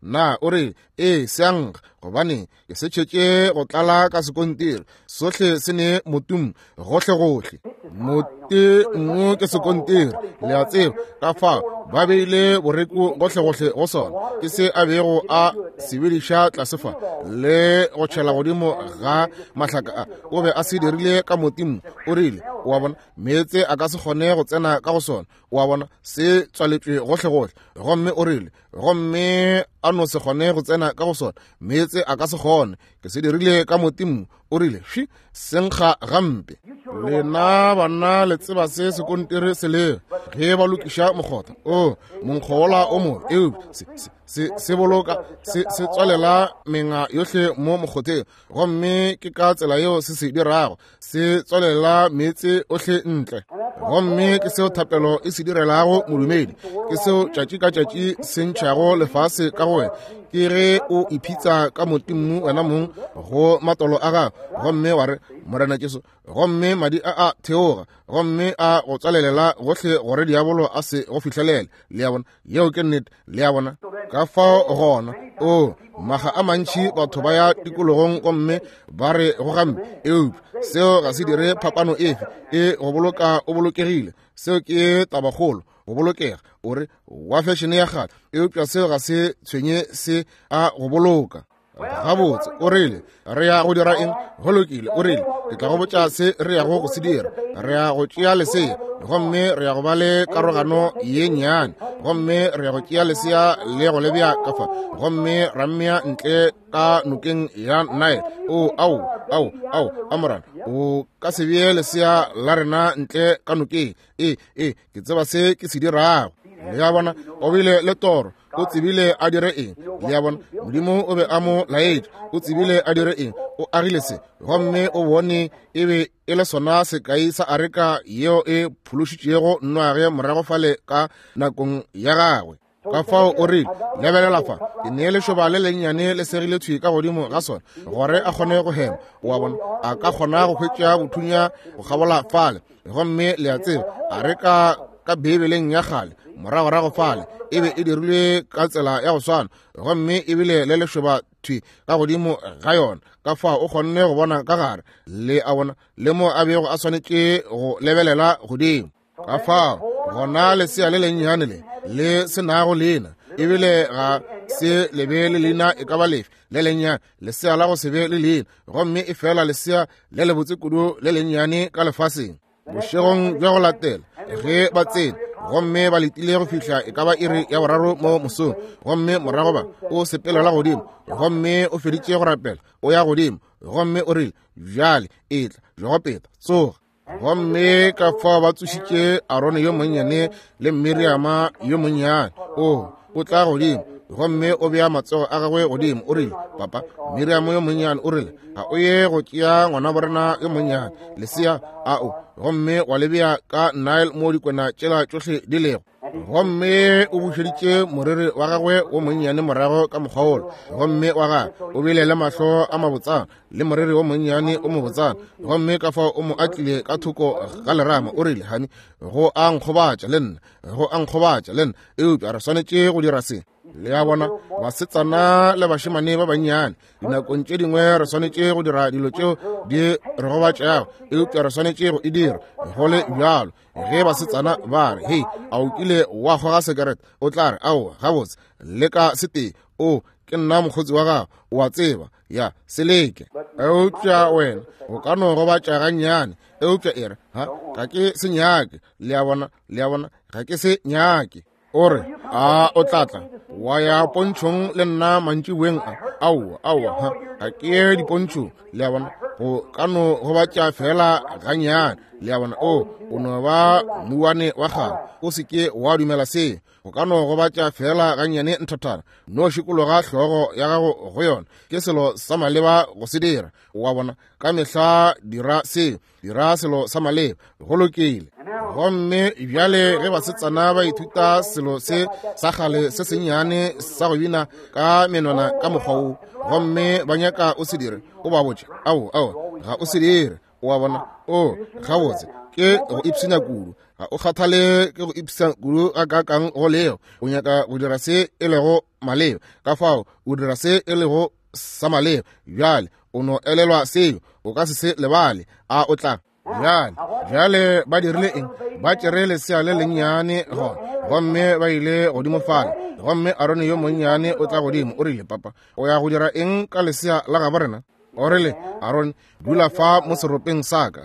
na o rile, ee, se ankga, gobane ke se tšhetše go tlala ka sekontiri. Sohle se ne motum gohle gohle. Mote nngwe ke sekontiri, le a tseba, ka fao ba beile boreku gohlegohle go sona. Ke se a bego a sebediša tlase fa le go tšhela godimo ga mahlaka a. O be a se dirile ka motimmu. O rile, o a bona, meetse a ka se kgone go tsena ka go sona. O a bona, se tswaletšwe gohlegohle. Gomme o rile, gomme a no se kgone go tsena ka go sona, meetse a ka se kgone. Ke se dirile ka motimmu. O rile, shi, se nkga gampe. Lena banna le tseba se sekontiri se lego ge ba lokiša mokgotha. O monkgo wola o mobe, eupša se, se, se, se boloka se, se tswalela menga yohle mo mokgotheng. Gomme ke ka tsela yeo se se dirago, se tswalela meetse ohle ntle. Gomme ke seo thapelo e se direlago modumedi, ke seo tšatši ka tšatši se ntšhago lefase ka go wena. Ke ge o iphitsa ka motimmu wena mong go matolo a gago, gomme wa re, Morena Jesu, gomme madi a a theoga, gomme a go tswalelela gohle gore diabolo a se go fihlelele. Le a bona, yeo ke nnete. Le a bona, ka fao gona o maga a mantši batho ba ya tikologong gomme ba re go gampe, eupša seo ga se dire phapano efe. E go boloka o bolokegile, seo ke tabakgolo, go bolokega. O re wa fešene ya kgale, eupša seo ga se tshwenye, se a go boloka. Gabotse, o rile, re ya go dira eng? Go lokile, o rile, ke tla go botša se re yago go se dira. Re ya go tšea lesea, gomme re ya go ba le karogano ye nnyane, gomme re ya go tšea lesea le go le bea ka fa, gomme ra mmea ntle ka nokeng ya Nile. O, ao, ao, ao, amorana, o ka se bee lesea la rena ntle ka nokeng. E, e, ke tseba se ke se dirago. Le a bona, o bile le toro, o tsebile a dire eng. Le a bona, Modimo o be a mo laetše, o tsebile a dire eng. O agile se, gomme o bone e be e le sona sekai sa areka yeo e phološitšego Noage morago fale ka nakong ya gagwe. Ka fao o rile, lebelela fa, ke nee lešoba le lennyane le segile thwi ka godimo ga sona gore a kgone go hema. O a bona, a ka kgona go hwetša bothunya go kgabola fale. Gomme le a tseba, areka ka Beibeleng ya kgale moragorago fale e be e dirilwe ka tsela ya go swana, gomme ebile le lešoba thwi ka godimo ga yona. Ka fao o kgonne go bona ka gare, le a bona, le mo a bego a swanetše go lebelela godimo. Ka fao gona lesea le lennyane le le se nago leina, ebile ga se le be le leina e ka ba lefe le lennyane, lesea la go se be le leina, gomme e fela lesea le lebotse kudu le lennyane ka lefaseng. Bošegong bja go latela ge ba tsene, gomme ba letile go fihla e ka ba iri ya boraro mo mosong, gomme morago ba o sepelela godimo, gomme o feditše go rapela, o ya godimo, gomme o rile, bjale etla Jogopeta, tsoga. Gomme ka fao ba tsošitše Arone yo monnyane le Miriama yo monnyane. O o tla godimo, gomme o bea matsogo a gagwe godimo. O rile, papa, Miriamo yo monnyane, o rile, ga o ye go tšea ngwana borena yo monnyane lesea ao, gomme wa le bea ka Nile mo dikwena tšela tšohle di lego. Gomme o bušeditše moriri wa gagwe wo monnyane morago ka mokgwa wola, gomme wa gagwe o bile le mahlo a mabotsana le moriri wo monnyane o mobotsana. Gomme ka fao o mo atlile ka thoko ga lerama. O rile, hani, go a nkgobatša le nna, go a nkgobatša le nna, eupša re swanetše go dira se. Le a bona, basetsana le bašemane ba bannyane, dinakong tše dingwe re swanetše go dira dilo tšeo di re gobatšago, eupša re swanetše go e dira go le bjalo. Ge basetsana ba re, hei, a o kile wa kgoga sekerete? O tla re, aowa, gabotse, leka setee. O, ke nna mokgotsi wa gago, o a tseba, ya, se leke. Eupša wena o ka no gobatša gannyane, eupša e re, ha, ga ke se nyake. Le a bona, le a bona, ga ke se nyake. O re, a o tla tla wa ya pontšhong le nna mantšiboeng a? Aowa, aowa, ha, ga ke ye dipontšhong. Le a bona, go ka no gobatša fela gannyane. Le a bona, o o no ba mouwane wa kgale, o se ke wa dumela seo. Go ka no gobatša fela gannyane nthathana, no šikologa hlogo ya gago go yona. Ke selo sa maleba go se dira. Wa bona, ka mehla dira seo, dira selo sa maleba, go lokile. Gomme bjale ge basetsana ba ithuta selo se sa kgale se sennyane sa go bina ka menwana ka mokgwa wo, gomme ba nyaka o se dire, o ba botše, ao, ao, ga o se dire. O a bona, o, gabotse, ke go ipshina kudu. Ga o kgathale ke go ipshina kudu ga kakang go lego. O nyaka go dira se e lego maleba, ka fao o dira se e lego sa maleba. Bjale o no elelwa seo, o ka se se lebale. A o tla? Bjale, bjale ba dirile eng? Ba tšere lesea le lennyane gona, gomme ba ile godimo fale. Gomme Arone yo monnyane o tla godimo, o rile, papa, o ya go dira eng ka lesea la gabo rena? O rile, Arone, dula fa mo seropeng sa ka.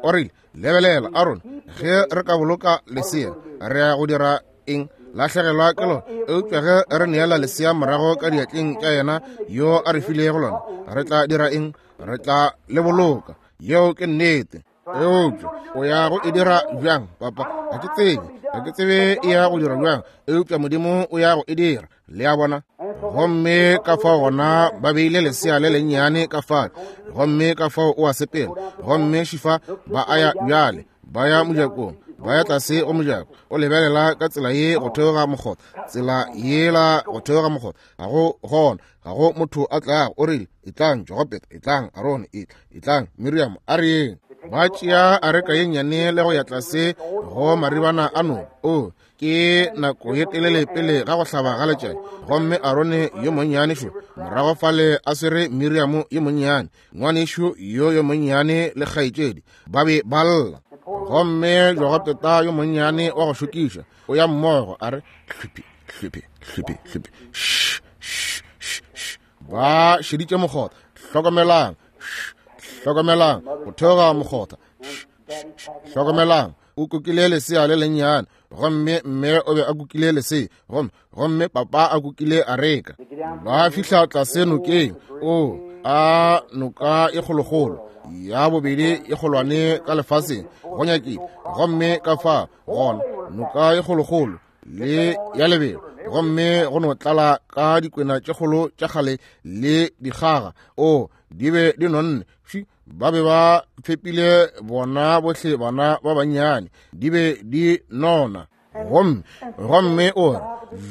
O rile, lebelela, Arone, ge re ka boloka lesea, re ya go dira eng? Lahlegelwa ke lona. Eupša ge re neela lesea morago ka diatleng tša yena yo a re filego lona, re tla dira eng? Re tla le boloka. Yeo ke nnete. Eupša o ya go e dira bjang, papa? Ga ke tsebe, ga ke tsebe e ya go dira bjang, eupša Modimo o ya go e dira. Le a bona? Gomme ka fao gona ba beile lesea le lennyane ka fale, gomme ka fao o a sepela. Gomme šifa ba a ya bjale, ba ya mojakong, ba ya tlase go mojako. O lebelela ka tsela ye go theoga mokgotha, tsela yela go theoga mokgotha, ga go gona, ga go motho a tlago. O rile, etlang Jogopeta, etlang Arone, etla, etlang Miriam, a re yeng. Ba tšea areka ye nnyane le go ya tlase go maribana a noka. O ke nako ye telele pele ga go hlaba ga letšatši. Gomme Arone yo monnyane šo morago fale a swere Miriam yo monnyane, ngwanešo yo yo monnyane le kgaetšedi, ba be ba lla. Gomme Jogopeta yo monnyane wa go šokiša o ya mmogo, a re hluphi hluphi hluphi hluphi, sh sh sh. Ba šeditše mokgotha. Hlokomelang, hlokomelang, go theoga mokgotha. Hlokomelang, o kukile lesea le lennyane, gomme mme o be a kukile lesea, gomme gomme papa a kukile areka. Ba fihla tlase nokeng. O a noka e kgolokgolo ya bobedi e kgolwane ka lefaseng go nyakile. Gomme ka fa gona noka e kgolokgolo le ya lebelo, gomme go no tlala ka dikwena tše kgolo tša kgale le dikgaga. O di be di nonne, ba be ba fepile bona bohle bana ba bannyane, di be di nona. Gomme gomme o re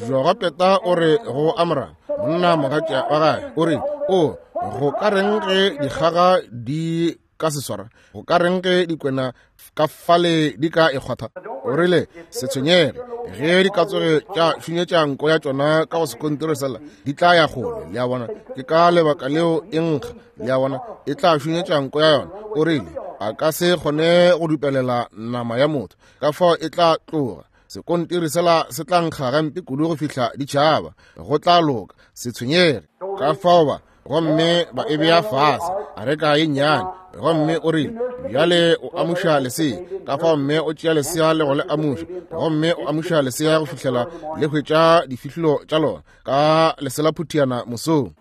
Jogopeta o re go Amram monna mogatša wa gagwe, o re, o go ka reng ge dikgaga di ka se swara? Go ka reng ge dikwena ka fale di ka e kgwatha? O rile, se tshwenyege, ge di ka tsoge tša šunyetša nko ya tšona ka go sekontiri sela, di tla ya kgole. Le a bona? Ke ka lebaka leo e nkga. Le a bona? E tla šunyetša nko ya yona. O rile, a ka se kgone go dupelela nama ya motho, ka fao e tla tloga. Sekontiri sela se tla nkga gampe kudu go fihla ditšhaba. Go tla loka, se tshwenyege. Ka fao ba gomme ba e bea fase areka ye nnyane. Gomme o rile, bjale o amuša lesea. Ka fao mme o tšea lesea le go le amuša, gomme o amuša lesea go fihlela le hwetša difihlolo tša lona ka leselaphutiana mosong.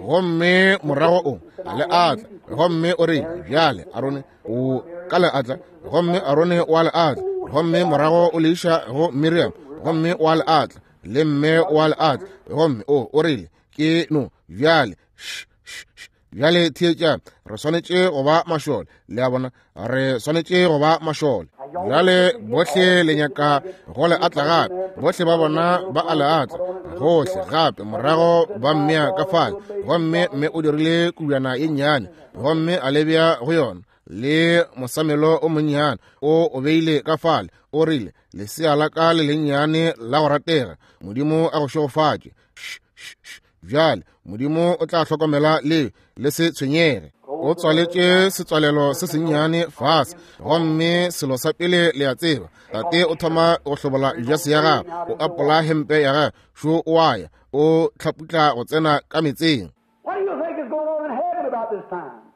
Gomme morago o a le atla. Gomme o rile, bjale Arone o ka le atla. Gomme Arone o a le atla. Gomme morago o le iša go Miriam, gomme o a le atla, le mme o a le atla. Gomme o o rile, ke no bjale sh sh sh. Bjale theetša, re swanetše go ba mašole. Le a bona? Re swanetše go ba mašole. Bjale bohle le nyaka go le atla gape. Bohle ba bona ba a le atla gohle gape. Morago ba mmea ka fale, gomme mme o dirile kubjana ye nnyane, gomme a le bea go yona le mosamelo o monnyane, o o beile ka fale. O rile, lesea la ka le lennyane la go ratega, Modimo a go šegofatše. Sh sh sh. Bjale Modimo o tla hlokomela le le se tshwenyege. O tswaletše setswalelo se sennyane fase, gomme selo sa pele le a tseba, tate o thoma go hlobola jase ya gagwe, o apola hempe ya gagwe, šo o a ya, o hlaputla go tsena ka metseng.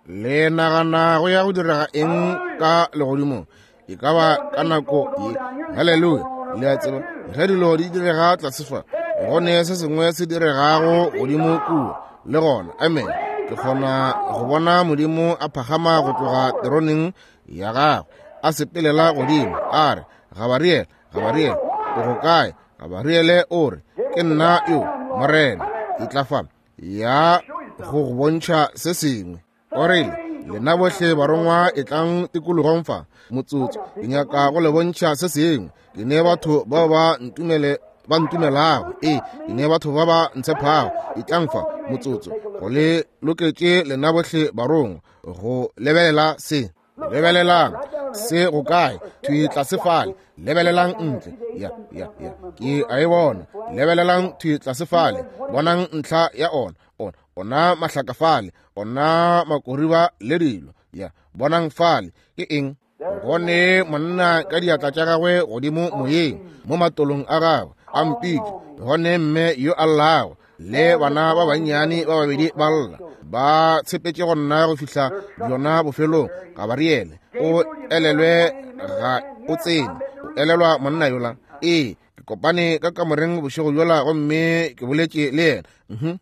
Le nagana go ya go direga eng ka legodimong? E ka ba ka nako ye. Haleluya! Le a tseba, ge dilo di direga tlase fa, go ne se sengwe se diregago godimo kua le gona. Amen. Ke kgona go bona Modimo a phagama go tloga teroneng ya gagwe, a sepelela godimo, a re, Gabariele, Gabariele, o go kae? Gabariele o re, ke nna yo, Morena, ke tla fa ya go go bontšha se sengwe. O rile, lena bohle barongwa e tlang tikologong fa motsotso, ke nyaka go le bontšha se sengwe. Ke ne batho bao ba ntumele ba ntumelago, ee, ke ne batho ba ba ntshephago. E tlang fa motsotso, go le loketše lena bohle barongwa go lebelela se. Lebelelang se go kae? Thwi tlase fale. Lebelelang ntle. Ya, ya, ya, ke a e bona. Lebelelang thwi tlase fale. Bonang ntlha ya ona, ona, ona mahlaka fale, ona makoriba le dilo. Ya, bonang fale. Ke eng? Go ne monna ka diatla tša gagwe godimo moyeng mo matolong a gagwe a mpitše. Go ne mme yo a llago le bana ba bannyane ba babedi ba lla, ba tshepetše go nna go fihla bjona bofelong. Gabariele o elelwe ga o tsene, o elelwa monna yola. Ee, ke kopane ka kamoreng bošego bjola gomme ke boletše le yena. Mhm.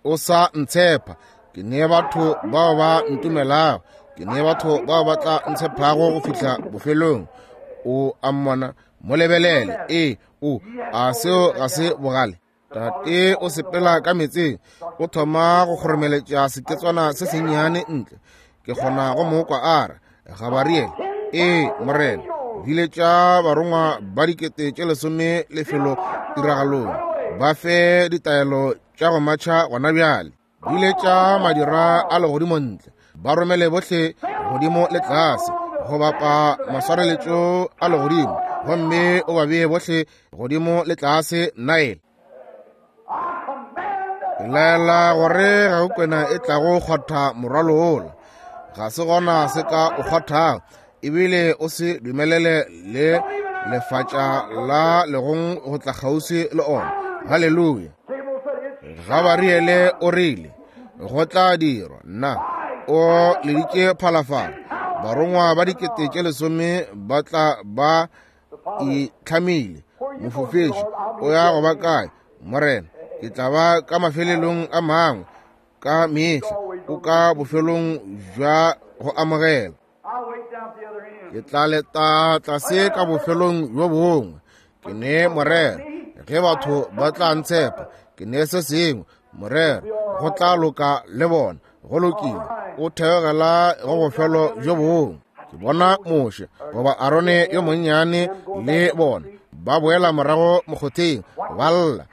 O sa ntshepa. Ke ne batho bao ba ntumelago, ke ne batho bao ba tla ntshephago go fihla bofelong. O a mmona, mo lebelele. Ee, o a seo ga se bogale. Tate o sepela ka meetseng, o thoma go kgoromeletša seketswana se sennyane ntle. Ke kgona go mo kwa a re, Gabariele, ee morena, biletša barongwa ba dikete tše lesome lefelo tiragalong, ba fe ditaelo tša go matšha gona bjale. Biletša madira a legodimo ntle, ba romele bohle godimo le tlase go bapa maswareletšo a legodimo, gomme o ba bee bohle godimo le tlase Nile. Ke laela gore ga go kwena e tlago kgwatha morwalo wola, ga se gona se ka o kgwathago, ebile o se dumelele le lefatša la legong go tla kgauswi le ona. Haleluya. Gabariele o rile go tla dirwa. Nna o leditše phalafala, barongwa ba dikete tše lesome ba tla ba itlhamile. Mofofeši o ya go ba kae? Morena, ke tla ba ka mafelelong a mangwe ka mehla, o ka bofelong bja go amogela. Ke tla leta tlase ka bofelong bjo bongwe. Ke ne morero ge batho ba tla ntshepa, ke ne se sengwe morero go tla loka le bona. Go lokile, o theogela go bofelo bjo bongwe. Ke bona Moshe goba Arone yo monnyane le bona ba boela morago mokgotheng, ba lla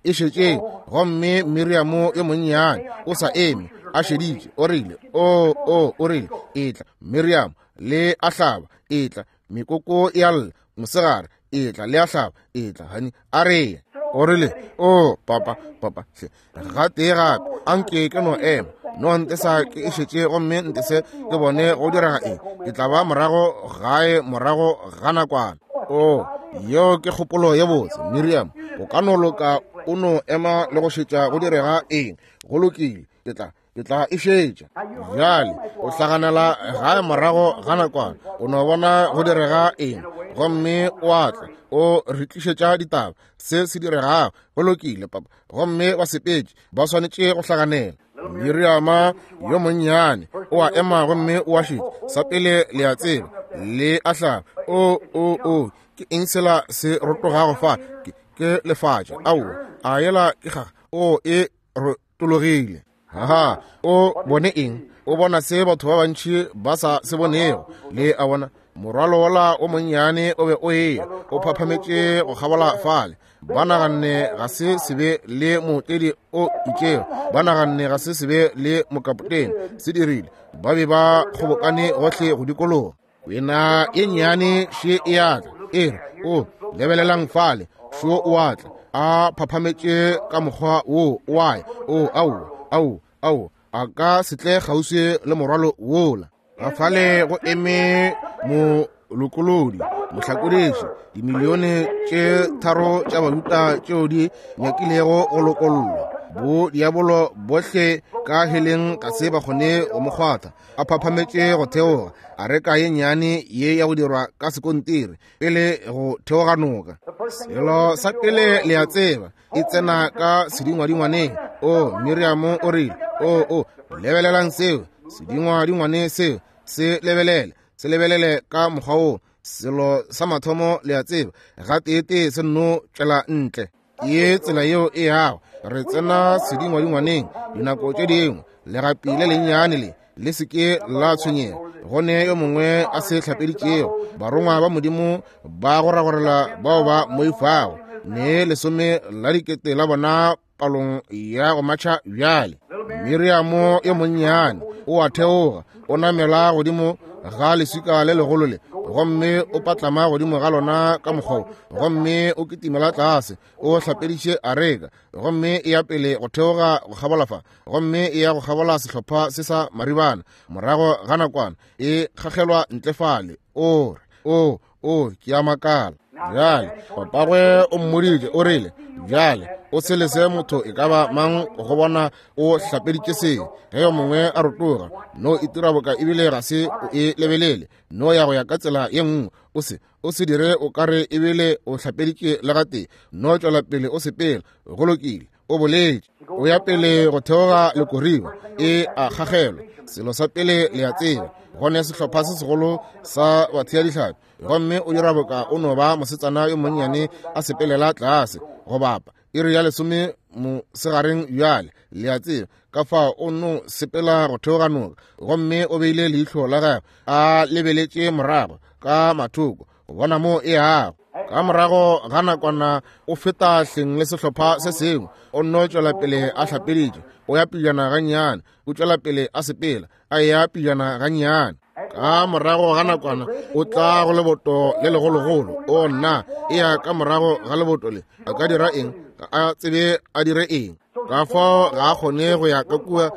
e šetšeng. Gomme Miriamo yo monnyane o sa eme a šeditše. O rile, o o o rile, etla Miriamo, le a hlaba, etla mekoko e a lla mosegare, etla le a hlaba, etla hani a re. O rile, o papa papa hle gatee gape anke ke no ema, no ntesa ke e šetše gomme ntese ke bone go direga eng. Ke tla ba morago gae morago ga nakwana. O yeo ke kgopolo ye botse Miriam, o ka no loka o no ema le go šetša go direga eng. Go lokile, ke tla ke tla e šetša. Bjale o hlaganela gae morago ga nakwana, o no bona go direga eng, gomme o a tla o re tlišetša ditaba se se diregago. Go lokile papa. Gomme ba sepetše, ba swanetše go hlaganela. Miriama yo monnyane o a ema gomme o a šetša. Sa pele le a tseba, le a hlaba. O o o ke eng sela se rotogago fa? Ke, ke lefatša. Aowa, a yela ke kgaga. O e rotologile. Haha, o bone eng? O bona se batho ba bantši ba sa se bonego. Le a bona, morwalo wola o monnyane o be o eya o phaphametše go kgabola fale. Ba naganne ga se sebe le mootledi o itšego, ba naganne ga se sebe le mokapotene. Se dirile, ba be ba kgobokane gohle go dikologa. Kwena e nnyane še e atla, e re, o lebelelang fale, šo o atla a phaphametše ka mokgwa wo o ae. O ao ao ao a ka se tle kgauswi le morwalo wola. Ga fale go eme molokolodi, mohlakodiši, dimilione tše tharo tša bajuda tšeo di nyakilego go lokollwa. Bo diabolo bohle ka heleng ga se ba kgone go mo kgwatha. A phaphametše go theoga areka ye nnyane ye ya go dirwa ka sekontiri pele go theoga noka. Selo sa pele le a tseba, e tsena ka sedingwadingwaneng. O Miriamo o rile, o o lebelelang seo sedingwadingwane seo, se lebelele, se lebelele ka mokgwa wo. Selo sa mathomo le a tseba, gateetee se nno tšwela ntle. Ke tsela yeo e yago. Re tsena sedingwadingwaneng dinako tše dingwe. Legapi le lennyane le le se ke la tshwenyega, go ne yo mongwe a se hlapeditšego. Barongwa ba Modimo ba goragorela bao ba moifago, ne lesome la dikete la bona palong ya go matšha bjale. Miriamo yo monnyane o a theoga, o namela godimo ga leswika le legolo le, gomme o patlama godimo ga lona ka mokgwa, gomme o kitimela tlase, o hlapediše areka, gomme e ya pele go theoga go kgabola fa, gomme e ya go kgabola sehlopha se sa maribana. Morago ga nakwana e kgagelwa ntle fale. O re, o o ke a makala. Bjale papagwe o mmoditše, o rile, bjale o se lese motho e ka ba mang go bona o hlapeditše se. Ge yo mongwe a rotoga, no itira boka ebile ga se o e lebelele, no ya go ya ka tsela ye nngwe. O se o se dire o kare ebile o hlapeditše le gatee, no tšwela pele o sepela. Go lokile, o boletše. O ya pele go theoga lekoriba, e a kgagelwa. Selo sa pele le a tseba, go ne sehlopha se segolo sa bathea dihlapi, gomme o dira boka o no ba mosetsana yo monnyane a sepelela tlase go bapa iri ya lesome mosegareng bjale, le a tseba. Ka fao o no sepela go theoga noka, gomme o beile leihlo la gagwe a lebeletše morago ka mathoko go bona mo e yago. Ka morago ga nakwana o feta hleng le sehlopha se sengwe, o nno tšwela pele a hlapeditše, o ya pejana gannyane, o tšwela pele a sepela, a ya pejana gannyane. Ka morago ga nakwana o tla go leboto le legologolo. O nna, e ya ka morago ga leboto le, a ka dira eng? Ga a tsebe a dire eng. Ka fao ga a kgone go ya ka kua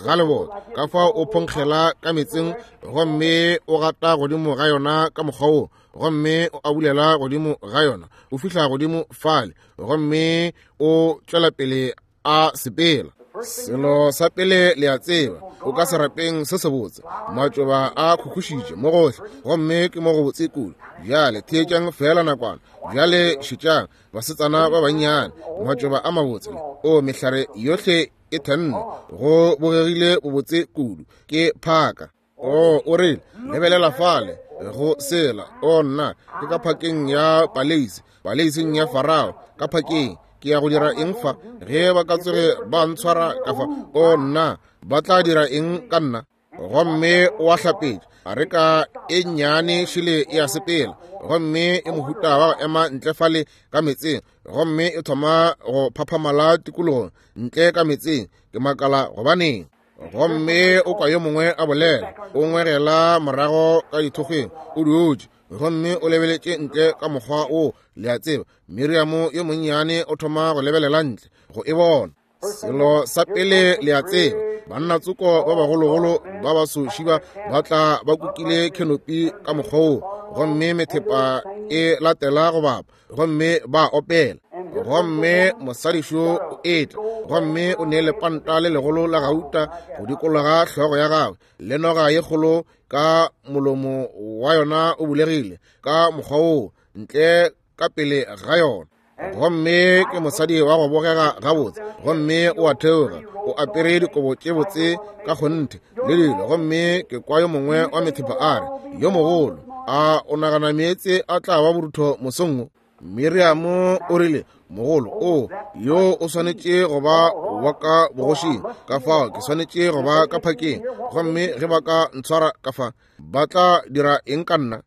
ga leboto, ka fao o phonkgela ka metseng, gomme o gata godimo ga yona ka mokgwa wo, gomme o abulela godimo ga yona, o fihla godimo fale, gomme o tšwela pele a sepela. Selo sa pele le a tseba, o ka serapeng se sebotse, matšoba a khukhušitše mo gohle, gomme ke mo go botse kudu. Bjale theetšang fela nakwana. Bjale šetšang basetsana ba bannyane, matšoba a mabotse, o mehlare yohle e thenne, go bogegile bobotse kudu, ke phaka. O o rile, lebelela fale go sela. O nna, ke ka phakeng ya paleisi, paleising ya Farao, ka phakeng. Ke ya go dira eng fa? Ge ba ka tsoge ba ntshwara ka fa, o nna, ba tla dira eng ka nna? Gomme o a hlapetša, areka e nnyane šele e a sepela, gomme e mohuta wa go ema ntle fale ka metseng, gomme e thoma go phaphamala tikologong ntle ka metseng. Ke makala gobaneng. Gomme o kwa yo mongwe a bolela, o ngwegela morago ka dithokgweng, o dutše, gomme o lebeletše ntle ka mokgwa wo, le a tseba. Miriamo yo monnyane o thoma go lebelela ntle go e bona. Selo sa pele le a tseba, banna tsoko ba bagologolo ba baso šiba ba tla ba kukile kenopi ka mokgwa wo, gomme methepa e latela go bapa, gomme ba opela. Gomme mosadišo o etla, gomme o ne lepanta le legolo la gauta go dikologa hlogo ya gagwe, le noga ye kgolo ka molomo wa yona o bulegile ka mokgwa wo ntle ka pele ga yona. Gomme ke mosadi wa go bogega gabotse, gomme o a theoga, o apere dikobo tše botse ka kgonthe le dilo. Gomme ke kwa yo mongwe wa methepa a re, yo mogolo, a o nagana meetse a tla ba borutho mosong wo? Miriamo o rile, mogolo o yo o swanetše go ba wa ka bogošing, ka fao ke swanetše go ba ka phakeng, gomme ge ba ka ntshwara ka fa, ba tla dira eng ka nna?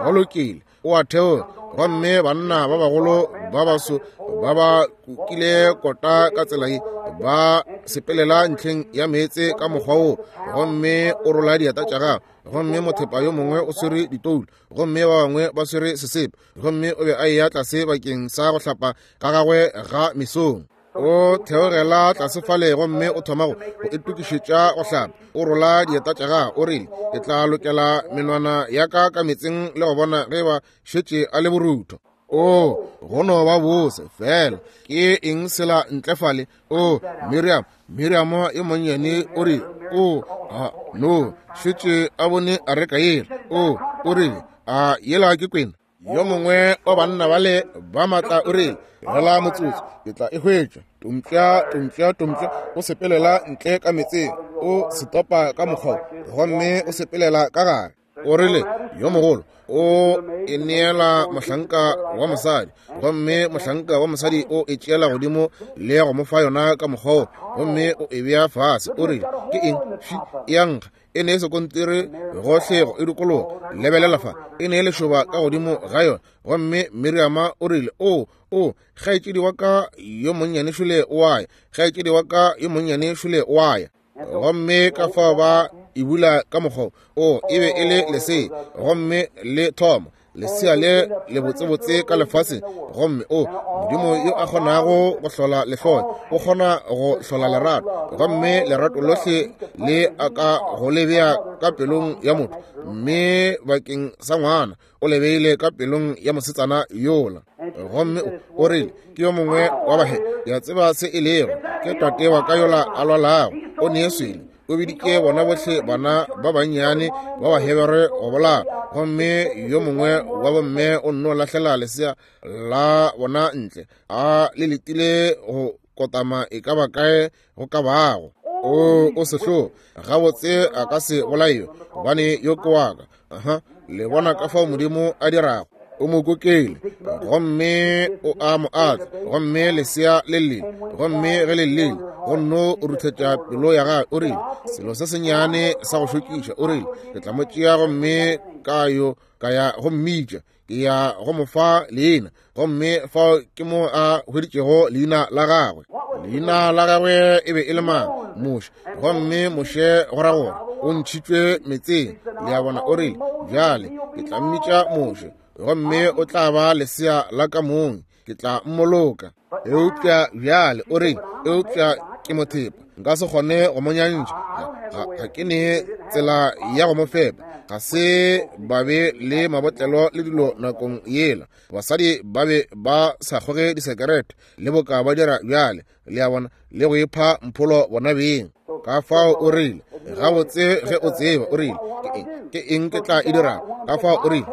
Go lokile, o a theoga, gomme banna ba bagolo ba baso ba ba kukile kota ka tsela ye, ba sepelela ntlheng ya meetse ka mokgwa wo, gomme o rola dieta tša gagwe, gomme mothepa yo mongwe o swere ditoulo, gomme ba bangwe ba swere sesepe, gomme o be a eya tlase bakeng sa go hlapa ka gagwe ga mesong. O theogela tlase fale, gomme o thoma go itokišetša go hlapa, o rola dieta tša gagwe. O rile, ke tla lokela menwana ya ka ka metseng le go bona ge ba šetše a le borutho. O go no ba bose fela. Ke eng sela ntle fale? O Miriam, Miriam yo monnyane o rile, o a no šetše a bone areka yela. O o rile, a yela ke kwena? Yo mongwe wa banna bale ba matla o rile, gela motsotso, ke tla e hwetša. Tompša, tompša, tompša, o sepelela ntle ka metseng, o setopa ka mokgwa, gomme o sepelela ka gare. O rile, Yo mogolo o e neela mohlanka wa mosadi, gomme mohlanka wa mosadi o e tšeela godimo le go mo fa yona ka mokgwa, gomme o e bea fase. O rile, ke eng? Fi, e a nkga. E ne e sekontiri gohle go e dikologa. Lebelela fa, e ne e lešoba ka godimo ga yona. Gomme Miriama o rile, o, o, kgaetšedi wa ka yo monnyane šole o a ya, kgaetšedi wa ka yo monnyane šole o a ya. Gomme ka fao ba e bula ka mokgwa o, e be e le lesea, gomme le thoma lesea le le botsebotse ka lefaseng. Gomme o, Modimo yo a kgonago go hlola lehloyo, o kgona go hlola lerato, gomme lerato lohle le a ka go le bea ka pelong ya motho, mme bakeng sa ngwana o le beile ka pelong ya mosetsana yola. Gomme o rile, ke yo mongwe wa bahe, ke a tseba se e lego, ke tate wa ka yola a lwalago, o nee swele, o biditše bona bohle bana ba bannyane ba Bahebere go bolaya. Gomme yo mongwe wa bomme o nno lahlela lesea la bona ntle, a le letile go kotama e ka ba kae go ka bago. O, o sehlogo, gabotse a ka se bolaiwe, gobane yo ke wa ka. Aha, le bona ka fao Modimo a dirago. O mo kokele, gomme o a mo atla, gomme lesea le llele, gomme ge le llele, go nno ruthetša pelo ya gagwe. O rile, selo se sennyane sa go šokiša, o rile, ke tla mo tšea gomme ka yo ka ya go mmitša, ke ya go mo fa leina. Gomme fao ke mo a hweditšego leina la gagwe. Leina la gagwe e be e le mang? Moshe. Gomme Moshe go ra gore o ntšhitšwe metseng. Le a bona? O rile, bjale ke tla mmitša Moshe, gomme o tla ba lesea la ka mong, ke tla mmoloka. Eupša bjale o rile, eupša ke mothepa, nka se kgone go mo nyantšha, ga, ga ke ne tsela ya go mo fepa. Ga se ba be le mabotlelo le dilo nakong yela. Basadi ba be ba sa kgoge disekerete le boka ba dira bjale, le a bona, le go ipha mpholo bona beng. Ka fao o rile, gabotse ge o tseba, o rile, ke eng, ke eng ke tla e dirago? Ka fao o rile,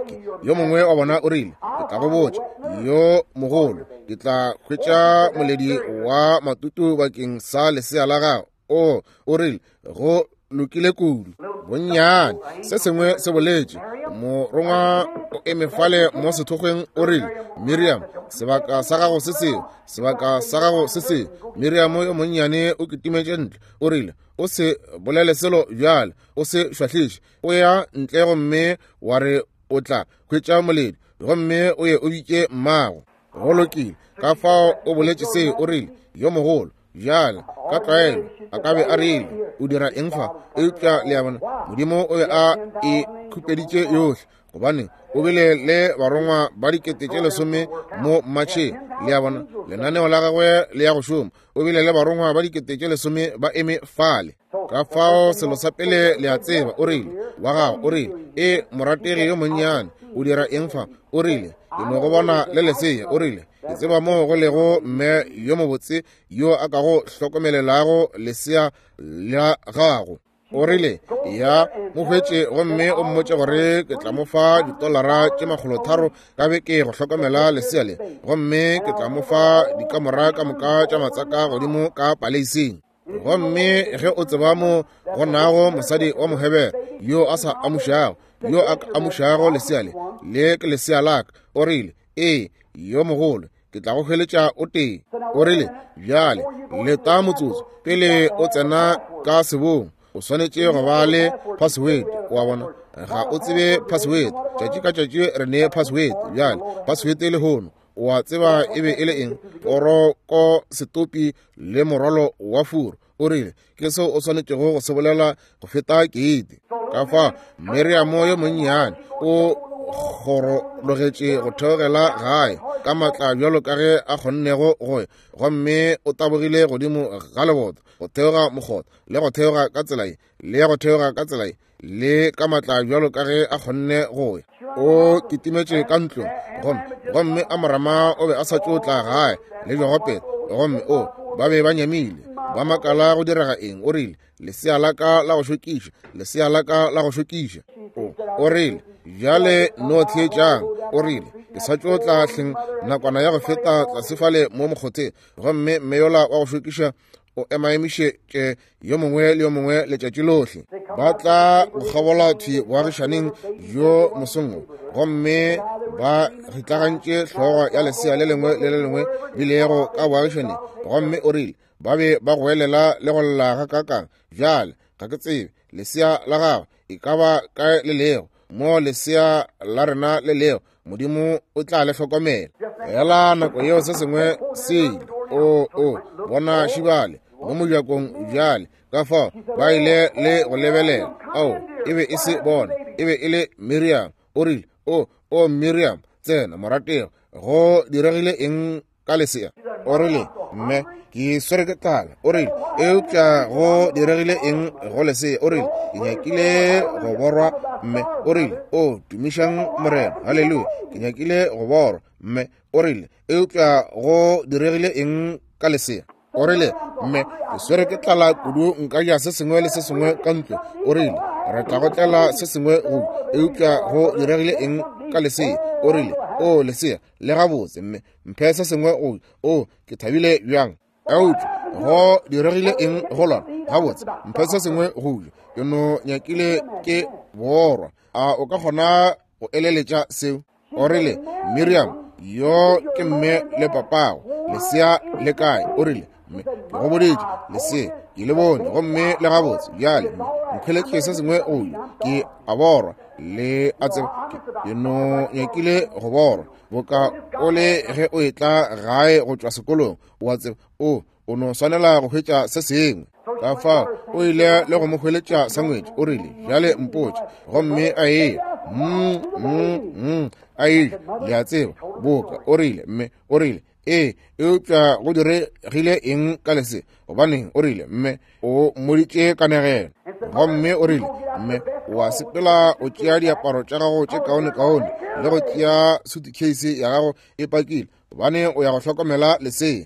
yo mongwe wa bona o rile, ke tla go botša, yo mogolo, ke tla hwetša moledi wa matutu bakeng sa lesea la gago. O, o rile, go lokile kudu. Bonnyane se sengwe se boletše, morongwa o eme fale mo sethokgweng, o rile, Miriam, sebaka sa gago se seo, sebaka sa gago se seo. Miriam yo monnyane o kitimetše ntle, o rile, o se bolele selo bjale, o se šwahliše. O ya ntle gomme wa re o tla hwetša moledi, gomme o ye o bitše mmago. Go lokile. Ka fao o boletše seo, o rile, yo mogolo, bjale ka tlwaelo a ka be a rile, o dira eng fa? Eupša le a bona, Modimo o be a e khupeditše yohle, gobane o bile le barongwa ba dikete tše lesome mo mmatšheng. Le a bona, lenaneo la gagwe le ya go šoma. O bile le barongwa ba dikete tše lesome ba eme fale. Ka fao selo sa pele le a tseba, o rile, wa gago, o rile, e morategi yo monnyane, o dira eng fa? O rile, ke no go bona le lesea. O rile, ke tseba moo go lego mme yo mobotse yo a ka go hlokomelelago lesea la gago. O rile, ya mo hwetše gomme o mmotše gore ke tla mo fa ditolara tše makgolo tharo ka beke go hlokomela lesea le, gomme ke tla mo fa dikamora ka moka tša matsaka godimo ka paleising. Gomme ge o tseba mo go nago mosadi wa Mohebere yo a sa amušago, yo a amušago lesea le, le ke lesea la ka. O rile, ee, yo mogolo, ke tla go hweletša o tee. O rile, bjale leta motsotso pele o tsena ka sebong, o swanetše go ba le password. Wa bona, ga o tsebe password. Tšatši ka tšatši re ne password. Bjale password le hono, o a tseba e be e le eng? Poroko setopi le morwalo wa furu. O rile, ke seo o swanetšego go se bolela go feta keite. Ka fa Miriam yo monnyane o kgorologetše go theogela gae ka matla bjalo ka ge a kgonnego go ya, gomme o tabogile godimo ga leboto go theoga mokgotha le go theoga ka tsela ye le go theoga ka tsela ye le ka matla bjalo ka ge a kgonne go ya. O kitimetše ka ntlong, gomme gomme Amorama o be a sa tšo tla gae le Jogopete, gomme o ba be ba nyamile, ba makala go direga eng. O rile, lesea la ka la go šokiša, lesea la ka la go šokiša. O, o rile, bjale no theetšang. O rile, ke sa tšo tla hleng nakwana ya go feta tlase fale mo mokgotheng, gomme mme yola wa go šokiša o emaemišetše yo mongwe le yo mongwe letšatši lohle. Ba tla go kgabola thwi boagišaneng bjo mosong wo, gomme ba ritlagantše hlogo ya lesea le lengwe le le lengwe bilego ka boagišaneng. Gomme o rile ba be ba goelela le go lla ga kakang. Bjale ga ke tsebe lesea la gago e ka ba kae le lego, mo lesea la rena le lego, Modimo o tla le hlokomela. Fela nako yeo se sengwe se ile. O o bona šibale mo mojakong bjale. Ka fao ba ile le go lebelela. Ao, e be e se bona, e be e le Miriam. O rile, o o Miriam, tsena moratego, go diregile eng ka lesea? O rile, mme ke swere ke tlala. O rile, eupša go diregile eng go lesea? O rile, ke nyakile go borwa, mme. O rile, o tumišang Morena, haleluya, ke nyakile go borwa, mme. O rile, eupša go diregile eng ka lesea? O rile, mme ke swere ke tlala kudu, nka ja se sengwe le se sengwe ka ntlo. O rile, re tla go tlela se sengwe go, eupša go diregile eng ka lesea? O rile, o lesea le gabotse, mme mphe se sengwe go, o ke thabile bjang. Eupša go diregile eng go lona? Gabotse, mphe se sengwe go ja, ke no nyakile ke borwa. A o ka kgona go eleletša seo? O rile, Miriam, yo ke mme le papago, lesea le kae? O rile, mme ke go boditše, lesea ke le bone gomme le gabotse. Bjale mme nkhweletše se sengwe go ja, ke a borwa, le a tseba ke no nyakile go borwa. Boka o le ge o etla gae go tšwa sekolong, o a tseba o o no swanela go hwetša se sengwe. Ka fao o ile le go mo hweletša sangwetši. O rile, bjale mpotše. Gomme a eya mm mm mm a eja, le a tseba, boka. O rile, mme o rile, ee, eupša go diregile eng ka lesea? Gobaneng, o rile, mme o mmoditše kanegelo. Gomme o rile, mme o a sepela o tšea diaparo tša gago tše kaonekaone le go tšea suitcase ya gago e pakile, gobane o ya go hlokomela lesea.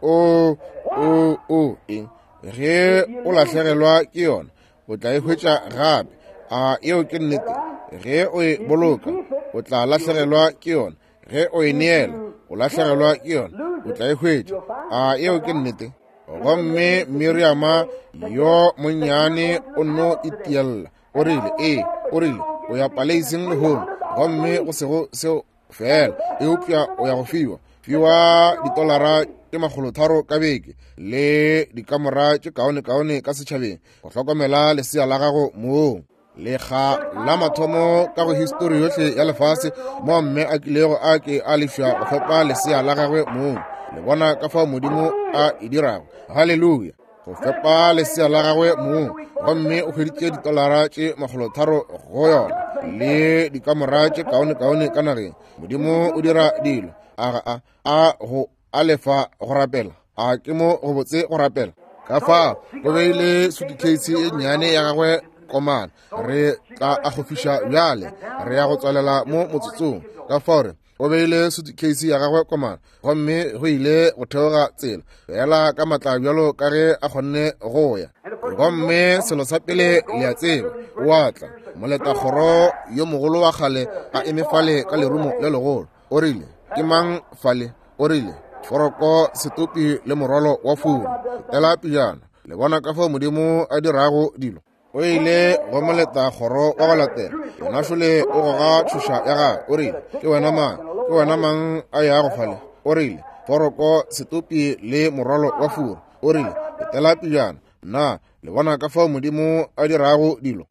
O o o eng? Ge o lahlegelwa ke yona, o tla e hwetša gape. A eo ke nnete? Ge o e boloka, o tla lahlegelwa ke yona. Ge o e neela, o lahlegelwa ke yona, o tla e hwetša. A eo ke nnete? Gomme Miriama yo monnyane o no itiella. O rile, ee, o rile, o ya paleising lehono, gomme go sego seo fela, eupša o ya go fiwa fiwa ditolara tše makgolotharo ka beke le dikamora tše kaonekaone ka setšhabeng go hlokomela lesea la gago moo. Lekga la mathomo ka go histori yohle ya lefase mo mme a kilego a ke a lefša go fepa lesea la gagwe mong. Le bona ka fao Modimo a e dirago. Haleluya. Go fepa lesea la gagwe mong, gomme o hweditše ditolara tše makgolotharo go yona le dikamora tše kaonekaone ka nageng. Modimo o dira dilo. A ga a a go a lefa go rapela? A ke mo go botse go rapela? Ka fao go beile suitcase e nnyane ya gagwe komana. Re tla akgofiša bjale, re ya go tswalela mo motsotsong. Ka fao re o beile suitcase ya gagwe komana, gomme go ile go theoga tsela fela ka matla bjalo ka ge a kgonne go ya. Gomme selo sa pele le a tseba, o a tla moletakgoro yo mogolo wa kgale a eme fale ka lerumo le legolo. O rile, ke mang fale? O rile, foroko, setopi le morwalo wa furu. Fetela pejana, le bona ka fao Modimo a dirago dilo. O ile go moletakgoro wa go latela, yena šole o goga tšhoša ya gagwe. O rile, ke wena mang? Ke wena mang a yago fale? O rile, foroko, setopi le morwalo wa furu. O rile, fetela pejana. Na le bona ka fao Modimo a dirago dilo?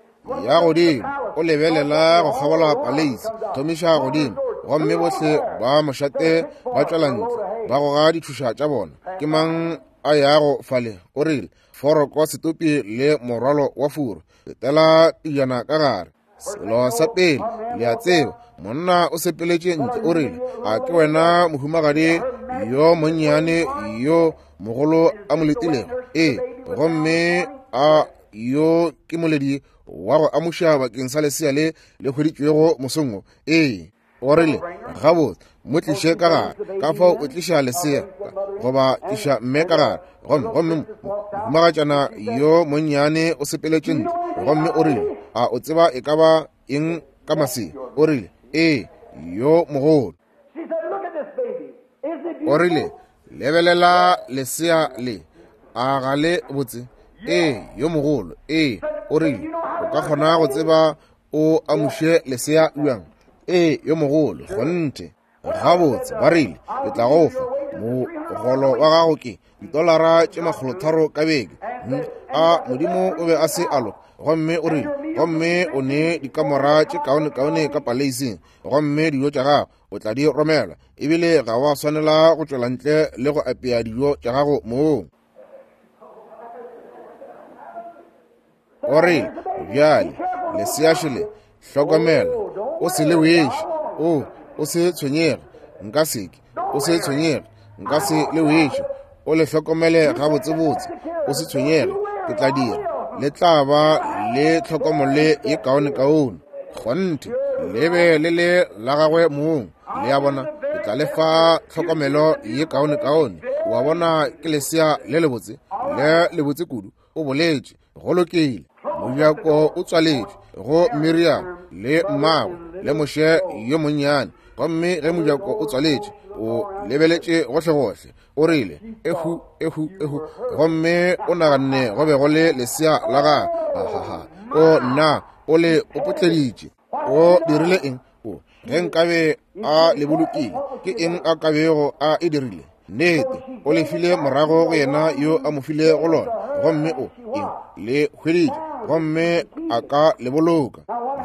Ya godimo, o lebelela go kgabola paleisi, thomiša godimo, gomme bohle ba mošate ba tšwela ntle, ba goga ditšhoša tša bona. Ke mang a yago fale? O rile, foroko, setopi le morwalo wa furu. Fetela pejana ka gare. Selo sa pele le a tseba, monna o sepeletše ntle. O rile, a ke wena mohumagadi yo monnyane yo mogolo a mo letilego? Ee. Gomme a yo ke moledi wa go amuša bakeng sa lesea le le hweditšwego mosong wo? Ee. O rile, gabotse, mo tliše ka gare. Ka fao o tliša lesea goba tliša mme ka gare. Gomme gomme mohumagatšana yo monnyane o sepeletše ntle, gomme o rile, a o tseba e ka ba eng ka masea? O rile, ee, yo mogolo. O rile, lebelela lesea le, a ga le botse? Ee, yo mogolo. Ee, o rile, o ka kgona go tseba o amuše lesea bjang? Ee, yo mogolo, kgonthe. Gabotse, ba rile, ke tla go fa mogolo wa gago ke ditolara tše makgolotharo ka beke. A Modimo o be a se a loka. Gomme o rile, gomme o ne dikamora tše kaonekaone ka paleising, gomme dijo tša gago o tla di romela, ebile ga wa swanela go tšwela ntle le go apea dijo tša gago moo. O rile, bjale leseašele, hlokomela, o se le weše. O, o se tshwenyege, nka seke. O se tshwenyege, nka se le weše. O le hlokomele gabotsebotse, o se tshwenyege, ke tla dira. Le tla ba le tlhokomelo ye kaonekaone. Kgonthe, le be le le la gagwe mong. Le a bona, ke tla le fa tlhokomelo ye kaonekaone. Wa bona, ke lesea le lebotse, le lebotse kudu. O boletše, go lokile. Mojako o tswaletšwe go Miriam le mmagwe le Moshe yo monnyane. Gomme ge mojako o tswaletše, o lebeletše gohlegohle. O rile, ehu, ehu, ehu. Gomme o naganne go be go le lesea la gagwe. Ahaha. O nna, o le o potleditše. O dirile eng? O, ge nkabe a le bolokile, ke eng a kabego a e dirile? Nnete, o le file morago go yena yo a mo file go lona. Gomme o, eng, le hweditše, gomme a ka le boloka.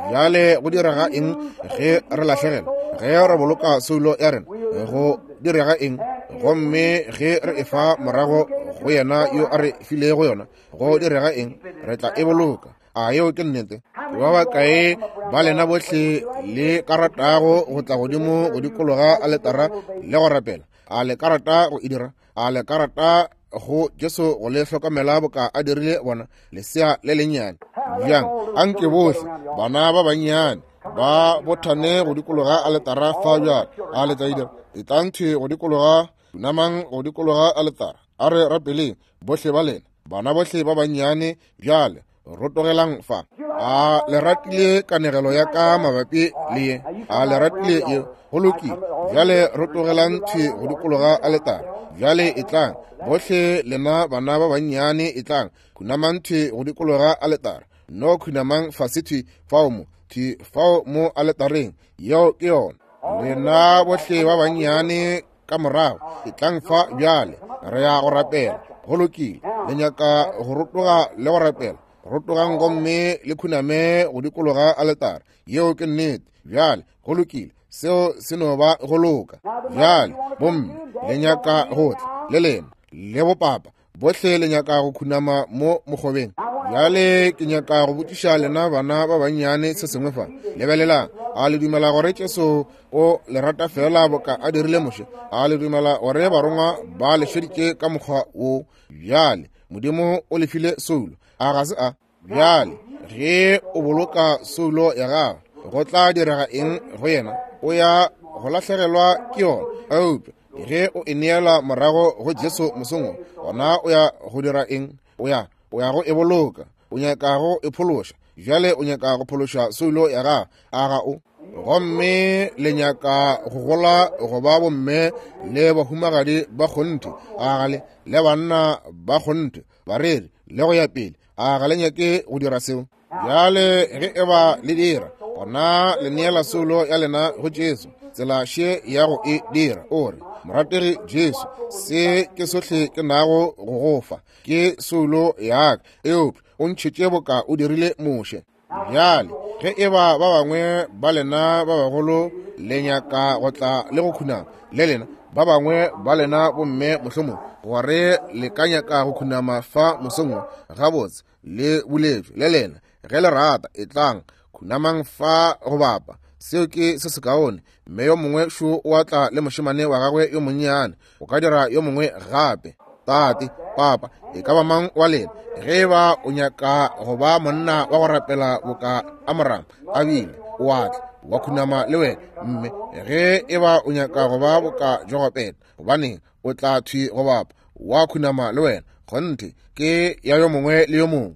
Bjale go direga eng ge re lahlegela? Ge re boloka soulo ya rena, go direga eng? Gomme ge re e fa morago go yena yo a re filego yona, go direga eng? Re tla e boloka. A yeo ke nnete? Ba bakae ba lena bohle le ka ratago go tla godimo go dikologa aletara le go rapela? A le ka rata go e dira? A le ka rata go Jesu go le hlokomela boka a dirile bona lesea le lennyane? Bjang, anke bohle bana ba bannyane ba bothane go dikologa aletara fa bjale. A le tla e dira? Etlang thwi go dikologa, khunamang go dikologa aletara. A re rapeleng bohle ba lena, bana bohle ba bannyane. Bjale rotogelang fa. A le ratile kanegelo ya ka mabapi le ye? A le ratile ye? Go lokile. Bjale rotogelang thwi go dikologa aletara. Bjale etlang bohle lena bana ba bannyane, etlang khunamang thwi go dikologa aletara. No khunamang fase thwi fao mo, thwi fao mo aletareng. Yeo ke yona. Lena bohle ba bannyane ka morago, etlang fa bjale, re ya go rapela. Go lokile. Le nyaka go rotoga le go rapela? Rotogang gomme le khuname go dikologa aletara. Yeo ke nnete. Bjale go lokile, seo se no ba go loka. Bjale bomme, le nyaka go tla le lena le bopapa bohle le nyaka go khunama mo mokgobeng. Bjale ke nyaka go botšiša lena bana ba bannyane se sengwe fa. Lebelelang, a le dumela gore Jesu o le rata fela boka a dirile Moshe? A le dumela gore barongwa ba le šeditše ka mokgwa wo? Bjale Modimo o le file soulo, a ga se a? Bjale ge o boloka soulo ya gago, go tla direga eng go yena? O ya go lahlegelwa ke yona. Eupša ge o e neela morago go Jesu mosong wo, gona o ya go dira eng? O ya o ya go e boloka. O nyaka go e phološa. Bjale o nyaka go phološa soulo ya gago, a ga o? Gomme le nyaka go gola go ba bomme le bahumagadi ba kgonthe, a ga le? Le banna ba kgonthe, bareri le go ya pele, a ga le nyake go dira seo? Bjale ge e ba le dira, gona le neela soulo ya lena go Jesu. Tsela še ya go e dira, o re, morategi Jesu, se ke sohle ke nago go go fa, ke soulo ya ka, eupša o ntšhetše boka o dirile Moshe. Bjale ge e ba ba bangwe ba lena ba bagolo le nyaka go tla le go khunama le lena, ba bangwe ba lena bomme mohlomong gore le ka nyaka go khunama fa mosong wo, gabotse le buletšwe le lena. Ge le rata, etlang khunamang fa go bapa. Seo ke se sekaone. Mme yo mongwe šo o a tla le mošemane wa gagwe yo monnyane. O ka dira yo mongwe gape. Tate, papa, e ka ba mang wa lena, ge e ba o nyaka go ba monna wa go rapela boka Amram a bile, o a tla wa khunama le wena. Mme ge e ba o nyaka go ba boka Jogopeta, gobaneng o tla thwi go bapa wa khunama le wena. Kgonthe ke ya yo mongwe le yo mongwe.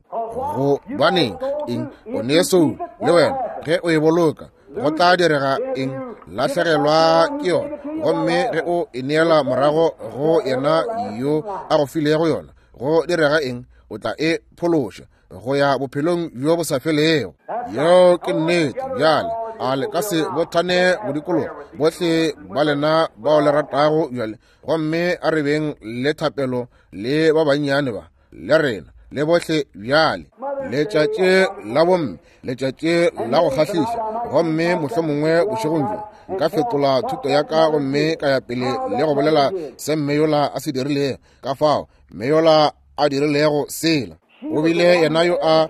Gobaneng eng? O ne soulo le wena. Ge o e boloka, go tla direga eng? Lahlegelwa ke yona. Gomme ge o e neela morago go yena yo a go filego yona, go direga eng? o tla e phološa go ya bophelong bjo bo sa felego. Yeo ke nnete. Bjale a le ka se bothane go dikologa bohle ba lena bao le ratago bjale, gomme a re beng le thapelo le ba bannyane ba le rena le bohle bjale. Letšatši la bomme, letšatši la go kgahliša, gomme mohlomongwe bošegong bjo nka fetola thuto ya ka gomme ka ya pele le go bolela se mme yola a se dirilego, ka fao mme yola a dirilego sela. O bile yena yo a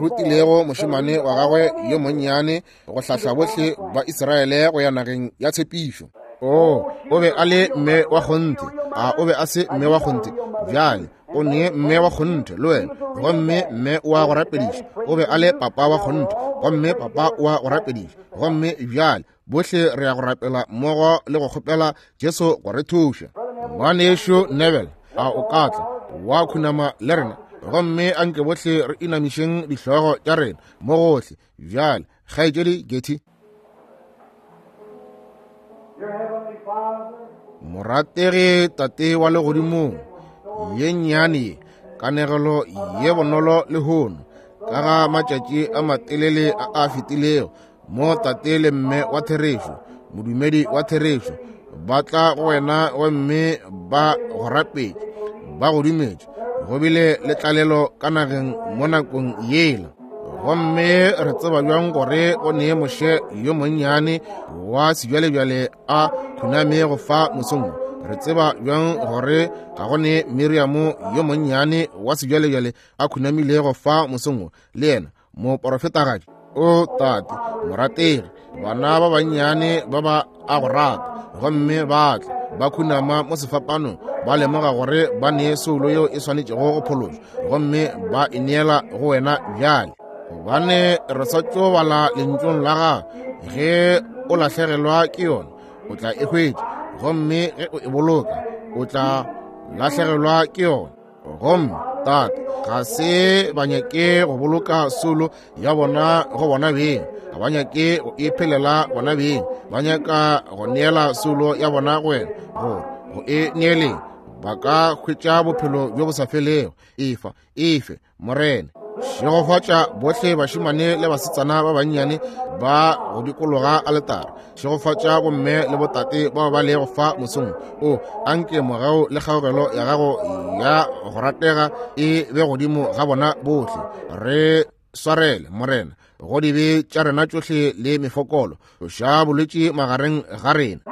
rutilego mošemane wa gagwe yo monnyane go hlahla bohle ba Israele go ya nageng ya tshepišo. O, o be a le mme wa kgonthe. A o be a se mme wa kgonthe? Bjale o ne mme wa kgonthe le wena, gomme mme wa go rapediša. O be a le papa wa kgonthe, gomme papa wa go rapediša. Gomme bjale bohle re ya go rapela mmogo le go kgopela Jesu go re thuša. Ngwanešu Neville, a o ka tla wa khunama le rena? Gomme anke bohle re inamišeng dihlogo tša rena mo gohle. Bjale kgaetšedi Getty. Morategi Tate wa legodimong, ye nnyane ye kanegelo ye bonolo lehono ka ga matšatši a matelele a a fetilego, mo tate le mme wa therešo, modumedi wa therešo, ba tla go wena gomme ba go rapetše, ba go dumetše. Go bile le tlalelo ka nageng mo nakong yela. Gomme re tseba bjang gore o nee Moshe yo monnyane wa sebjalebjale a khunamego fa mosong? Re tseba bjang gore ga go ne Miriamo yo monnyane wa sebjalebjale a khunamilego fa mosong le yena moporofetagadi? O Tate morategi, bana ba bannyane ba ba a go rata, gomme ba tla ba khunama mo sefapanong, ba lemoga gore ba nee soulo yeo e swanetšego go phološwa, gomme ba e neela go wena bjale. Gobane re sa tšo bala lentšong la gago, ge o lahlegelwa ke yona o tla e hwetša, gomme ge o e boloka o tla lahlegelwa ke yona. Gomme Tate, ga se ba nyake go boloka soulo ya bona go bona beng, ga ba nyake go e phelela bona beng, ba nyaka go neela soulo ya bona go wena, gore go e neeleng ba ka hwetša bophelo bjo bo sa felego. Efa, efe Morena. Šegofatša bohle bašemane le basetsana ba bannyane ba go dikologa aletara. Šegofatša bomme le botate bao ba lego fa mosong o. Anke mogau le kgaogelo ya gago ya go ratega e be godimo ga bona bohle. Re swarele Morena go dibe tša rena tšohle le mefokolo. Tloša bolwetši magareng ga rena.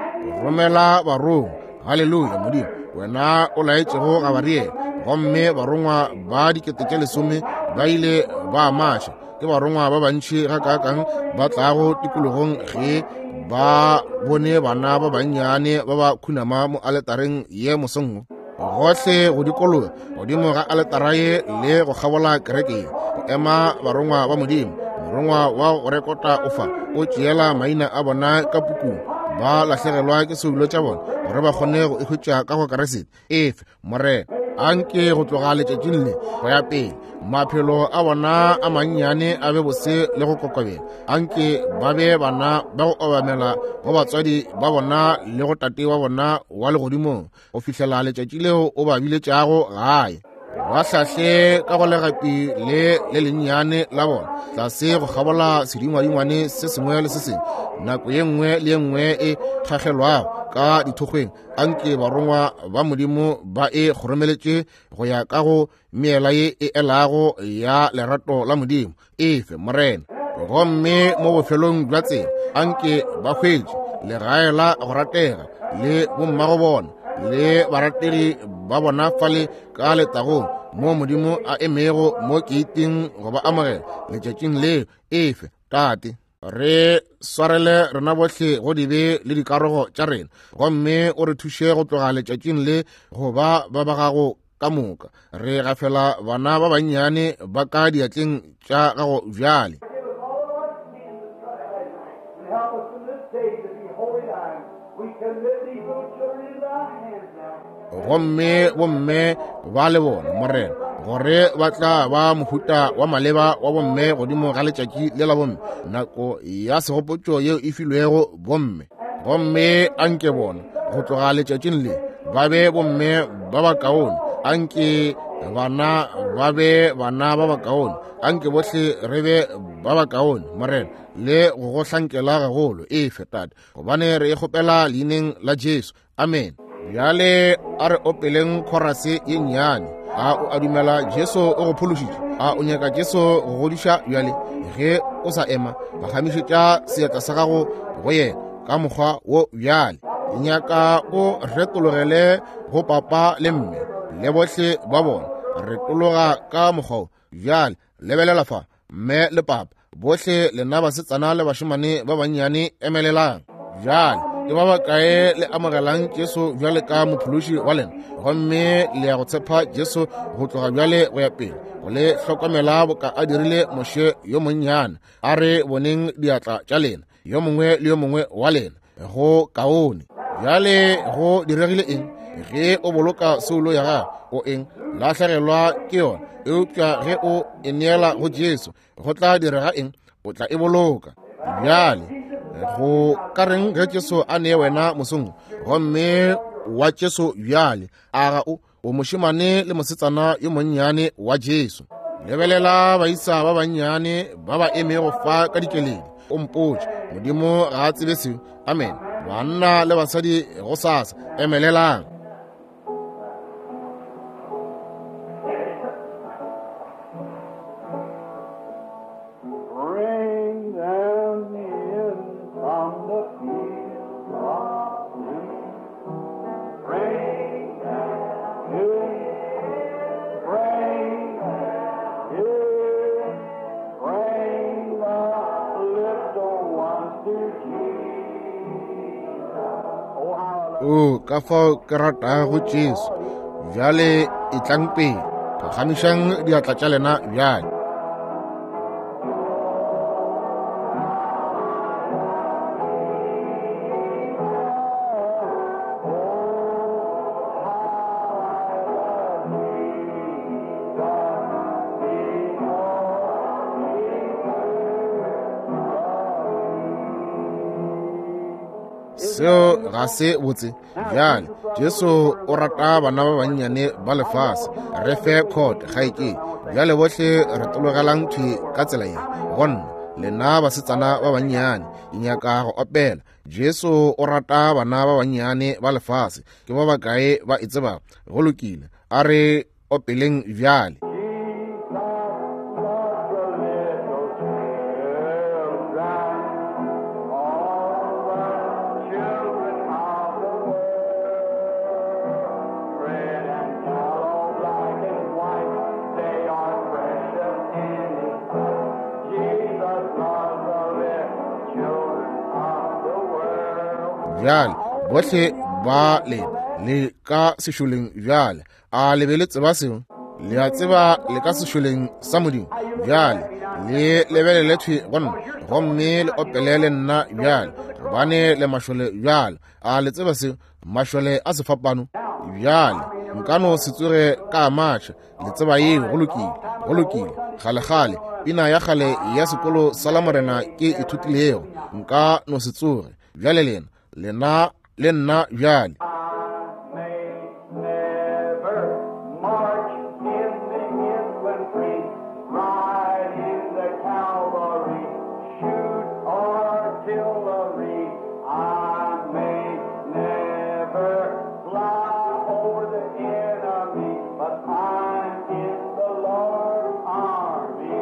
Romela barongwa. Haleluya Modimo, wena o laetšego Gabariele, gomme barongwa ba dikete tše lesome ba ile ba maša. Ke barongwa ba bantši gakaakang ba tlago tikologong ge ba bone bana ba bannyane ba ba khunama mo aletareng ye mosong. Gohle go dikologa godimo ga aletara ye le go kgabola kereke ye go ema barongwa ba Modimo. Morongwa wa go rekota o fa o tšeela maina a bona ka pukung, ba lahlegelwa ke soulo tša bona gore ba kgone go e hwetša ka go Kriste. Efe Morena, anke go tloga letšatšing le go ya pele maphelo a bona a mannyane a be bose le go kokobela. Anke ba be bana ba go obamela go batswadi ba bona le go tate wa bona wa legodimong go fihlela letšatši leo o ba biletšago gae. Ba hlahle ka go legapi le le lennyane la bona tlase go kgabola sedingwadingwane se sengwe le se sengwe, nako ye nngwe le ye nngwe e kgagelwago ka dithokgweng. Anke barongwa ba Modimo ba e kgoromeletše go ya ka go meela ye e elago ya lerato la Modimo. Efe Morena. Gomme mo bofelong bja tsela anke ba hwetše legae la go ratega le bommago bona le barategi ba bona fale ka letagong mo Modimo a emego mo keiting go ba amogela letšatšing leo. Efe Tate, re swarele rena bohle go dibe le dikarogo tša rena, gomme o re thuše go tloga letšatšing le go ba ba ba gago ka moka. Re gafela bana ba bannyane ba ka diatleng tša gago bjale. Gomme bomme ba le bona Morena gore ba tla ba mohuta wa maleba wa bomme godimo ga letšatši le la bomme, nako ya segopotšo yeo e filwego bomme. Gomme anke bona go tloga letšatšing le ba be bomme ba bakaone. Anke Bana ba be bana ba bakaone. Anke bohle re be ba bakaone, Morena, le go go hlankela gagolo. Efe, Tate, gobane re e kgopela leineng la Jesu. Amen. Bjale a re opeleng khorase ye nnyane. A o a dumela Jesu o go phološitše? A o nyaka Jesu go godiša bjale? Ge o sa ema, phagamišetša seatla sa gago go yena ka mokgwa wo bjale. Ke nyaka o retologele go papa le mme le bohle ba bona. Retologa ka mokgwa wo bjale. Lebelela fa, mme le papa, bohle lena basetsana le bašemane ba bannyane, emelelang bjale. Ke ba bakae le amogelang Jesu bjale ka mophološi wa lena, gomme le ya go tshepa Jesu go tloga bjale go ya pele, go le hlokomela boka a dirile Moshe yo monnyane? A re boneng diatla tša lena, yo mongwe le yo mongwe wa lena. Go kaone. Bjale go diregile eng? Ge o boloka soulo ya gago, o eng? Lahlegelwa ke yona. Eupša ge o e neela go Jesu, go tla direga eng? O tla e boloka. Bjale go ka reng ge Jesu a nee wena mosong, gomme wa Jesu bjale? A ga o o mošemane le mosetsana yo monnyane wa Jesu? Lebelela baisa ba bannyane ba ba emego fa ka dikeledi. O mpotše, Modimo ga a tsebe seo. Amen. Banna le basadi go sasa, emelelang. Bring them in from the field of sin. Bring them in, bring them in, bring the little ones to Jesus. Oh, how I love O ka fao ke ratago Jesu. Bjale etlang pele, phagamišang diatla tša lena bjale. Seo ga se botse. Bjale Jesu o rata bana ba bannyane ba lefase. Re fe court kgaetšedi. Bjale bohle re tologelang thwi ka tsela ye. Gonna lena basetsana ba bannyane, ke nyaka go opela Jesu o rata bana ba bannyane ba lefase. Ke ba bakae ba e tsebago? Go lokile, a re opeleng bjale. Jesus loves the little children, all the children of the world. Red and yellow, black and white, they are precious in His sight. Jesus loves the little children of the world. Bjale bohle ba lena le ka sešoleng bjale. A le be le tseba seo? Le a tseba le ka sešoleng sa Modimo. Bjale le lebelele thwi go nna, gomme le opele le nna bjale, gobane le mašole bjale. A le tseba seo? Mašole a sefapano. Bjale nka no se tsoge ka matšha. Le tseba yeo? Go lokile, go lokile. Kgale-kgale pina ya kgale ya sekolo sa la Morena ke ithutilego, nka no se tsoge. Bjale lena, lena le nna bjale. I may never march in the infantry, ride in the cavalry, shoot artillery. I may never fly over the enemy, but I'm in the Lord's army.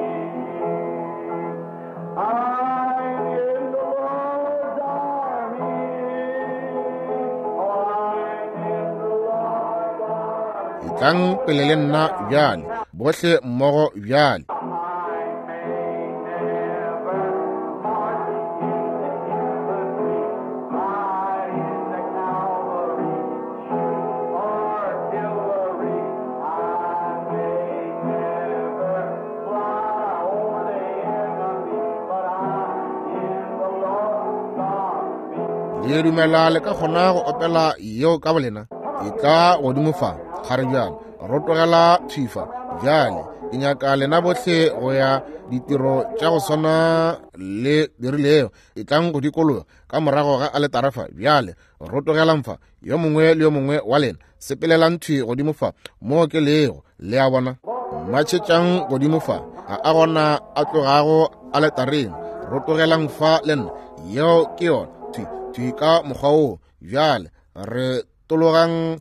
I'm in the Lord's army. Oh, I'm in the Lord's army. Etlang pele le nna bjale, bohle mmogo bjale. I may never march in the infantry, ride in the cavalry, shoot artillery. I may never fly over the enemy, but I'm in the Lord's army. Le dumela le ka kgona go opela yeo ka bolena? E tla godimo fa, kgare bjale. Rotogela thwi fa, Bjale ke nyaka lena bohle go ya ditiro tša go swana le dirilego. E tlang go dikologa ka morago ga aletara fa. Bjale rotogelang fa, yo mongwe le yo mongwe wa lena sepelelang thwi godimo fa mo ke lego. Le a bona? Matšhetšang godimo fa, ga a gona a tlogago aletareng. Rotogelang fa le nna. Yeo ke yona, thwi thwi ka mokgwa woo. Bjale re tologang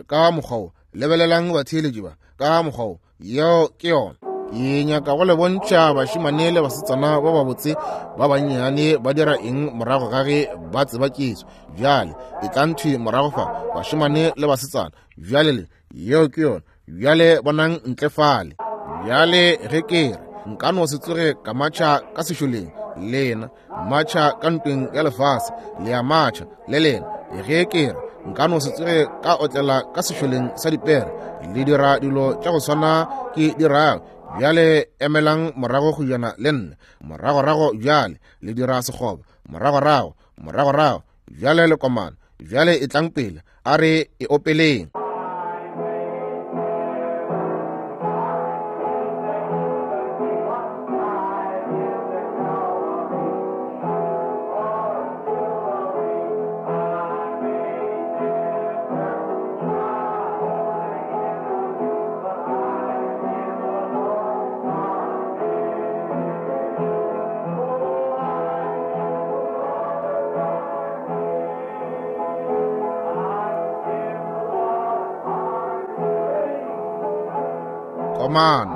ka mokgwa wo. Lebelelang batheeletši ba ka mokgwa wo. Yeo ke yona. Ke nyaka go le bontšha bašemane le basetsana ba babotse ba bannyane ba dira eng morago ga ge ba tseba Jesu. Bjale e tlang thwi morago fa, bašemane le basetsana. Bjale le, yeo ke yona. Bjale bonang ntle fale. Bjale ge ke re nka no se tsoge ka matšha ka sešoleng, lena matšha ka ntweng ya lefase, le a matšha le lena. Ge ke re nka no se tsoge ka otlela ka sešoleng sa dipere, le dira dilo tša go swana ke dirago. Bjale emelang morago go jana le nna. Moragorago bjale le dira sekgoba. Moragorago, moragorago bjale le komana. Bjale e tlang pele, a re e opeleng. Komano.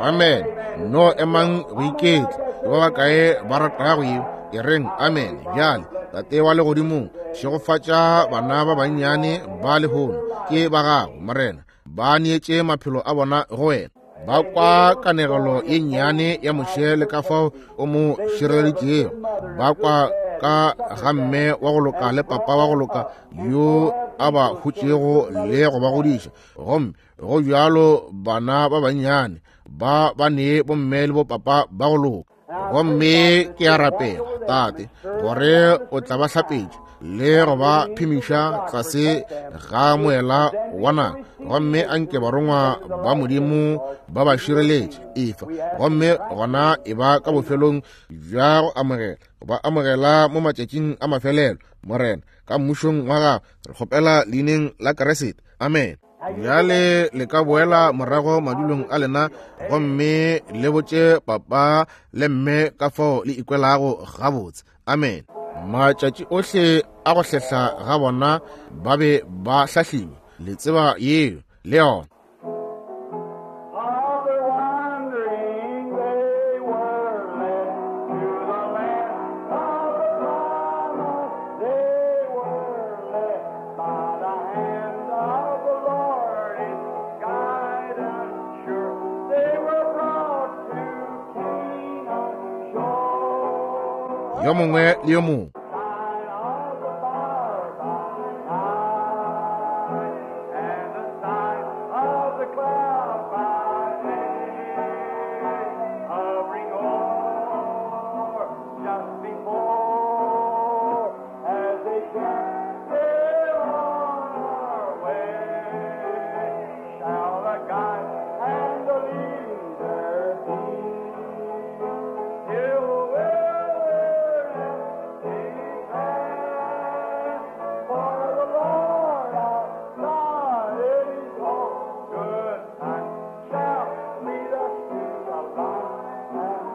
Amen. No emang go iketla. Ke ba bakae ba ratago yeo? E reng amen. Bjale Tate wa legodimong, šegofatša bana ba bannyane ba lehono. Ke ba gago, Morena. Ba neetše maphelo a bona go wena. Ba kwa kanegelo ye nnyane ya Moshe le ka fao o mo šireleditšego. Ba kwa ka ga mme wa go loka le papa wa go loka yo a ba hutšego le go ba godiša. Gomme go bjalo bana ba bannyane ba ba nee bomme le bopapa ba go loka. Gomme ke a rapela, Tate, gore o tla ba hlapetša le go ba phemiša tlase ga moela wa naga. Gomme anke barongwa ba Modimo ba ba šireletše efa. Gomme gona e ba ka bofelong bja go amogela, ba amogela mo matšatšing a mafelelo, Morena, ka mmušong wa gago. Re kgopela leineng la Kriste. Amen. Bjale le ka boela morago madulong a lena gomme le botše papa le mme ka fao le ikwelago gabotse. Amen. Matšatši ohle a go hlehla ga bona ba be ba hlahliwe. Le tseba yeo le yona. Of their wandering they were led to the land of the promise. They were led by the hand of the Lord in guidance sure. They were brought to Canaan's shore. Yo mongwe le yo mongwe. Sign of the fire by night, and the sign of the cloud by day, hovering o'er just before, as they kept their on our way, shall the guide and the leader be. Till the wilderness declare, for the Lord our God is all good and shall lead us to the land.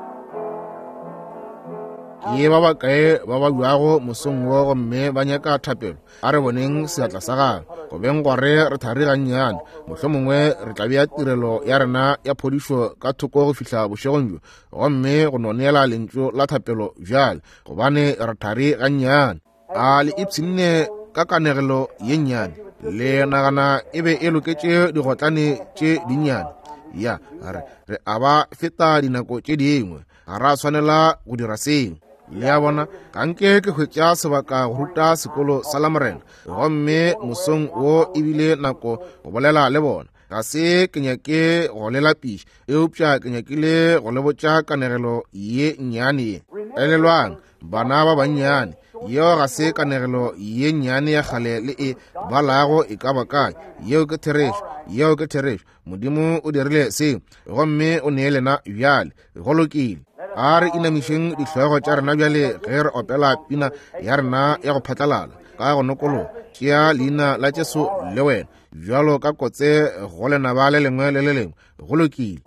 Ke ba bakae ba ba buago mosong wo gomme ba nyaka thapelo? A re boneng seatla sa gago. Go beng gore re thari gannyane, mohlomongwe re tla bea tirelo ya rena ya phodišo ka thoko go fihla bošegong bjo, gomme go no neela lentšu la thapelo bjale, gobane re thari gannyane. A le ipshinne ka kanegelo ye nnyane? Le nagana e be e loketše digotlane tše dinnyane? Ya, re, re a ba feta dinako tše dingwe. Ga ra swanela go dira seo. Le a bona, ga nke ke hwetša sebaka go ruta sekolo sa Lamorena, gomme mosong wo ebile nako go bolela le bona. Ga se ke nyake go le lapiša, eupša ke nyakile go le botša kanegelo ye nnyane ye. Elelwang, bana ba bannyane, yeo ga se kanegelo ye nnyane ya kgale le e balago e ka ba kae. Yeo ke therešo, yeo ke therešo. Modimo o dirile seo, gomme o nee lena bjale. Go lokile. A re inamišeng dihlogo tša rena bjale ge re opela pina ya rena ya go phatlalala ka go nokologa. Tšea leina la Jesu le wena bjalo ka kotse go lenaba le lengwe le le lengwe. Go lokile.